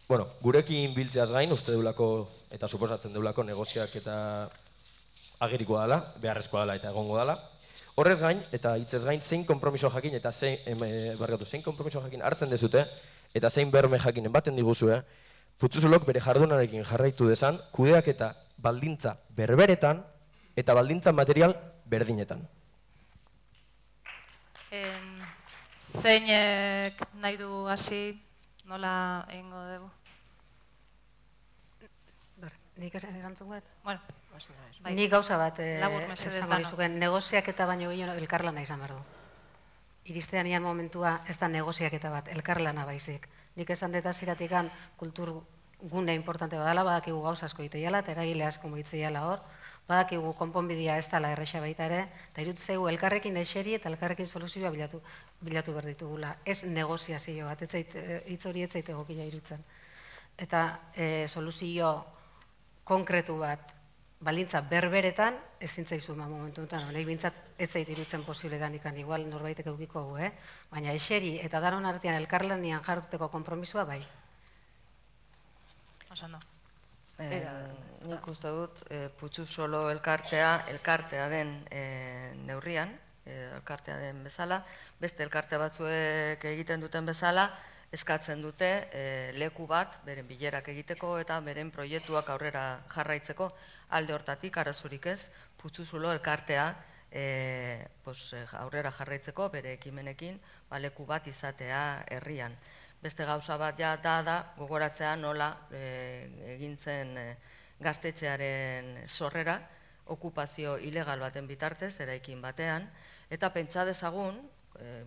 Bueno, gurekin biltzeaz gain, uste deulako eta suposatzen deulako negoziak eta agerikoa dela, beharrezkoa dela eta egongo dela. Horrez gain, eta hitzez gain, zein konpromiso jakin eta zein, barkatu, zein konpromiso jakin hartzen dezute, eta zein berme jakinen baten diguzue, Putzuzulok bere jardunarekin jarraitu dezan, kudeak eta baldintza berberetan, eta baldintza material berdinetan. Zeinek nahi du hasi, nola egingo dugu? Nik erantzun bat? Bueno, nik gauza bat esango dizuken, negoziak eta baino gehiago elkarlana izan behar du. Iristean ian momentua ez da negoziak eta bat, elkarlana baizik. Nik esan deta ziratikan kultur gune importante badala, badakigu gauza asko iteiala, eta eragile asko moitzeiala hor, badakigu konponbidea ez dala erresa baita ere, eta irutzegu elkarrekin eseri eta elkarrekin soluzioa bilatu behar ditugula. Ez negoziazio bat, hitz hori ez zaite egokila irutzen. Eta soluzio konkretu bat, balintza berberetan, ezin zaizu ma momentu enten, honek bintzat ez zait irutzen posible danikan, igual norbaitek eukiko gu, eh? Baina eseri eta danon artean elkarlanian jarruteko konpromisua bai. Osando. Nik uste dut, Putzuzolo elkartea, elkartea den neurrian, elkartea den bezala, beste elkarte batzuek egiten duten bezala, eskatzen dute leku bat, beren bilerak egiteko eta beren proiektuak aurrera jarraitzeko, alde hortatik, arazurik ez, Putzuzulo elkartea aurrera jarraitzeko, bere ekimenekin, leku bat izatea herrian. Beste gauza bat ja da da, gogoratzea nola egintzen gaztetxearen sorrera, okupazio ilegal baten bitartez, eraikin batean, eta pentsa dezagun,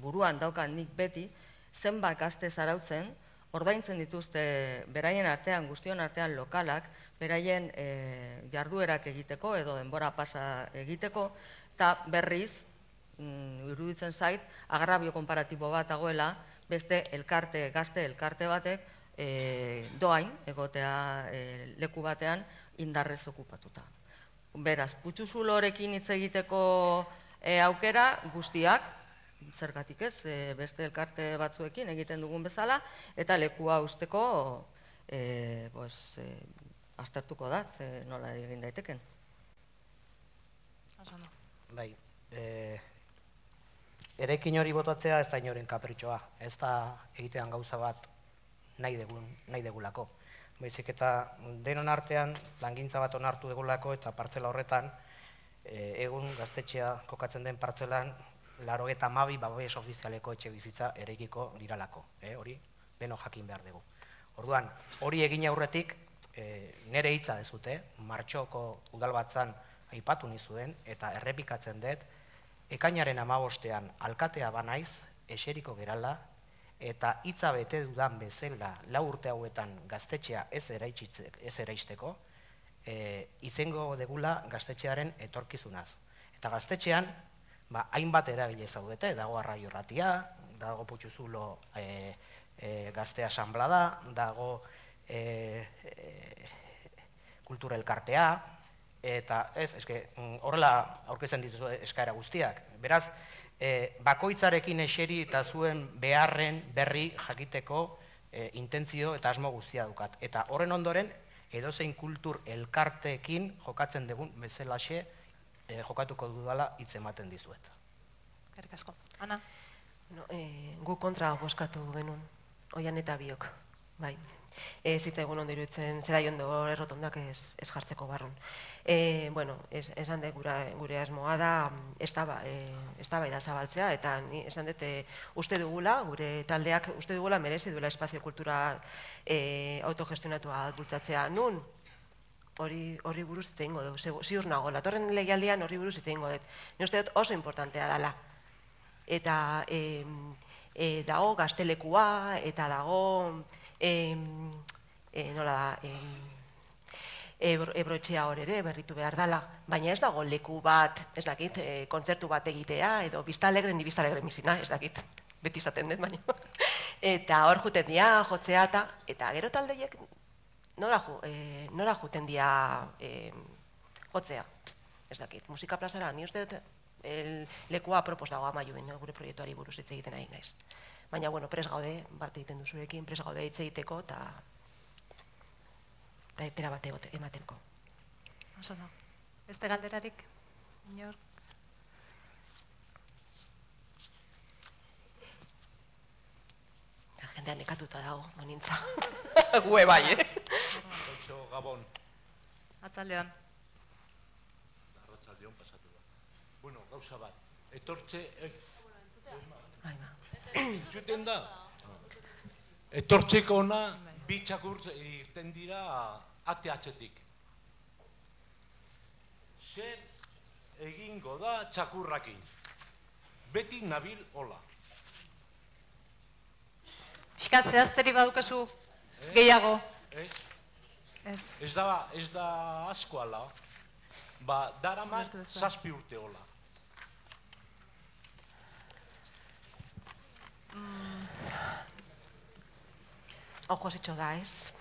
buruan daukan nik beti, zenbat gazte zarautzen, ordaintzen dituzte beraien artean, guztion artean lokalak, beraien jarduerak egiteko edo denbora pasa egiteko, eta berriz, iruditzen zait, agrabio konparatibo bat dagoela, beste elkarte, gazte elkarte batek, doain, egotea leku batean, indarrez okupatuta. Beraz, Putzuzulorekin hitz egiteko aukera guztiak, zergatik ez, beste elkarte batzuekin egiten dugun bezala, eta lekua usteko aztertuko da, nola egin daiteken. Bai, eraikin hori botatzea ez da inoren kapritxoa, ez da egitean gauza bat nahi degulako. Baizik eta denon artean langintza bat onartu degulako eta partzela horretan, egun gaztetxea kokatzen den partzelan, laurogeita hamabi babes ofizialeko etxe bizitza eraikiko diralako, hori leno jakin behar dugu. Orduan, hori egin aurretik, nire hitza dezute, martxoko udalbatzan aipatu nizuen, eta errepikatzen dut, ekainaren hamabostean alkatea banaiz, eseriko gerala, eta hitza bete dudan bezala lau urte hauetan gaztetxea ez eraisteko, itzengo degula gaztetxearen etorkizunaz. Eta gaztetxean, hainbat eragile zaudete, dago Arraio Ratia, dago Putzuzulo gazte asanblada, dago kultura elkartea, eta ez, horrela aurkezten dituzu eskaera guztiak. Beraz, bakoitzarekin eseri eta zuen beharren berri jakiteko intentzio eta asmo guztia dukat. Eta horren ondoren, edozein kultur elkarteekin jokatzen dugun bezalaxe jokatuko dudala hitz ematen dizuet. Eskerrik asko. Ana? Gu kontra bozkatu genuen, oian eta biok, bai. Ez zitzaigun ondo iruditzen zera jondo errotondak ez jartzeko barrun. Bueno, esan dut gure asmoa da, ez da bai da zabaltzea, eta esan dut uste dugula, gure taldeak uste dugula merezi duela espazio kultura autogestionatua bultzatzea. Nun? Horri buruz hitz egingo dugu, ziur nago, latorren legialdian horri buruz hitz egingo dut. Ni uste dut oso importantea dela. Eta dago gaztelekua, eta dago, nola da, Ebroetxea hor ere berritu behar dela, baina ez dago leku bat, ez dakit, kontzertu bat egitea, edo Vista Alegre ni Vista Alegre misina, ez dakit. beti izaten dut baino. Eta hor juten dira, jotzea eta, eta gero taldeiek nora, ju, e, nora juten dira e, jotzea. Ez dakit, musika plazara, ni uste dut el, lekua apropos dago Amaiuen, no? Gure proiektuari buruz hitz egiten ari naiz. Baina, bueno, pres gaude, bat egiten duzurekin, pres gaude hitz egiteko eta eta epera bat emateko. Oso da. Beste galderarik, inor? Jendea nekatuta dago, monintza. Gue bai, eh? Koitxo, Gabon. Atzaldeon. Arratsaldeon pasatu da. Bueno, gauza bat. Etortze... Entzuten da? Etortzeko ona, bi txakur irten dira ate atzetik. Zer egingo da txakurrakin? Beti nabil hola. Pixka zehazteri badukazu gehiago. Ez? Ez da, ez da asko ala. Ba, daramat zazpi urte hola. Hau Josetxo da, ez?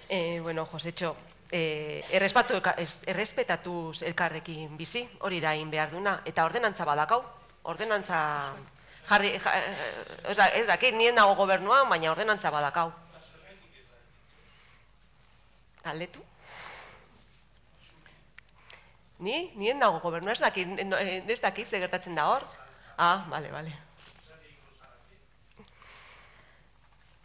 eh, bueno, Josetxo, eh, errespetatuz elkarrekin bizi, hori da egin behar duna, eta ordenantza badakau, ordenantza jarri, ja, ez dakit, nien nago gobernuan, baina ordenantza badakau. Galdetu? Ni? Nien nago gobernua, ez dakit, ez dakit, ze gertatzen da hor? Ah, bale, bale.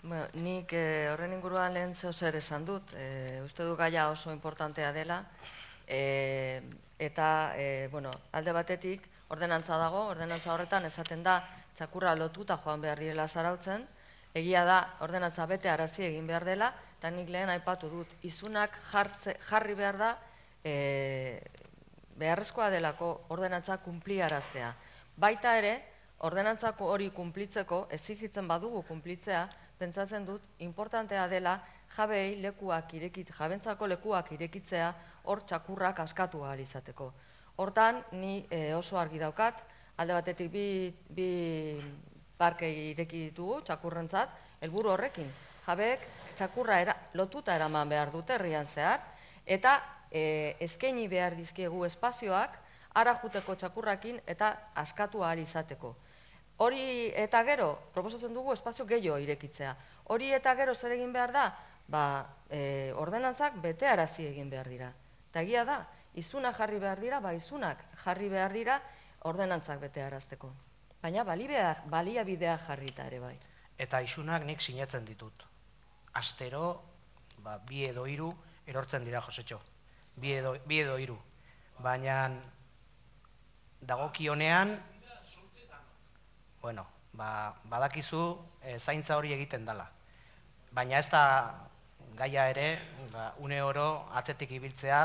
Bueno, nik eh, horren inguruan lehen zeo zer esan dut, eh, uste du gaia oso importantea dela, eh, eta eh, bueno, alde batetik ordenantza dago, ordenantza horretan esaten da txakurra lotuta joan behar direla Zarautzen, egia da ordenantza bete arazi egin behar dela, eta nik lehen aipatu dut, izunak jartze, jarri behar da eh, beharrezkoa delako ordenantza kunpliaraztea. Baita ere, ordenantzako hori kunplitzeko, exigitzen badugu kunplitzea, pentsatzen dut, importantea dela jabei lekuak irekit, jabentzako lekuak irekitzea hor txakurrak askatu ahal izateko. Hortan, ni e, oso argi daukat, alde batetik bi, bi parke ireki ditugu txakurrentzat, helburu horrekin. Jabeek txakurra era, lotuta eraman behar dute herrian zehar, eta e, eskaini behar dizkiegu espazioak, ara juteko txakurrakin eta askatu ahal izateko. Hori eta gero, proposatzen dugu espazio gehiago irekitzea. Hori eta gero zer egin behar da? Ba, e, ordenantzak bete arazi egin behar dira. Eta egia da, izunak jarri behar dira, ba, izunak jarri behar dira ordenantzak bete arazteko. Baina baliabideak jarrita ere bai. Eta isunak nik sinetzen ditut. Astero, ba, bi edo hiru erortzen dira, Josetxo. Bi edo, bi edo hiru. Baina dagokionean, bueno, ba, badakizu e, zaintza hori egiten dela. Baina ez da gaia ere, ba, une oro atzetik ibiltzea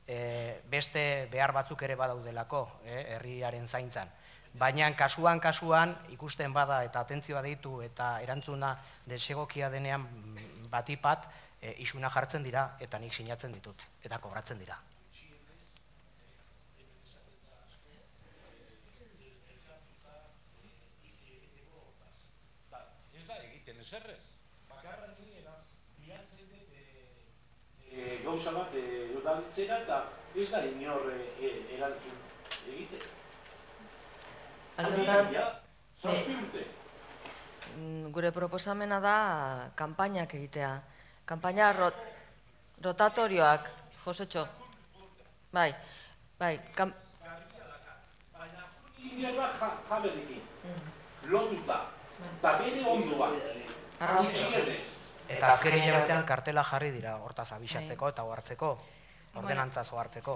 e, beste behar batzuk ere badaudelako, e, herriaren zaintzan. Baina kasuan, kasuan, ikusten bada eta atentzioa deitu eta erantzuna desegokia denean batipat, e, isuna jartzen dira eta nik sinatzen ditut, eta kobratzen dira. Zerrez, bakarra niena bilatzen dut gauza bat udaltzera eta ez da inor erantzun egite. Gure proposamena da kanpainak egitea. Kanpaina rotatorioak, Josetxo. Bai, bai. Baina juni ingerra jaberikin, lotuta, eta bere onduan. Eta azken hilabetean kartela jarri dira, hortaz abisatzeko eta ohartzeko, ordenantzaz ohartzeko.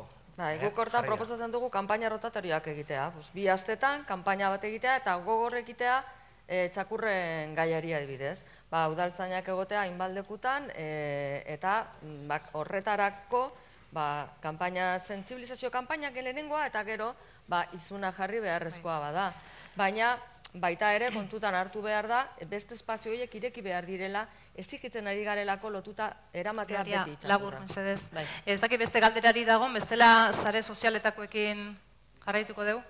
Guk hortan proposatzen dugu kanpaina rotatorioak egitea. Bi astetan, kanpaina bat egitea eta gogor egitea txakurren gaiari adibidez. Udaltzainak egotea hainbaldekutan eta horretarako sentsibilizazio kanpainak lehenengoa eta gero izuna jarri beharrezkoa bada. Baina baita ere kontutan hartu behar da, beste espazio horiek ireki behar direla, exigitzen ari garelako lotuta eramatea beti txakurra. Labur, mesedez. Ez daki beste galderari dago, bestela sare sozialetakoekin jarraituko dugu?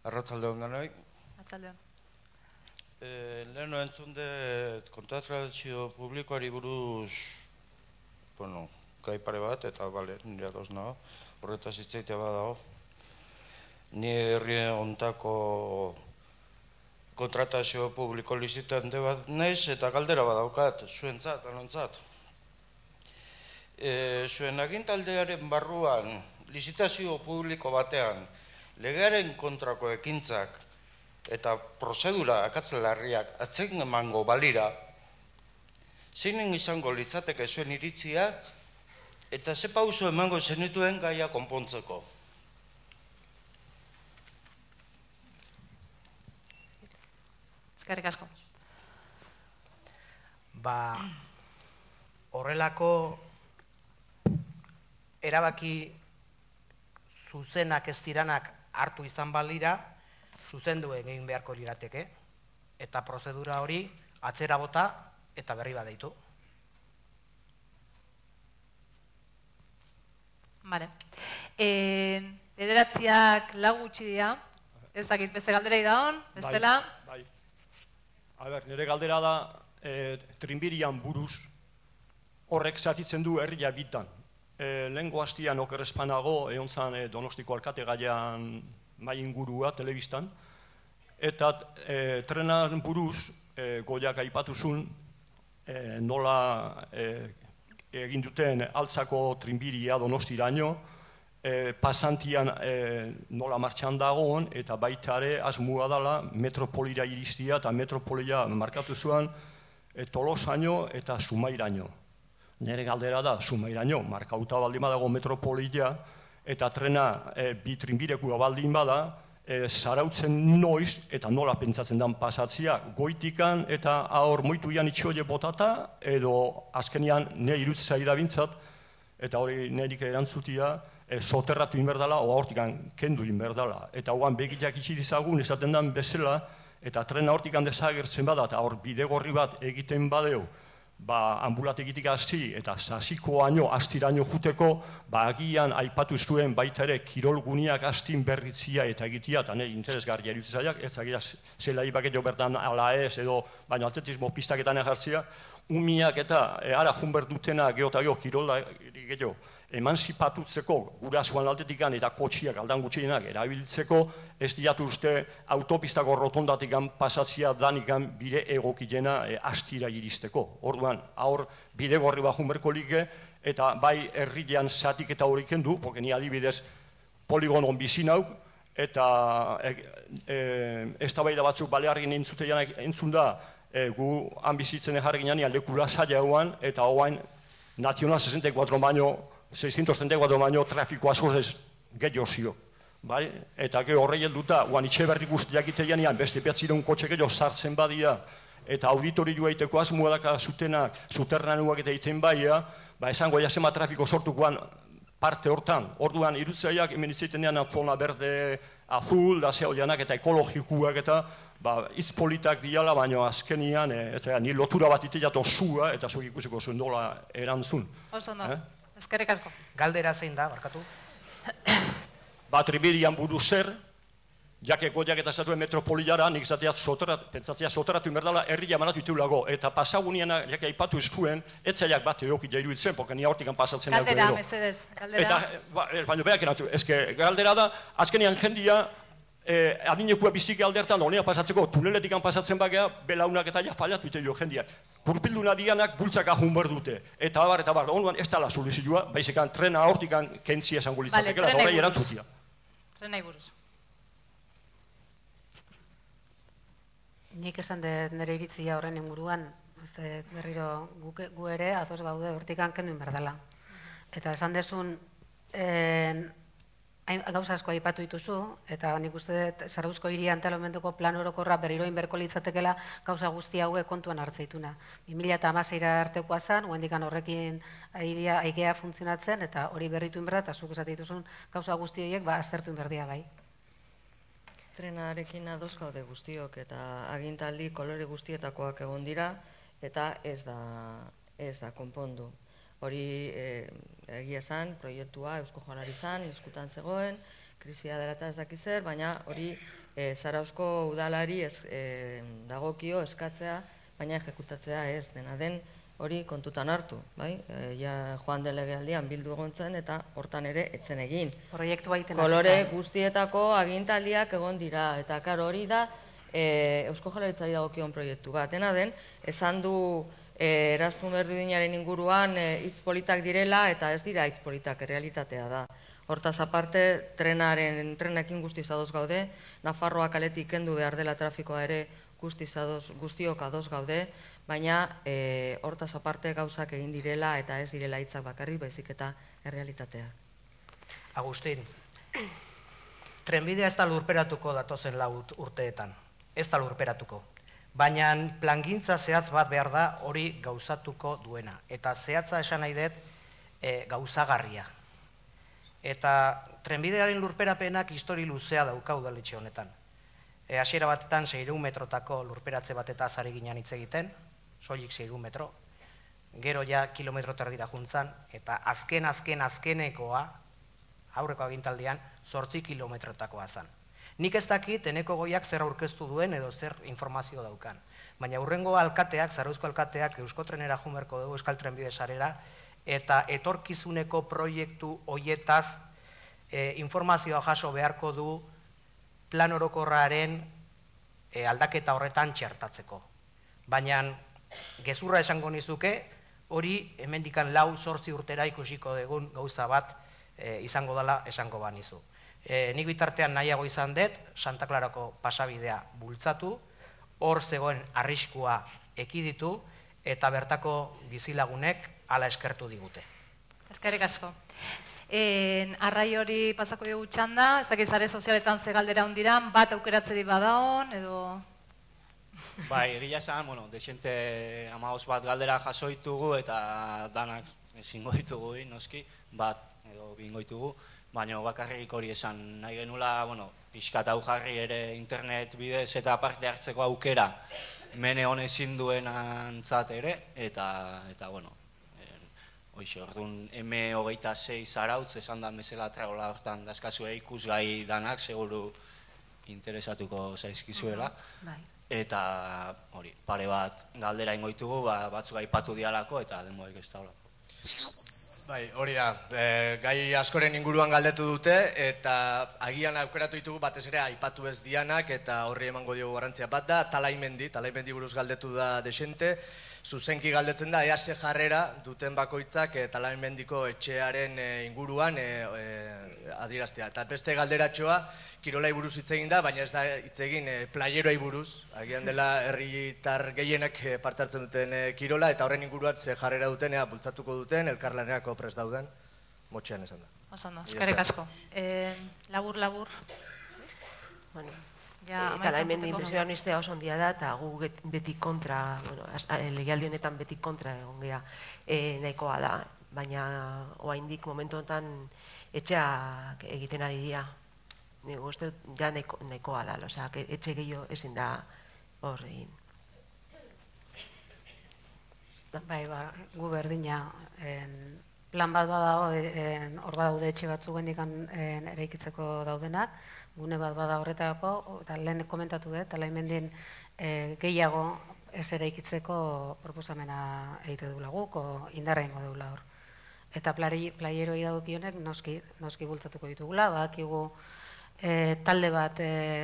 Arratsalde on denoi. Arratsaldeon. Leheno entzun dut kontratazio publikoari buruz, bueno, gai pare bat, eta bale, nire ados nago, horretaz hitz egitea badago. Ni herri hontako kontratazio publiko lizitante bat naiz, eta galdera badaukat, zuentzat, anontzat. Zuen agintaldearen barruan, lizitazio publiko batean, legearen kontrako ekintzak eta prozedura akatzelarriak atzen emango balira, zeinen izango litzateke zuen iritzia eta ze pauso emango zenituen gaia konpontzeko. Eskerrik asko. Ba, horrelako erabaki zuzenak ez diranak hartu izan balira, zuzendu egin beharko lirateke, eta prozedura hori atzera bota eta berri bat deitu. Bale. Bederatziak lau gutxi dira, ez dakit beste galderei daun, bestela? Bai, bai. A ber, nire galdera da, trinbirian buruz horrek zatitzen du herria bitan. Lehengo hastian okerrezpanago, egon zan Donostiko alkate gaian mai ingurua, telebistan, eta trenan buruz, goiak aipatuzun, nola egin duten altzako trinbiria Donostiraino, pasantian nola martxan dagoen, eta baita ere asmua dela metropolira iristia, eta metropolia markatu zuen Tolosaino eta Sumairaino. Nire galdera da, Sumairaino, markauta baldin badago metropolia, eta trena bi trinbirekua baldin bada, zarautzen noiz eta nola pentsatzen den pasatzia, goitikan eta hor moituian itxoile botata, edo azkenian nire irutzea irabintzat, eta hori nireik erantzutia, soterratu inberdala, oa hortikan kendu inberdala. Eta hoan begitak itxi dizagun, esaten den bezala, eta trena hortikan desagertzen bada, eta hor bidegorri bat egiten badeu, ba, ambulategitik hasi eta sasikoaino, astiraino juteko, ba, agian aipatu zuen baita ere kirolguniak astin berritzia eta egitea, eta nire interesgarria irutzaiak, ez agira zela ibaket jo bertan ala ez, edo, baina atletismo pistaketan egartzia, umiak eta ara junber dutena geota geho, kirola geho, emanzipatutzeko gurasoan altetikan eta kotxiak aldan gutxienak erabiltzeko, ez diatu uste autopistako rotondatikan pasatzia danikan bide egokilena astira iristeko. Orduan, aur bidegorri bajun berko like, eta bai herrilean zatik eta hori kendu, porque ni adibidez poligonon bizin hau, eta eztabaida batzuk baleargin entzun da, gu han bizitzen jarri ginean lekula zaila hauan, eta hoain Nacional sesenta y cuatro baino, seiscientos treinta y cuatro baino trafiko askoz gehiago zio. Eta geho horrei helduta, guan itxe berri guztiak itean, beste behatzireun kotxe gehiago sartzen badia, eta auditorioa egiteko asmoa daka zutenak, zuterranuak eta egiten baia, ba esango jasema trafiko sortukoan parte hortan. Orduan, irutzaiak hemen itzaiten dean zona berde azul, da zehoianak eta ekologikuak eta hitz politak diala, baina azkenian, ni lotura bat iteat osua, eta zuek ikusiko zuen dola erantzun. Oso ondo, eskerrik asko. Galdera zein da, barkatu? Ba, tribirian buru zer, jake goiak eta zatuen metropoliara, nik zateat pentsatzea soteratu inberdala, herria manatu iteulago, eta pasagunean, jake aipatu eskuen, etzaiak bat eoki jairu itzen, porque ni hortikan pasatzen dago. Galdera, mesedez, galdera. Eta, baina beak erantzu, ezke, galdera da, azkenian jendia, adinekua biziki aldertan, honea pasatzeko, tuneletikan pasatzen bagea, belaunak eta ja fallatu ite jo jendia. Kurpilduna dianak bultzak ahun behar dute. Eta bar, eta bar, onuan ez tala soluzioa, baizekan trena hortikan kentzia esango litzatekela, eta horrei erantzutia. Trenai buruz. Nik esan dut nire iritzia horren inguruan, berriro gu ere, azoz gaude hortikan kendu inberdala. Eta esan dezun, gauza asko aipatu dituzu, eta nik uste dut Zarauzko hiri antolamenduko plan orokorra berriro inberko litzatekela gauza guzti hauek kontuan hartzeituna. bi mila hamaseira artekoa zen, guendikan horrekin aigea funtzionatzen, eta hori berritu inberda, eta zuk esate dituzun gauza guzti horiek aztertu inberdia bai. Trenarekin ados gaude guztiok, eta agintaldi kolore guztietakoak egon dira, eta ez da konpondu. Hori egia zen, proiektua Eusko Jaurlaritzan, eskutan zegoen, krisia dela eta ez dakizer, baina hori Zarauzko udalari dagokio eskatzea, baina ejekutatzea ez, dena den hori kontutan hartu, bai? Joan den legealdian bildu egon zen eta hortan ere etzen egin. Proiektua egiten hasi zen. Kolore guztietako agintaldiak egon dira, eta karo hori da Eusko Jaurlaritzari dagokion proiektu bat. Dena den, esan du Eraztun Berdinaren inguruan hitz politak direla eta ez dira hitz politak, realitatea da. Hortaz aparte, trenaren, trenekin guztiz ados gaude, Nafarroa kaletik kendu behar dela trafikoa ere guztiok ados gaude, baina hortaz aparte gauzak egin direla eta ez direla hitzak bakarrik, baizik eta errealitatea. Agustin, trenbidea ez da lurperatuko datozen lau urteetan, ez da lurperatuko. Baina plangintza zehatz bat behar da hori gauzatuko duena. Eta zehatza esan nahi dut gauzagarria. Eta trenbidearen lurperapenak histori luzea dauka udaletxe honetan. Hasiera batetan seiehun metrotako lurperatze batetaz ari ginen hitz egiten, soilik seiehun metro, gero ja kilometro terdira juntzan, eta azken, azken, azkenekoa, aurreko agintaldian, zortzi kilometrotakoa zen. Nik ez dakit Eneko Goiak zer aurkeztu duen edo zer informazio daukan. Baina hurrengo alkateak, Zarauzko alkateak, Euskotrenera jumerko dugu Euskal Trenbide sarera, eta etorkizuneko proiektu hoietaz informazioa jaso beharko du plan orokorraren aldaketa horretan txertatzeko. Baina gezurra esango nizuke, hori hemendikan lau zortzi urtera ikusiko dugun gauza bat izango dela esango banizu. Nik bitartean nahiago izan dut, Santa Clarako pasabidea bultzatu, hor zegoen arriskua ekiditu, eta bertako bizilagunek hala eskertu digute. Eskerrik asko. Arrai hori pasako dugu txanda, ez dakiz sare sozialetan ze galdera hondiran, bat aukeratzeri badaon, edo... Bai, egia esan, bueno, desente hamabost bat galdera jasoitugu eta danak ezingo ditugu, noski, bat edo bingo ditugu, baina bakarrik hori esan nahi genula, bueno, pixkat hau jarri ere internet bidez eta parte hartzeko aukera mene honezin duen antzat ere, eta, eta bueno, hoxe, orduan, eme hogeita sei Zarautz, esan da mesela tragola hortan dazkazue ikusgai danak, seguru interesatuko zaizkizuela. Eta hori, pare bat galdera ingoitugu, batzuk aipatu dialako eta demoek ez daulako. Bai, hori da, gai askoren inguruan galdetu dute eta agian aukeratu ditugu batez ere aipatu ez dianak eta horri emango diogu garrantzia bat da, Talaimendi, Talaimendi buruz galdetu da desente, zuzenki galdetzen da, ea ze jarrera duten bakoitzak Talaimendiko etxearen inguruan adieraztea. Eta beste galderatxoa, kirolai buruz hitz egin da, baina ez da hitz egin playeroai buruz, agian dela herritar gehienak parte hartzen duten kirola, eta horren inguruan ze jarrera duten, ea bultzatuko duten, elkarlanerako prest dauden, motxean esan da. Oso, eskerrik asko. Labur, labur. Talaimendi impresionistea oso ondia da, eta gu beti kontra, legialdi honetan beti kontra egon geha nahikoa da, baina oraindik momentu honetan etxeak egiten ari dira. Nik uste ja nahikoa da, etxe gehiago ezin da hor egin. Bai, ba, gu berdina, plan bat badago, hor badaude etxe batzuk gendikan eraikitzeko daudenak, gune bat bada horretarako, eta lehen komentatu dut, Talaimendin gehiago ez eraikitzeko proposamena egite dugula guk, indarra ingo dugula hor. Eta playeroi dagokionek noski bultzatuko ditugula, badakigu talde bat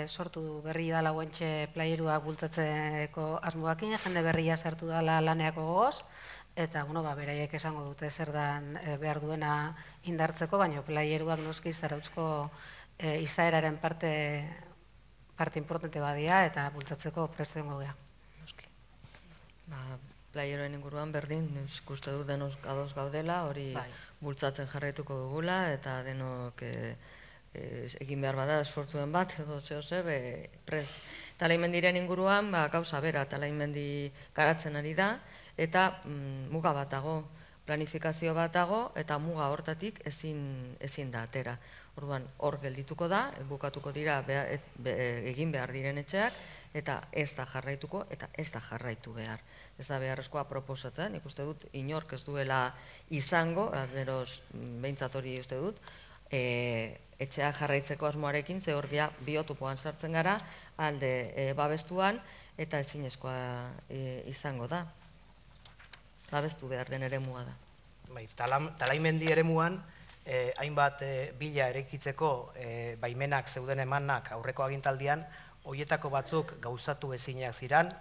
sortu berri dala guentxe playeruak bultzatzeko asmoakin, jende berria sartu dala laneako gogoz, eta beraiek esango dute zer dan behar duena indartzeko, baina playeruak noski Zarautzko izaeraren parte importante badia eta bultzatzeko preste dengo geha. Playeroen inguruan berdin, ikuste dut denok ados gaudela, hori bultzatzen jarraituko dugula, eta denok egin behar bada esfortzuen bat, edo zeo zer, prez. Talaimendiren inguruan, gauza bera, Talaimendi garatzen ari da, eta muga bat dago, planifikazio bat dago, eta muga hortatik ezin da atera. Orduan, hor geldituko da, bukatuko dira egin behar diren etxeak, eta ez da jarraituko, eta ez da jarraitu behar. Ez da beharrezkoa proposatzen, ikuste dut, inork ez duela izango, beroz, behintzat hori uste dut, etxea jarraitzeko asmoarekin, ze horria biotopoan sartzen gara, alde babestuan, eta ezinezkoa izango da. Babestu behar den eremua da. Bai, Talaimendi eremuan, hainbat bila eraikitzeko baimenak zeuden emanak aurreko agintaldian, horietako batzuk gauzatu ezinak ziran,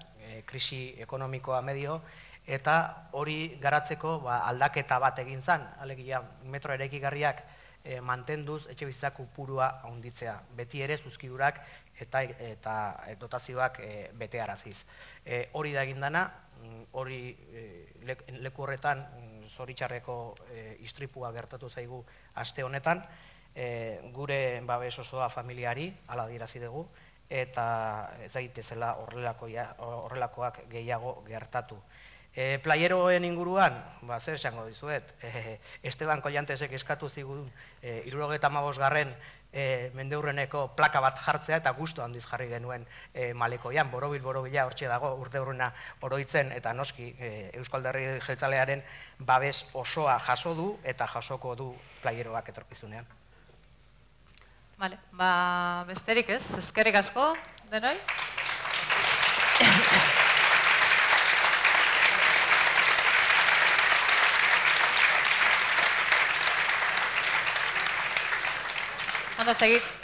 krisi ekonomikoa medio, eta hori garatzeko aldaketa bat egin zen, alegia metro eraikigarriak mantenduz etxe bizitzak kopurua handitzea, beti ere zuzkidurak eta dotazioak betearaziz. Hori da egin dana, hori leku horretan zoritxarreko istripua gertatu zaigu aste honetan, gure babes osoa familiari, hala adierazi dugu, eta ez daitezela horrelakoak gehiago gertatu. Playeroen inguruan, zer esango dizuet, Esteban Kollantesek eskatu zigun hirurogeita hamabost garren mendeurreneko plaka bat jartzea eta gustu handiz jarri genuen Malekoian, borobil-borobila hortxe dago urte urruna oroitzen eta noski Eusko Alderdi Jeltzalearen babes osoa jaso du eta jasoko du playeroak etorkizunean. Bale, ba besterik ez, eskerrik asko denoi. Ondo, seguid.